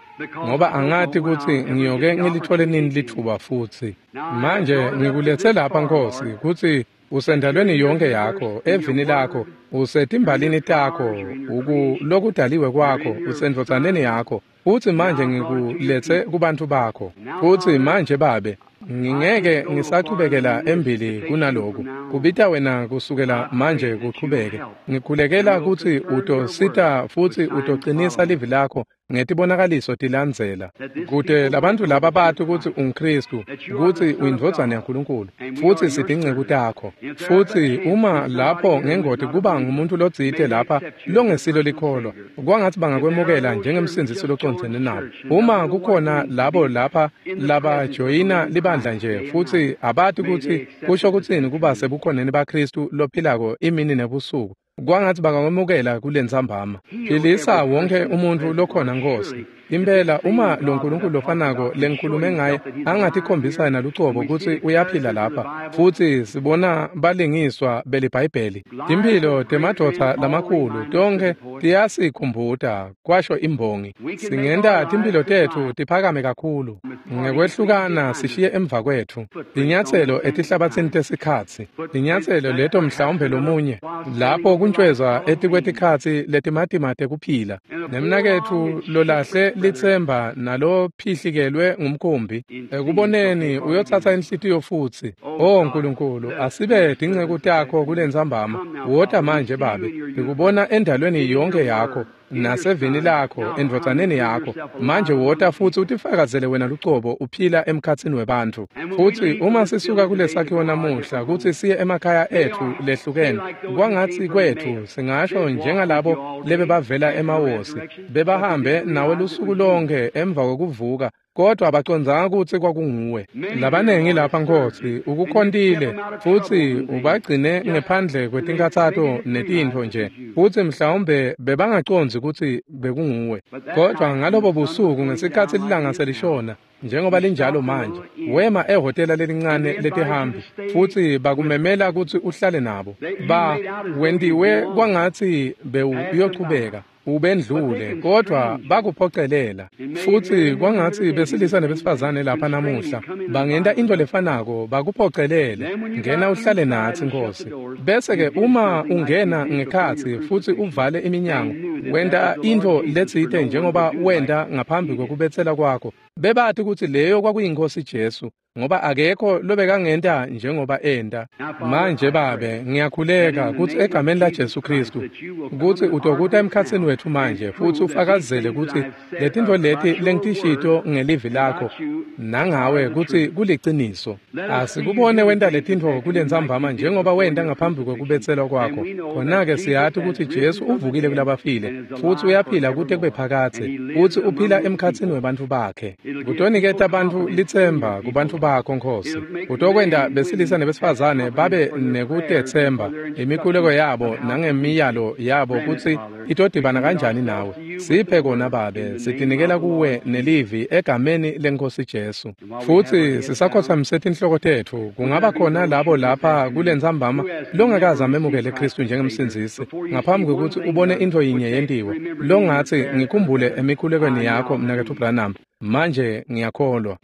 ngoba angati kutsi ngiyoke ngilithole nini litfuba futsi. Manje ngikulethe lapha Nkosi kutsi usendalweni yonke yakho, evini lakho, usetimbalini takho, ukulokudaliwe kwakho, usendvodzaneni yakho. Futsi manje ngikulethe kubantfu bakho. Futsi manje Babe, Ngingeke ngisachubekela embili kunaloku. Kubita wena kusukela manje kuchubeke. Ngikhulekela kutsi utosita futsi utocinisa livi lakho ngetibonakaliso tilandzela. Kute labantu laba bati kutsi unguKhristu, kutsi uyindvodzana yaNkulunkulu, futsi sitinceku takho. Futsi uma lapho ngengoti kuba ngumuntu lotsite lapha longesilo likholwa, kwangatsi bangakwemukela njengemsindzisi locondzene nabo. Uma kukhona labo lapha labajoyina libandla nje futsi abati kutsi kusho kutsini kuba sebukhoneni baKhristu lophilako imini nebusuku, kwangatsi bangakwemukela kulentsambama. Philisa wonke umuntfu lokhona Nkosi. Impela uma lo Nkulunkulu lofanako lengikhulume ngaye angatikhombisa yena lucobo kutsi uyaphila lapha, futsi sibona balingiswa beliBhayibheli. Timphilo temadvodza lamakhulu tonkhe tiyasikhumbuta, kwasho imbongi. Singenta timphilo tetfu tiphakame kakhulu ngekwehlukana sishiye emva kwetfu tinyatselo etihlabatsini tesikhatsi, tinyatselo leto mhlawumbe lomunye lapho kuntjwezwa etikwetikhatsi letimatima tekuphila. Nemnaketfu lolahle litsemba nalophihlikelwe ngumkhumbi ekuboneni uyotsatsa inhlitiyo futsi. O Nkulunkulu, asibe tinceku takho kulentsambama. Wota manje Babe, ngikubona endalweni yonke yakho nasevini lakho, endvodzaneni yakho. Manje wota futsi utifakazele wena lucobo uphila emkhatsini webantfu. Futsi uma sisuka kulesakhiwo namuhla kutsi siye emakhaya etfu lehlukene, kwangatsi kwetfu singasho njengalabo lebebavela emawosi, bebahambe nawe lusuku lonke emva kwekuvuka, kodwa abacondzanga kutsi kwakunguwe. Labanengi lapha Nkosi ukukhontile futsi ubagcine ngephandle kwetinkhatsato netintfo nje, futsi mhlawumbe bebangacondzi kutsi bekunguwe. Kodwa ngalobo busuku ngesikhatsi lilanga selishona njengoba linjalo manje, wema ehhotela lelincane letihambi futsi bakumemela kutsi uhlale nabo. Ba wentiwe kwangatsi bewuyochubeka ubendlule, kodwa bakuphocelela. Futsi kwangatsi besilisa nebesifazane lapha namuhla bangenta into lefanako, bakuphocelele. Ngena uhlale natsi Nkosi. Bese-ke uma ungena ngekhatsi futsi uvale iminyango, wenta into letsite njengoba wenta ngaphambi kwekubetsela kwakho, bebati kutsi leyo kwakuyinkosi Jesu, ngoba akekho lobekangenta njengoba enta. Manje Babe, ngiyakhuleka kutsi egameni la Jesu Khristu kutsi utokuta emkhatsini wetfu manje futsi ufakazele kutsi letintfo leti lengitishito ngelivi lakho nangawe kutsi kuliciniso. Asikubone wenta letintfo kulentsambama njengoba wenta ngaphambi kwekubetselwa kwakho. Khona-ke siyati kutsi Jesu uvukile kulabafile futsi uyaphila kute kube phakadze, futsi uphila emkhatsini webantfu bakhe. Kutoniketa bantfu litsemba kubantfu bakho Nkosi. Utokwenta besilisa nebesifazane babe nekutetsemba imikhuleko yabo nangemiyalo yabo kutsi itodibana kanjani nawe. Siphe kona Babe, sitinikela kuwe nelivi egameni leNkosi Jesu. Futsi sisakhotsamise tinhloko tetfu, kungaba khona labo lapha kulentsambama longakaze amemukele Khristu njengemsindzisi ngaphambi kwekutsi ubone intfo yinye yentiwe, longatsi ngikhumbule emikhulekweni yakho mnaketfu Branham. Manje ngiyakholwa.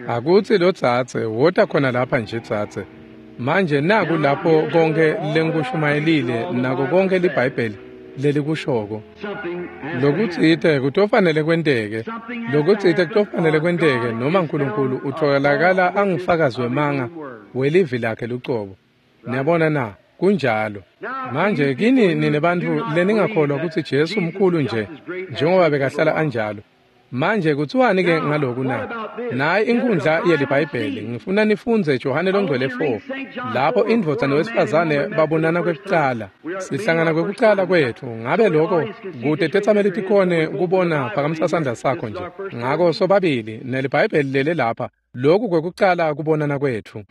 Akutsi lo dzadze wota khona lapha nje dzadze. Manje naku lapho konke lengikushumayelile nako konke liBhayibheli lelikushoko. Lokutsite kutofanele kwenteke, lokutsite kutofanele kwenteke noma Nkulunkulu utholakala angufakazi wemanga welivi lakhe lucobo. Niyabona na? Kunjalo. Manje kini nine bantfu leningakholwa kutsi Jesu mkhulu nje njengoba bekahlala anjalo. Manje kuthiwani ke ngaloku na? Nayi inkundla yeliBhayibheli. Ngifuna nifundze Johane longcwele four lapho indvodza nowesifazane babonana kwekucala. Sihlangana kwekucala kwetfu. Ngabe lokho kute tetsameli tikhone kubona, phakamisa sandla sakho nje. Ngako sobabili neliBhayibheli lele lapha, lokhu kwekucala kubonana kwetfu.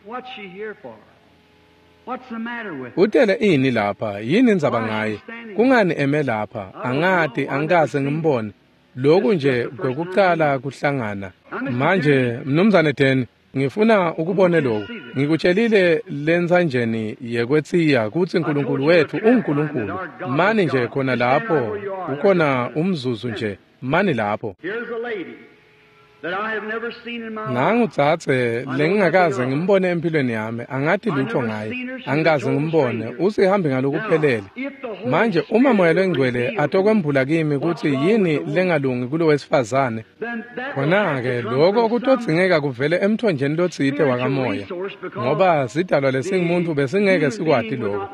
Utele ini lapha? Yini indzaba ngaye? Kungani eme lapha? Angati, angikaze ngimbone. Lokhu nje kwekucala kuhlangana. Manje mnumzane Dan, ngifuna ukubone lokhu. Ngikutshelile lensanjeni yekwetsiya kutsi Nkulunkulu wethu unguNkulunkulu. Mani nje khona lapho, ukhona umzuzu nje, mani lapho. Nangu dzadze lengingakaze ngimbone empilweni yami, angati lutho ngaye, angikaze ngimbone, usihambi ngalokuphelele. Manje uma Moya Longcwele atokwembula kimi kutsi yini lengalungi kulo wesifazane, khona-ke loko kutodzingeka kuvele emthonjeni lotsite wakamoya, ngoba sidalwa lesingumuntu besingeke sikwati loko.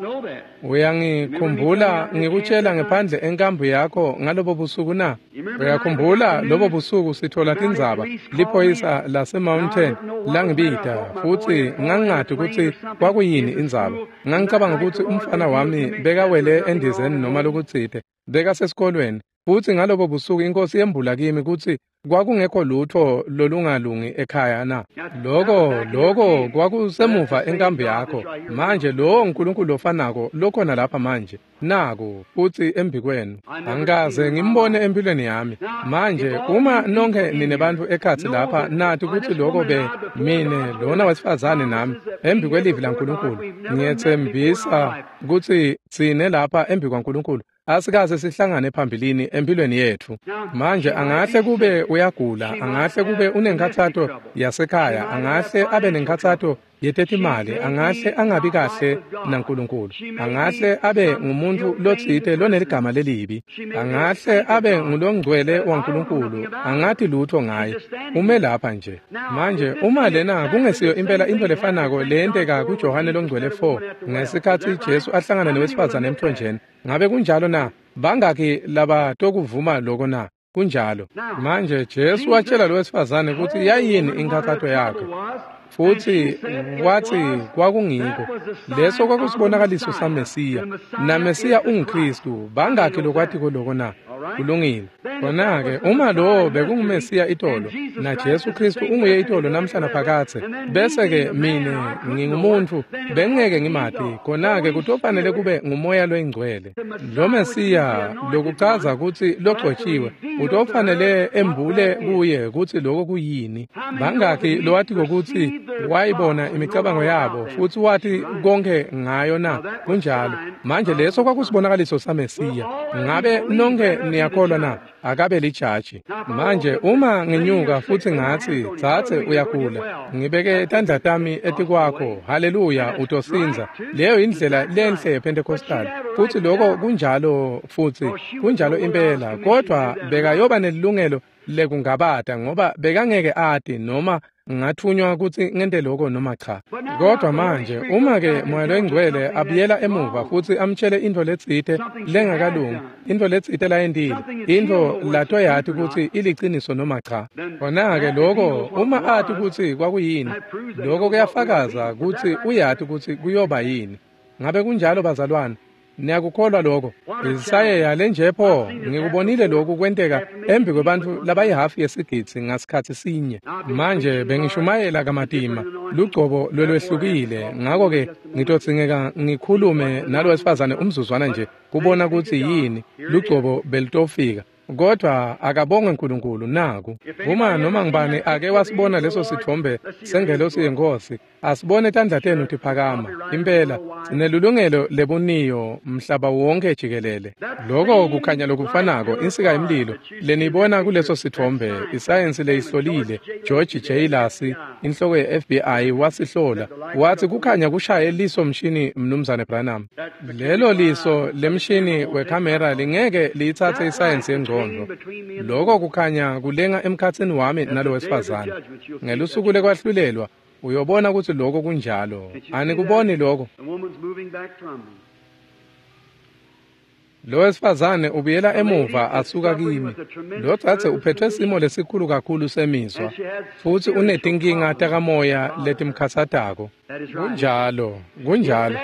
Uyangikhumbula ngikutshela ngephandle enkambu yakho ngalobo busuku na? Uyakhumbula lobo busuku sithola tindzaba, liphoyisa lase-Mountain langibita, futsi ngangingati kutsi kwakuyini indzaba. Ngangicabanga kutsi umfana wami bekawele endizeni noma lokutsite, bekasesikolweni, futsi ngalobo busuku inkosi yembula kimi kutsi kwakungekho lutho lolungalungi ekhaya na. Loko loko kwakusemuva enkambu yakho. Manje lowo uNkulunkulu lofanako lokhona lapha manje naku futsi embikwenu. Angikaze ngimbone empilweni yami. Manje uma nonke ninebantfu ekhatsi lapha nati kutsi loko be mine lona wesifazane nami embikwelivi laNkulunkulu, ngiyetsembisa kutsi tsine lapha embikwaNkulunkulu asikaze sihlangane phambilini empilweni yetfu. Manje angahle kube uyagula, angahle kube unenkhatsato yasekhaya, angahle abe nenkhatsato yetetimali, angahle angabi kahle naNkulunkulu, angahle abe ngumuntu lotsite loneligama lelibi, angahle abe ngulongcwele waNkulunkulu, angati lutho ngaye, ume lapha nje. Manje uma lena kungesiyo impela into lefanako leyenteka kuJohane longcwele four ngesikhatsi Jesu ahlangana newesifazane emthonjeni, ngabe kunjalo na? Bangaki labatokuvuma loko na? Kunjalo. Manje Jesu watshela lo wesifazane kutsi yayini inkhatsato yakhe, futsi watsi kwakungiko leso kwakusibonakaliso saMesiya, naMesiya unguKristu. Bangaki lokwatiko loko na? Kulungile. Khona-ke uma lowo bekunguMesiya itolo, na Jesu Kristu unguye itolo namhla naphakadze, bese-ke mine ngingumuntfu bengingeke ngimati, khona-ke kutofanele kube nguMoya Loyingcwele. Lo Mesiya lokuchaza kutsi logcotshiwe utofanele embule kuye kutsi loko kuyini. Bangaki lowatiko kutsi wayibona imicabango yabo futsi wati konke ngayo na? Kunjalo. Manje leso kwakusibonakaliso saMesiya. Ngabe nonke niyakholwa na? Akabe lijaji. Manje uma nginyuka futsi ngatsi, dzadze uyagula, ngibeke tandla tami etikwakho, haleluya, utosindza. Leyo indlela lenhle yePentecostal, futsi loko kunjalo, futsi kunjalo impela, kodvwa bekayoba nelilungelo lekungabata ngoba bekangeke ati noma ngathunywa kutsi ngente lokho noma cha. Kodwa manje uma ke Moya Longcwele abuyela emuva futsi amtshele intfo letsite lengakalungi, intfo letsite layentile, intfo latoyati kutsi iliciniso noma cha, khona-ke loko uma ati kutsi kwakuyini, loko kuyafakaza kutsi uyati kutsi kuyoba yini. Ngabe kunjalo bazalwane? Niyakukholwa lokho? Isayeya lenje pho, ngikubonile lokhu kwenteka embi kwebantfu labayihafu yesigidzi ngasikhatsi sinye. Manje bengishumayela kamatima, lugcobo lolwehlukile, ngako-ke ngitodzingeka ngikhulume nalo wesifazane umzuzwana nje kubona kutsi yini lugcobo belitofika. Kodwa akabongwe uNkulunkulu naku. Uma noma ngibani ake wasibona leso sithombe sengelosi yenkosi, asibone tandla tenu tiphakama. Impela sinelulungelo lebuniyo mhlaba wonke jikelele. Loko kukhanya lokufanako, insika yemlilo lenibona kuleso sithombe, isayensi leyihlolile, George J. Lassie, inhloko ye-F B I wasihlola, wathi kukhanya kushaye liso mshini Mnumzane Branham. Lelo liso lemshini wekhamera lingeke liyitsatse isayensi yengcondvo. Loko kukhanya kulenga emkhatsini wami nalo wesifazane. Ngelusuku lekwahlulelwa uyobona kutsi loko kunjalo. Anikuboni loko? Lo wesifazane ubuyela emuva asuka kimi. Lo dzadze uphethwe simo lesikhulu kakhulu semizwa, futsi unetinkinga takamoya letimkhatsatako. Kunjalo, kunjalo.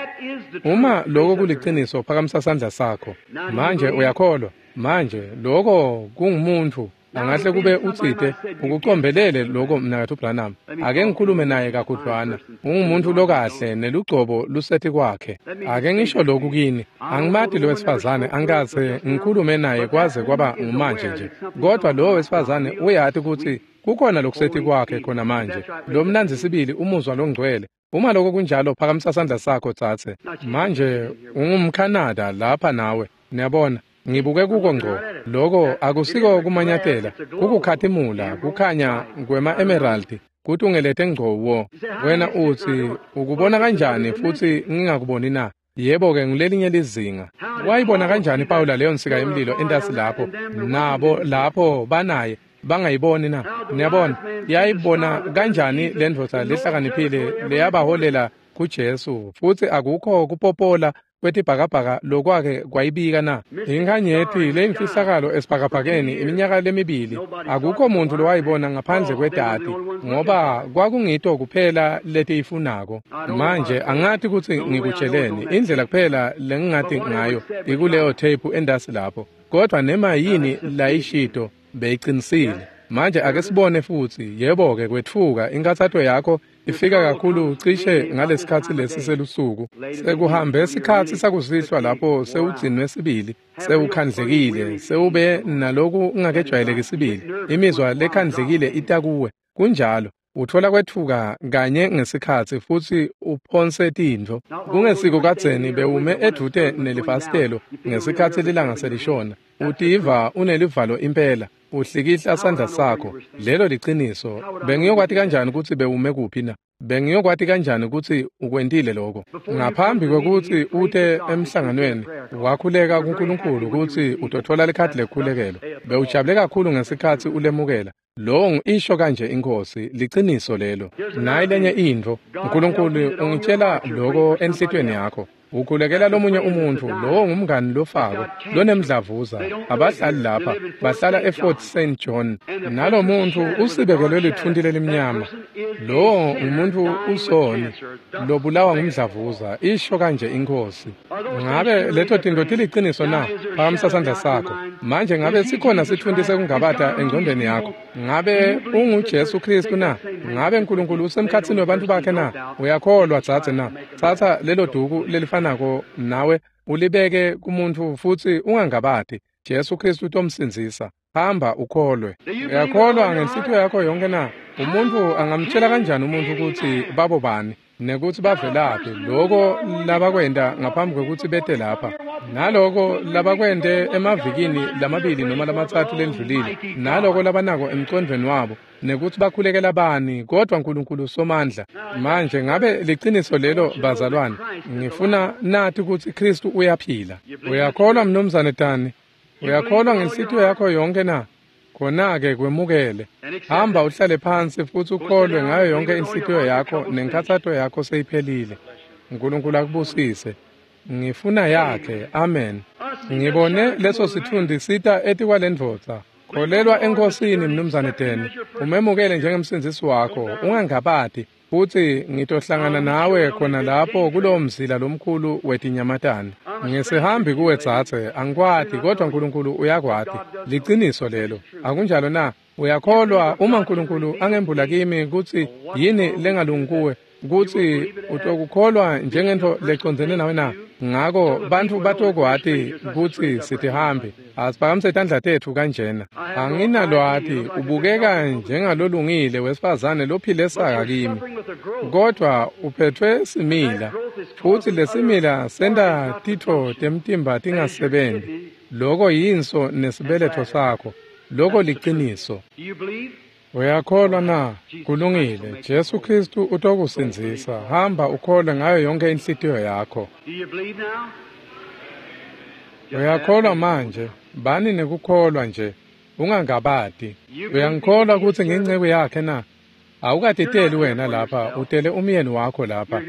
Uma loko kuliciniso, phakamisa sandla sakho. Manje uyakholwa? Manje loko kungumuntfu. Angahle kube utsite ukucombelele loko mnakatfu Branham. Ake ngikhulume naye kakhudlwana. Ungumuntu lokahle nelugcobo luseti kwakhe. Ake ngisho lokhu kini. Angimati lo wesifazane, angikaze ngikhulume naye kwaze kwaba ngumanje nje. Kodwa lo wesifazane uyati kutsi kukhona lokuseti kwakhe khona manje. Lo mnandzi sibili umuzwa longcwele. Uma lokho kunjalo, phakamisa sandla sakho dzadze. Manje ungumKhanada lapha nawe. Niyabona? Ngibuke kuko ngco. Loko akusiko kumanyatela, kukukhatimula, kukhanya kwema-emeraldi kutungelete ngco wo. Wena utsi ukubona kanjani futsi ngingakuboni na? Yebo-ke, ngulelinye lizinga. Wayibona kanjani Pawula leyo nsika yemlilo entasi lapho, nabo lapho banaye bangayiboni na? Niyabona, yayibona kanjani le ndvodza lehlakaniphile leyabaholela kuJesu, futsi akukho kupopola kwetibhakabhaka lokwake kwayibika na? Inkhanyeti leyimfihlakalo esibhakabhakeni iminyaka lemibili, akukho muntu lowayibona ngaphandle kwedati, ngoba kwakungito kuphela letiyifunako. Manje angati kutsi ngikutsheleni, indlela kuphela lengingati ngayo ikuleyo tape endasi lapho, kodwa nema yini layishito beyicinisile. Manje ake sibone futsi. Yebo-ke, kwetfuka inkathato yakho ifika kakhulu cishe ngalesikhatsi lesi selusuku. Sekuhambe sikhatsi sakusihlwa lapho sewugcinwe sibili, sewukhandlekile, sewube naloku ungakejwayeleki sibili. Imizwa lekhandlekile ita kuwe. Kunjalo. Utfola kwetfuka kanye ngesikhatsi futsi uphonse tintfo. Kungesiko kadzeni bewume edvute nelifasitelo ngesikhatsi lilanga selishona. Utiva unelivalo impela. Uhlikihla sandla sakho. Lelo liciniso. Bengiyokwati kanjani kutsi bewume kuphi na? Bengiyokwati kanjani kutsi ukwentile lokho? Ngaphambi kwekutsi ute emhlanganweni, wakhuleka kuNkulunkulu kutsi utotfola likhadi lekukhulekelwa. Bewujabule kakhulu ngesikhatsi ulemukela. Lowo isho kanje iNkhosi, liciniso lelo. Nayi lenye intfo, uNkulunkulu ungitshela lokho enhlitiyweni yakho. Ukhulekela lomunye umuntfu, lowo ngumngani lofako, lonemdlavuza. Abahlali lapha, bahlala eFort Saint John. Nalo muntfu usibekelwe litfunti lelimnyama. Lowo ngumuntu usoni, lobulawa ngumdlavuza, isho kanje iNkhosi. Ngabe leto tintfo tiliciniso na? Phakamisa sandla sakho. Manje ngabe sikhona sitfunti sekungabata engcondweni yakho? Ngabe unguJesu Kristu na? Ngabe uNkulunkulu usemkhatsini webantfu bakhe na? Uyakholwa dzadze na? Tsatsa lelo duku lelifanako nawe ulibeke kumuntfu futsi ungangabati. Jesu Kristu utomsindzisa. Hamba ukholwe. Uyakholwa ngenhlitiyo yakho yonke na? Umuntfu angamtshela kanjani umuntfu kutsi babo bani nekutsi bavelaphi, loko labakwenta ngaphambi kwekutsi bete lapha, naloko labakwente emavikini lamabili noma lamatsatfu lendlulile, naloko labanako emcondvweni wabo, nekutsi bakhulekela bani, kodwa uNkulunkulu somandla. Manje ngabe liciniso lelo bazalwane? Ngifuna nati kutsi Kristu uyaphila. Uyakholwa mnumzane Tani? Uyakholwa ngenhlitiyo yakho yonke na? Khona-ke kwemukele. Hamba uhlale phansi futsi ukholwe ngayo yonke inhlitiyo yakho nenkhatsato yakho seyiphelile. uNkulunkulu akubusise. Ngifuna yakhe. Amen. Ngibone leso sitfundi sita etikwalendvodza. Kholelwa eNkhosini mnumzane Deni, umemukele njengemsindzisi wakho, ungangabati, futsi ngitohlangana nawe khona lapho kulowo mzila lomkhulu wetinyamatane. Ngisihambi kuwe dzadze, angikwati, kodwa uNkulunkulu uyakwati. Liciniso lelo, akunjalo na? Uyakholwa uma uNkulunkulu angembula kimi kutsi yini lengalungi kuwe, kutsi utokukholwa njengentfo lecondzene nawe na? Ngako bantfu batokwati kutsi sitihambi. Asiphakamise tandla tetfu kanjena. Anginalwati, ubukeka njengalolungile wesifazane lophile saka kimi, kodwa uphethwe simila, futsi lesimila senta titfo temtimba tingasebenti. Loko yinso nesibeletfo sakho. Loko liciniso. Uyakholwa na? Kulungile. Jesu Kristu utokusindzisa. Hamba ukholwe ngayo yonke inhlitiyo yakho. Uyakholwa manje? Bani nekukholwa nje, ungangabati. Uyangikholwa kutsi ngiyinceku yakhe na? Awukatiteli wena lapha, utele umyeni wakho lapha.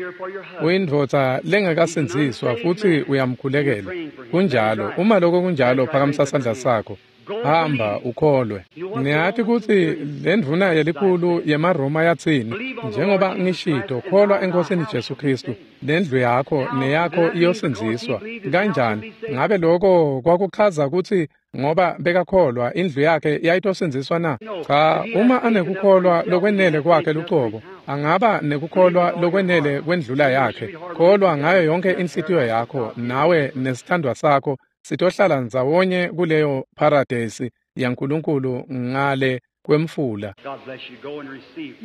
Uyindvodza lengakasindziswa futsi uyamkhulekela. Kunjalo. Uma lokho kunjalo, phakamisa sandla sakho. Hamba ukholwe. Niyati kutsi lendvuna yelikhulu yemaRoma yatsini? Njengoba ngishito, kholwa eNkhosini Jesu Kristu, lendlu yakho neyakho iyosindziswa. Kanjani? Ngabe lokho kwakuchaza kutsi ngoba bekakholwa indlu yakhe yayitosindziswa na? Cha, uma anekukholwa lokwenele kwakhe lucobo, angaba nekukholwa lokwenele kwendlula yakhe. Kholwa ngayo yonke inhlitiyo yakho, nawe nesithandwa sakho sitohlala ndzawonye kuleyo paradesi yaNkulunkulu ngale kwemfula.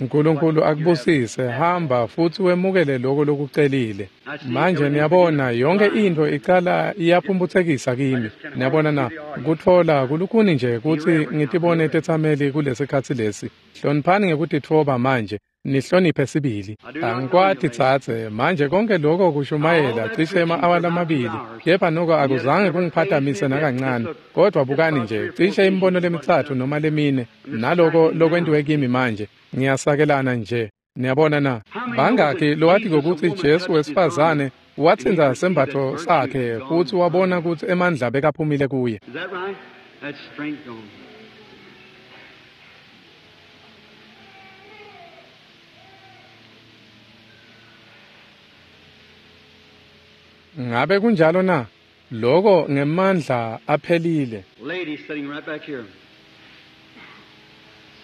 Nkulunkulu akubusise, hamba futsi wemukele loko lokucelile. Manje niyabona yonke intfo icala iyaphumphutsekisa kimi. Niyabona na, kutfola kulukhuni nje kutsi ngitibone tetsameli kulesikhatsi lesi. Hloniphani ngekutitfoba manje, nihloniphe sibili. Angikwati tsatse, manje konke lokho kushumayela cishe ema-awa lamabili, kepha noko akuzange kungiphatamise nakancane. Kodwa bukani nje, cishe imibono lemitsatfu noma lemine, naloko lokwentiwe kimi manje, ngiyasakelana nje. Niyabona na, bangakhi lowati kutsi Jesu wesifazane watsintsa sembatfo sakhe futsi wabona kutsi emandla bekaphumile kuye. Ngabe kunjalo na? Loko ngemandla aphelile. Lady sitting right back here,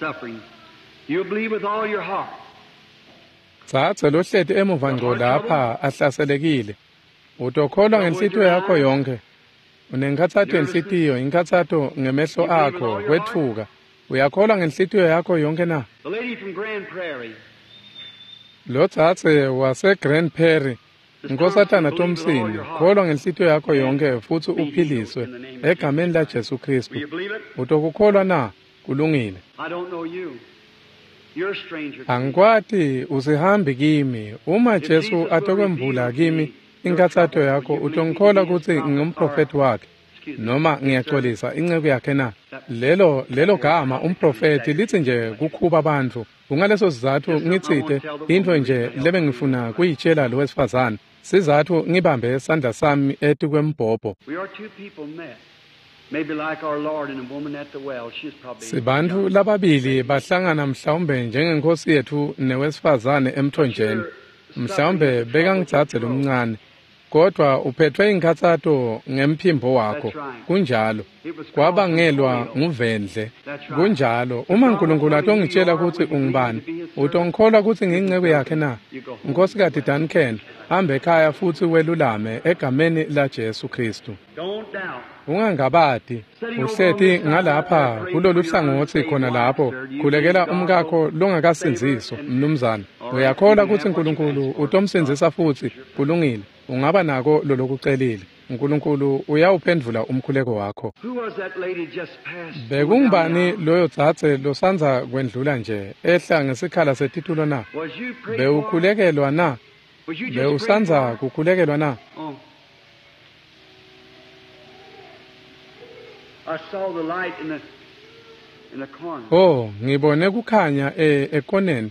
suffering. You believe with all your heart. Tsatse lohleti emuva ngco lapha ahlaselekile. Utokholwa ngenhlitiyo yakho yonke. Unenkhatsato yenhlitiyo, inkhatsato ngemehlo akho, kwetfuka. Uyakholwa ngenhlitiyo yakho yonke na? The lady from Grand Prairie. Lo tsatse wase Grand Prairie. Nkosatana Thompson, kholwa ngenhlitiyo yakho yonke futsi uphiliswe egameni la Jesu Kristu. Utokukholwa na? Kulungile. Angikwati, usihambi kimi. Uma Jesu atokwembula kimi inkhatsato yakho, utongikholwa kutsi ngingumprofethi wakhe noma ngiyaxolisa inceku yakhe na? Lelo lelo gama umprofethi litsi nje kukhuba bantfu. Kungaleso sizatfu ngitsite intfo nje lebengifuna kuyitshela lo wesifazane. Sizatfu ngibambe sandla sami etikwembhobho. Sibantfu lababili bahlangana mhlawumbe njengenkosi yetfu newesifazane emthonjeni. Mhlawumbe bekangitsatse lomncane, kodwa uphethwe inkhatsato ngemphimbo wakho. Kunjalo, kwabangelwa nguvendle. Kunjalo, uma Nkulunkulu atongitshela kutsi ungubani, utongikholwa kutsi ngiyinceku yakhe na? Nkosikazi Duncan, hamba ekhaya futsi welulame egameni la Jesu Kristu. Ungangabati, uhleti ngalapha kulolu hlangotsi khona lapho, khulekela umkakho longakasindziswa, mnumzane. Uyakholwa kutsi Nkulunkulu utomsindzisa futsi? Kulungile, ungaba nako lolokucelile. Nkulunkulu uyawuphendvula umkhuleko wakho. Bekungubani loyo tsatse losandza kwendlula nje ehla ngesikhala setitulo na? Bewukhulekelwa na? Bewusandza kukhulekelwa na? Oh, ngibone kukhanya e ekoneni.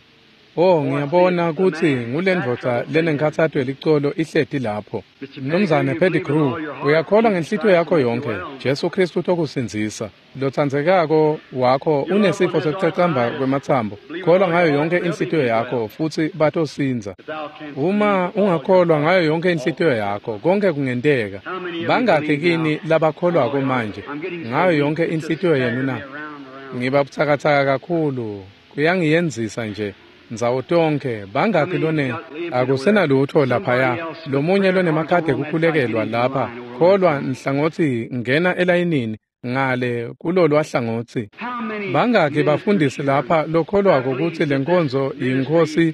Oh, ngiyabona kutsi ngulendvodza lenenkhatsato yelicolo ihleti lapho. Mnumzane Pettigrew, uyakholwa ngenhlitiyo yakho yonke. Jesu Kristu utokusindzisa. Lotsandzekako wakho unesifo sekucacamba kwematsambo. Kholwa ngayo yonke inhlitiyo yakho futsi batosindza. Uma ungakholwa ngayo yonke inhlitiyo yakho, konke kungenteka. Bangakhi kini labakholwako manje ngayo yonke inhlitiyo yenu na? Ngiba butsakatsaka kakhulu, kuyangiyenzisa nje. Ndzawo tonke bangakhi lone akusenalutho laphaya. Lomunye lonemakhadi ekukhulekelwa lapha, kholwa nhlangothi ngena elayinini ngale kulolwa hlangotsi. Bangakhi bafundisi lapha lokholwako kutsi lenkonzo yiNkhosi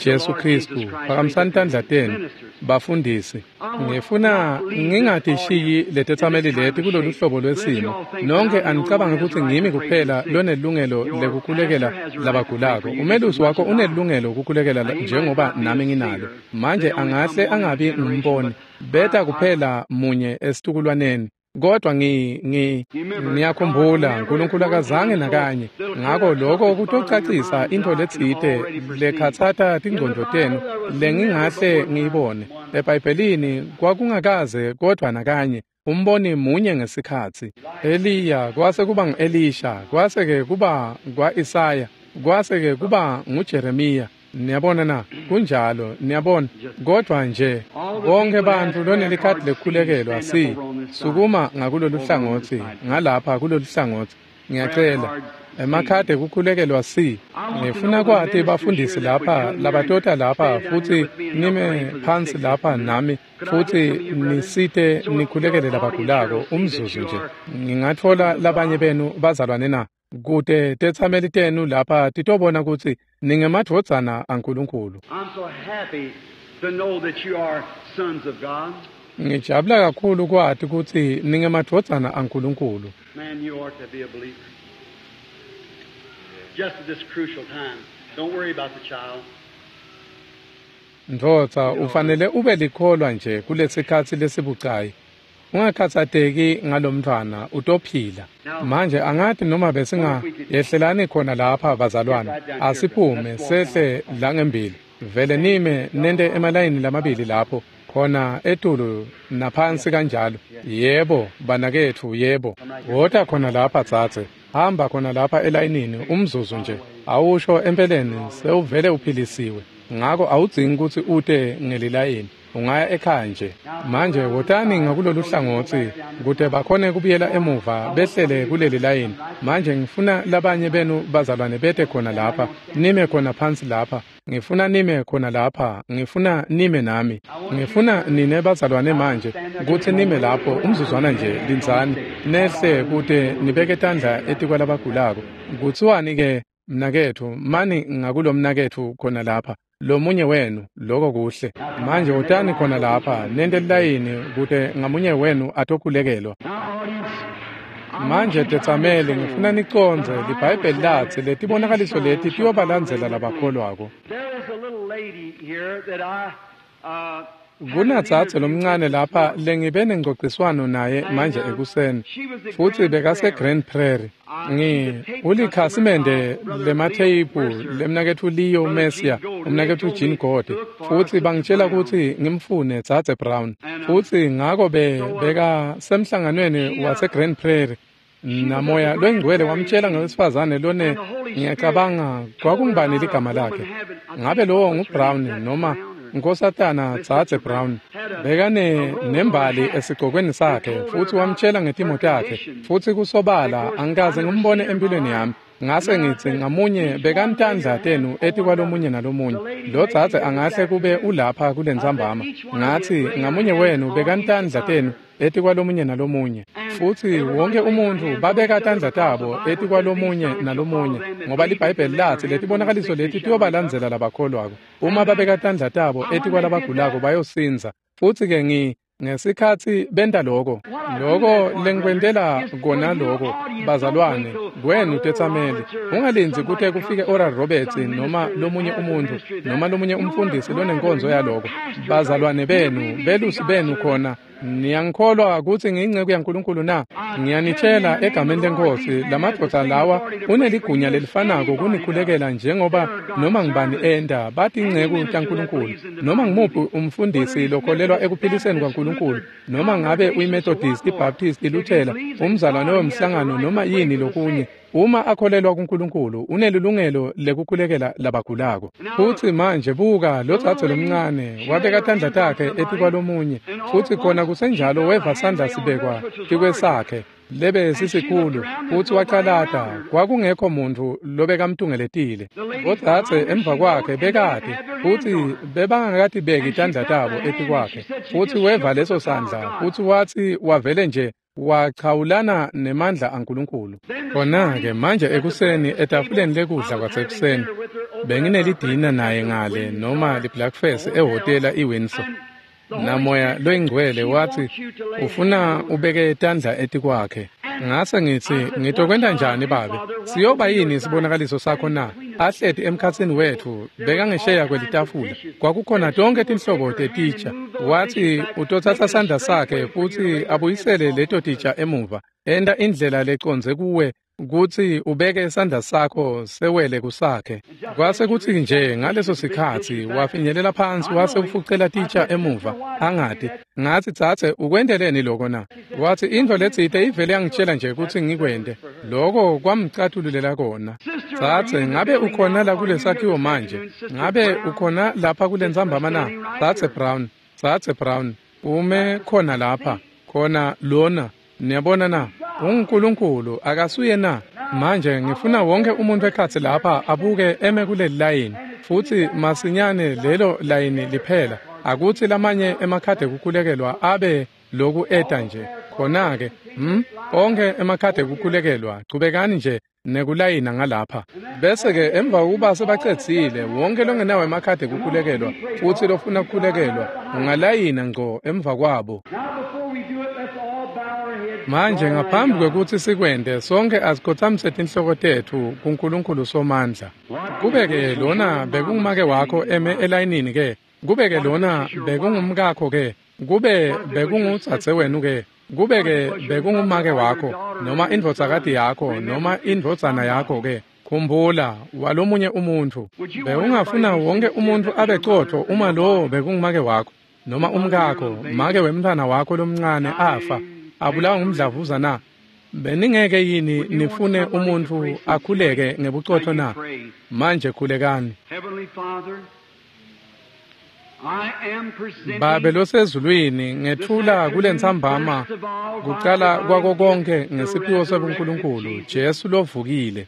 Jesu Kristu? Phakamisani tandla tenu bafundisi. Ngifuna ngingatishiyi letetsameli leti kulolu hlobo lwesimo. Nonke anicabange kutsi ngimi kuphela lonelungelo lekukhulekela labagulako. Umelusi wakho unelungelo kukhulekela njengoba nami nginalo. Manje angahle angabi ngumboni, beta kuphela munye esitukulwaneni. Kodwa ngi ngi ngiyakhumbula Nkulunkulu akazange nakanye. Ngako lokho kutocacisa intfo letsite lekhatsata tingcondvo tenu lengingahle ngiyibone. EBhayibhelini kwakungakaze kodwa nakanye umboni munye ngesikhatsi. Eliya kwase kuba ngu-Elisha, kwase ke kuba kwa-Isaya, kwase ke kuba nguJeremiya. Niyabona na? Kunjalo, niyabona. Kodwa nje bonke bantfu lonelikhadi lekukhulekelwa si sukuma ngakulolu hlangotsi, ngalapha kulolu hlangotsi. Ngiyacela emakhadi ekukhulekelwa si. Ngifuna kwati bafundisi lapha labatota lapha futsi nime phansi lapha nami futsi nisite nikhulekele labagulako umzuzu nje. Ngingatfola labanye benu bazalwane na? Kute tetsameli tenu lapha titobona kutsi ningemadvodzana aNkulunkulu. I'm so happy to know that you are sons of God. Ngijabula kakhulu kwati kutsi ningemadvodzana aNkulunkulu. Man, you ought to be a believer. Just at this crucial time. Don't worry about the child. Ndvodza, ufanele ube likholwa nje kulesikhatsi lesibucayi. Ungakhatsateki ngalomntfwana, utophila. Manje angati noma besinga yehlelani khona lapha bazalwane. Asiphume sehle la ngembili. Vele nime nente emalayini lamabili lapho khona etulu naphansi kanjalo. Yebo banaketfu, yebo. Wota khona lapha dzadze. Hamba khona lapha elayinini umzuzu nje. Awusho empeleni sewuvele uphilisiwe. Ngako awudzingi kutsi ute ngelilayini. Ungaya ekhaya nje. Manje wotani ngakulolu hlangotsi kute bakhone kubuyela emuva behlele kuleli layini. Manje ngifuna labanye benu bazalwane bete khona lapha, nime khona phansi lapha. Ngifuna nime khona lapha, ngifuna nime nami. Ngifuna nine bazalwane manje kutsi nime lapho umzuzwana nje, lindzani nehle kute nibeke tandla etikwalabagulako. Kutsiwani ke mnaketfu, mani ngakulo mnaketfu khona lapha. Lomunye wenu, loko kuhle. Manje wotani khona lapha, nente lilayini kute ngamunye wenu atokhulekelwa. Manje tetsameli, ngifuna nicondze liBhayibheli latsi letibonakaliso leti tiyobalandzela labakholwako. There is a little lady here that I uh, Kunadzadze lomncane lapha lengibe nengcociswano naye manje ekuseni, futsi bekase Grand Prairie. Ngi ulikhasimende lematheyiphu lemnaketfu Leo Messia, umnaketfu Jean Gode, futsi bangitshela kutsi ngimfune dzadze Brown. Futsi ngako be beka semhlanganweni wase Grand Prairie. Namoya loyingcwele wamtshela ngewesifazane lone, ngiyacabanga kwakungubani ligama lakhe. Ngabe lowo nguBrown noma Nkosatana dzadze Brown. Bekane nembali esigcokweni sakhe futsi wamtshela ngetimo takhe, futsi kusobala angikaze ngimbone empilweni yami. Ngase ngitsi ngamunye bekantandla tenu etikwalomunye nalomunye. Lo dzadze angahle kube ulapha kulentsambama. Ngatsi ngamunye wenu bekantandla tenu etikwalomunye nalomunye. Futsi wonke umuntfu babeka tandla tabo etikwalomunye nalomunye, ngoba liBhayibheli latsi letibonakaliso leti tiyobalandzela labakholwako. Uma babeka tandla tabo etikwalabagulako bayosindza. Futsi ke ngi ngesikhatsi benta loko, loko lengikwentela kona loko, bazalwane, kwenu tetsameli, ungalindzi kute kufike Oral Roberts noma lomunye umuntfu noma lomunye umfundisi lonenkonzo yaloko. Bazalwane benu, belusi benu khona, niyangikholwa kutsi ngiyinceku yaNkulunkulu na? Ngiyanitshela egameni leNkhosi, lamadvodza lawa uneligunya lelifanako kunikhulekela njengoba noma ngibani enta. Batinceku taNkulunkulu. Noma ngimuphi umfundisi lokholelwa ekuphiliseni kwaNkulunkulu, noma ngabe uyiMethodist, iBaptist, iLuthela, umzalwane wemhlangano noma yini lokunye, uma akholelwa kuNkulunkulu unelilungelo lekukhulekela labagulako. Futsi manje buka lo dzadze lomncane wabeka tandla takhe etikwalomunye, futsi khona kusenjalo weva sandla sibekwa tikwesakhe lebe sisikhulu, futsi wacalata. Kwakungekho muntfu lobekamtungeletile. Bodzadze emva kwakhe bekati, futsi bebangakatibeki tandla tabo etikwakhe. Futsi weva leso sandla, futsi watsi wavele nje wachawulana nemandla aNkulunkulu. Khona-ke manje ekuseni etafuleni lekudla kwasekuseni, benginelidina naye ngale noma liblackfest ehhotela iWindsor. Namoya loyingcwele watsi ufuna ubeke tandla etikwakhe. Ngase ngitsi ngitokwenta njani babe? Siyoba yini isibonakaliso sakho na? Ahleti emkhatsini wetfu bekangesheya kwelitafula. Kwakukhona tonke tinhlobo tetitsha. Watsi utotsatsa sandla sakhe futsi abuyisele leto titsha emuva. Enta indlela lecondze kuwe kutsi ubeke sandla sakho sewele kusakhe. Kwase kutsi nje ngaleso sikhatsi wafinyelela phansi wase ufucela titsha emuva. Angati. Ngatsi dzadze ukwenteleni loko na? Watsi intfo letsite ivele yangitshela nje kutsi ngikwente. Loko kwamcathululela kona. Dzadze, ngabe ukhona la kulesakhiwo manje? Ngabe ukhona lapha kulentsambama na? Dzadze Brown, dzadze Brown, ume khona lapha, khona lona. Niyabona na? UnguNkulunkulu akasuye na? Manje ngifuna wonke umuntu ekhatsi lapha abuke eme kuleli layini, futsi masinyane lelo layini liphela. Akutsi lamanye emakhadi ekukhulekelwa abe loku eta nje. Khona-ke, hm, onkhe emakhadi ekukhulekelwa, chubekani nje nekulayina ngalapha. Bese-ke emva kokuba sebacedzile, wonke longenawo emakhadi ekukhulekelwa futsi lofuna kukhulekelwa, ungalayina ngco emva kwabo. Manje ngaphambi kwekutsi sikwente, sonke asikhotsamise tinhloko tetfu kuNkulunkulu Somandla. Kube-ke lona bekungumake wakho eme elayinini ke, kube-ke lona bekungumkakho ke, kube bekungudzadzewenu ke, kube-ke bekungumake wakho, noma indvodzakati yakho, noma indvodzana yakho ke. Khumbula, walomunye umuntfu. Bewungafuna wonke umuntfu abe cotfo uma lowo bekungumake wakho, noma umkakho, make wemntfwana wakho lomncane afa, abulawa ngumdlavuza na? Beningeke yini nifune umuntfu akhuleke ngebucotfo na? Manje khulekani. Babe losezulwini, ngethula kulentsambama kucala kwako konke ngesiphiwo sebuNkulunkulu, Jesu lovukile,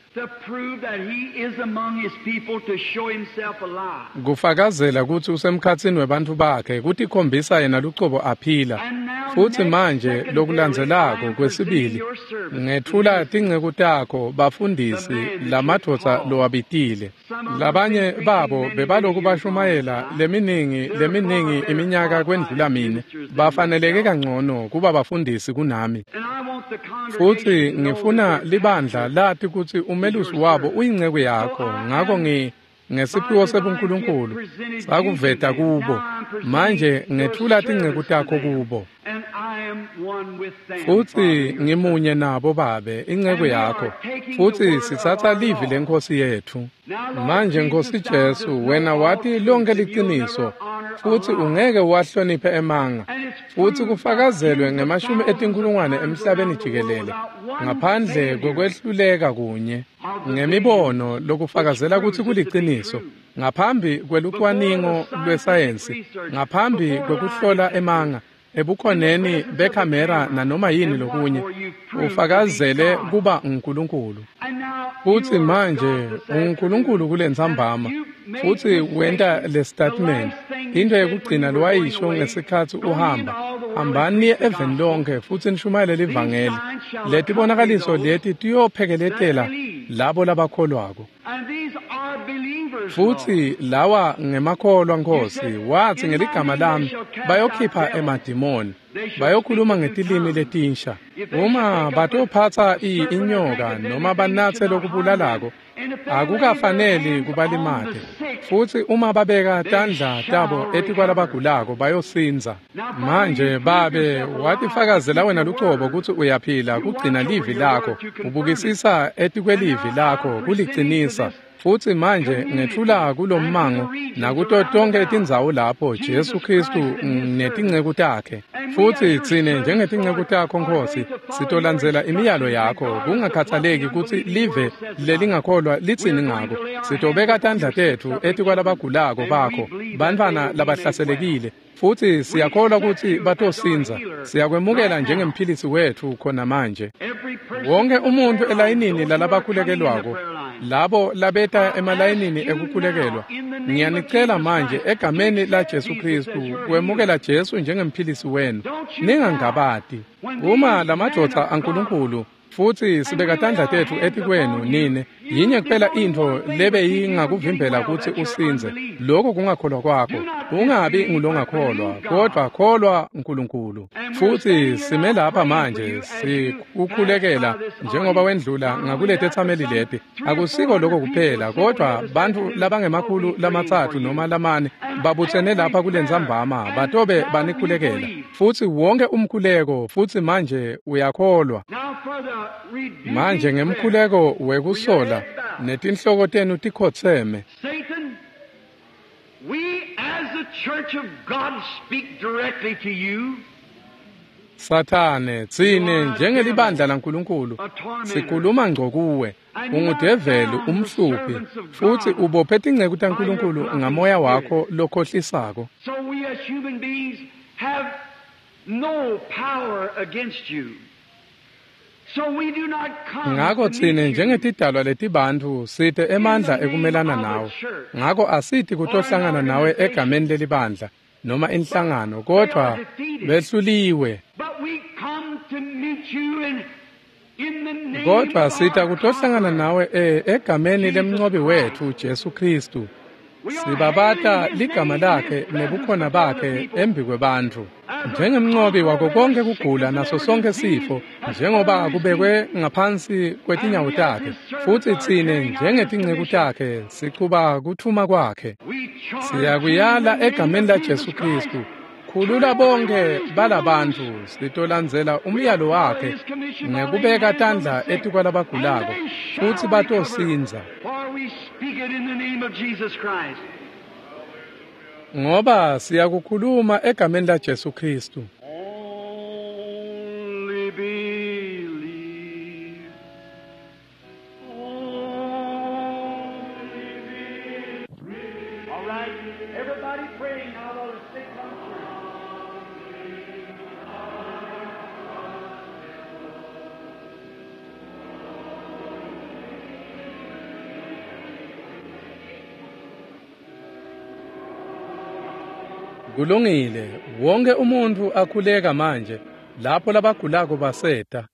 kufakazela kutsi usemkhatsini webantfu bakhe, kutikhombisa yena lucobo aphila. Futsi manje lokulandzelako kwesibili, ngethula tinceku takho, bafundisi, lamadvodza lowabitile. Labanye babo bebaloku bashumayela leminingi leminingi iminyaka kwendlula mine, bafaneleke kangcono kuba bafundisi kunami. Futsi ngifuna libandla lati kutsi umelusi wabo uyinceku yakho, ngako ngi ngesiphiwo sebuNkulunkulu sakuveta kubo. Manje ngethula tinceku takho kubo. Futsi ngimunye nabo Babe, inceku yakho, futsi sitsatsa livi leNkhosi yetfu. Manje Nkosi Jesu, wena wati lonke liciniso, futsi ungeke wahloniphe emanga, futsi kufakazelwe ngemashumi etinkhulungwane emhlabeni jikelele, ngaphandle kwekwehluleka kunye, ngemibono lokufakazela kutsi kuliciniso, ngaphambi kwelucwaningo lwesayensi, ngaphambi kwekuhlola emanga, ebukhoneni bekhamera nanoma yini lokunye, ufakazele kuba uNkulunkulu. Futsi manje uNkulunkulu kulentsambama, futsi wenta le statement, into yekugcina lowayisho ngesikhatsi uhamba, hambani niye eveni lonke futsi nishumayele livangeli. Letibonakaliso leti tiyophekeletela labo labakholwako. Futsi lawa ngemakholwa Nkosi, watsi ngeligama lami bayokhipha emadimoni, bayokhuluma ngetilimi letinsha. Uma batophatsa inyoka noma banatse lokubulalako, akukafaneli kubalimate. Futsi uma babeka tandla tabo etikwalabagulako bayosindza. Manje Babe, watifakazela wena lucobo kutsi uyaphila kugcina livi lakho, ubukisisa etikwelivi lakho kulicinisa. Futsi manje ngethula kulommango nakuto tonke tindzawo lapho Jesu Kristu netinceku takhe. Futsi tsine njengetinceku takho Nkosi, sitolandzela imiyalo yakho, kungakhathaleki kutsi live lelingakholwa litsini ngako. Sitobeka tandla tetfu etikwalabagulako bakho, bantfwana labahlaselekile, futsi siyakholwa kutsi batosindza. Siyakwemukela njengemphilisi wetfu khona manje. Wonke umuntfu elayinini lalabakhulekelwako, labo labeta emalayinini ekukhulekelwa, ngiyanicela manje egameni la Jesu Kristu kwemukela Jesu njengemphilisi wenu. Ningangabati. Uma lamadvodza aNkulunkulu, futsi sibeka tandla tetfu etikwenu nine, yinye kuphela intfo lebeyingakuvimbela kutsi usindze, lokho kungakholwa kwakho. Ungabi ngulongakholwa, kodvwa kholwa uNkulunkulu. Futsi sime lapha manje sikukhulekela njengoba wendlula ngakuletetsameli leti. Akusiko lokho kuphela, kodvwa bantfu labangemakhulu lamatsatfu noma lamane babutsene lapha kulentsambama batobe banikhulekela. Futsi wonke umkhuleko, futsi manje uyakholwa. Manje ngemkhuleko wekusola netinhloko tenu tikhotseme. Satan, we as the church of God speak directly to you. Sathane, tsine njengelibandla laNkulunkulu sikhuluma ngco kuwe. Ungudeveli, umhluphi, futsi ubophe tinceku taNkulunkulu ngamoya wakho lokhohlisako. So we as human beings have no power against you. Ngako tsine njengetidalwa letibantfu site emandla ekumelana nawe. Ngako asithi kutohlangana nawe egameni lelibandla noma inhlangano, kodvwa behluliwe. meet you in, in the name Kodwa of sita our kutohlangana conqueror. nawe e egameni lemncobi wethu Jesu Kristu. We are Sibabata hailing his ligama name and lakhe his presence nebukhona before the bakhe people. embikwebantfu. As a Njengemncobi wako conqueror of konke every kugula sickness and naso every sonke disease sifo has njengoba put under his kubekwe feet. ngaphansi kwetinyawo And we as takhe his servants futsi are tsine carrying out his njengetinceku commission. takhe sichuba kutfuma kwakhe. We charge you in the Siyakuyala name egameni of la Jesus Jesu Christ. Kristu. Khulula Turn every one of bonke these people balabantfu loose. sitolandzela We umyalo have followed wakhe his commission by laying ngekubeka hands on the tandla sick, and etikwalabagulako they futsi shall recover. batosindza. For we speak it in the name of Jesus Christ. Ngoba siyakukhuluma egameni la Jesu Kristu. Only believe. Only believe. All right. Everybody praying now while the sick come through. Kulungile, wonke umuntu akhuleka manje lapho labagulako baseta.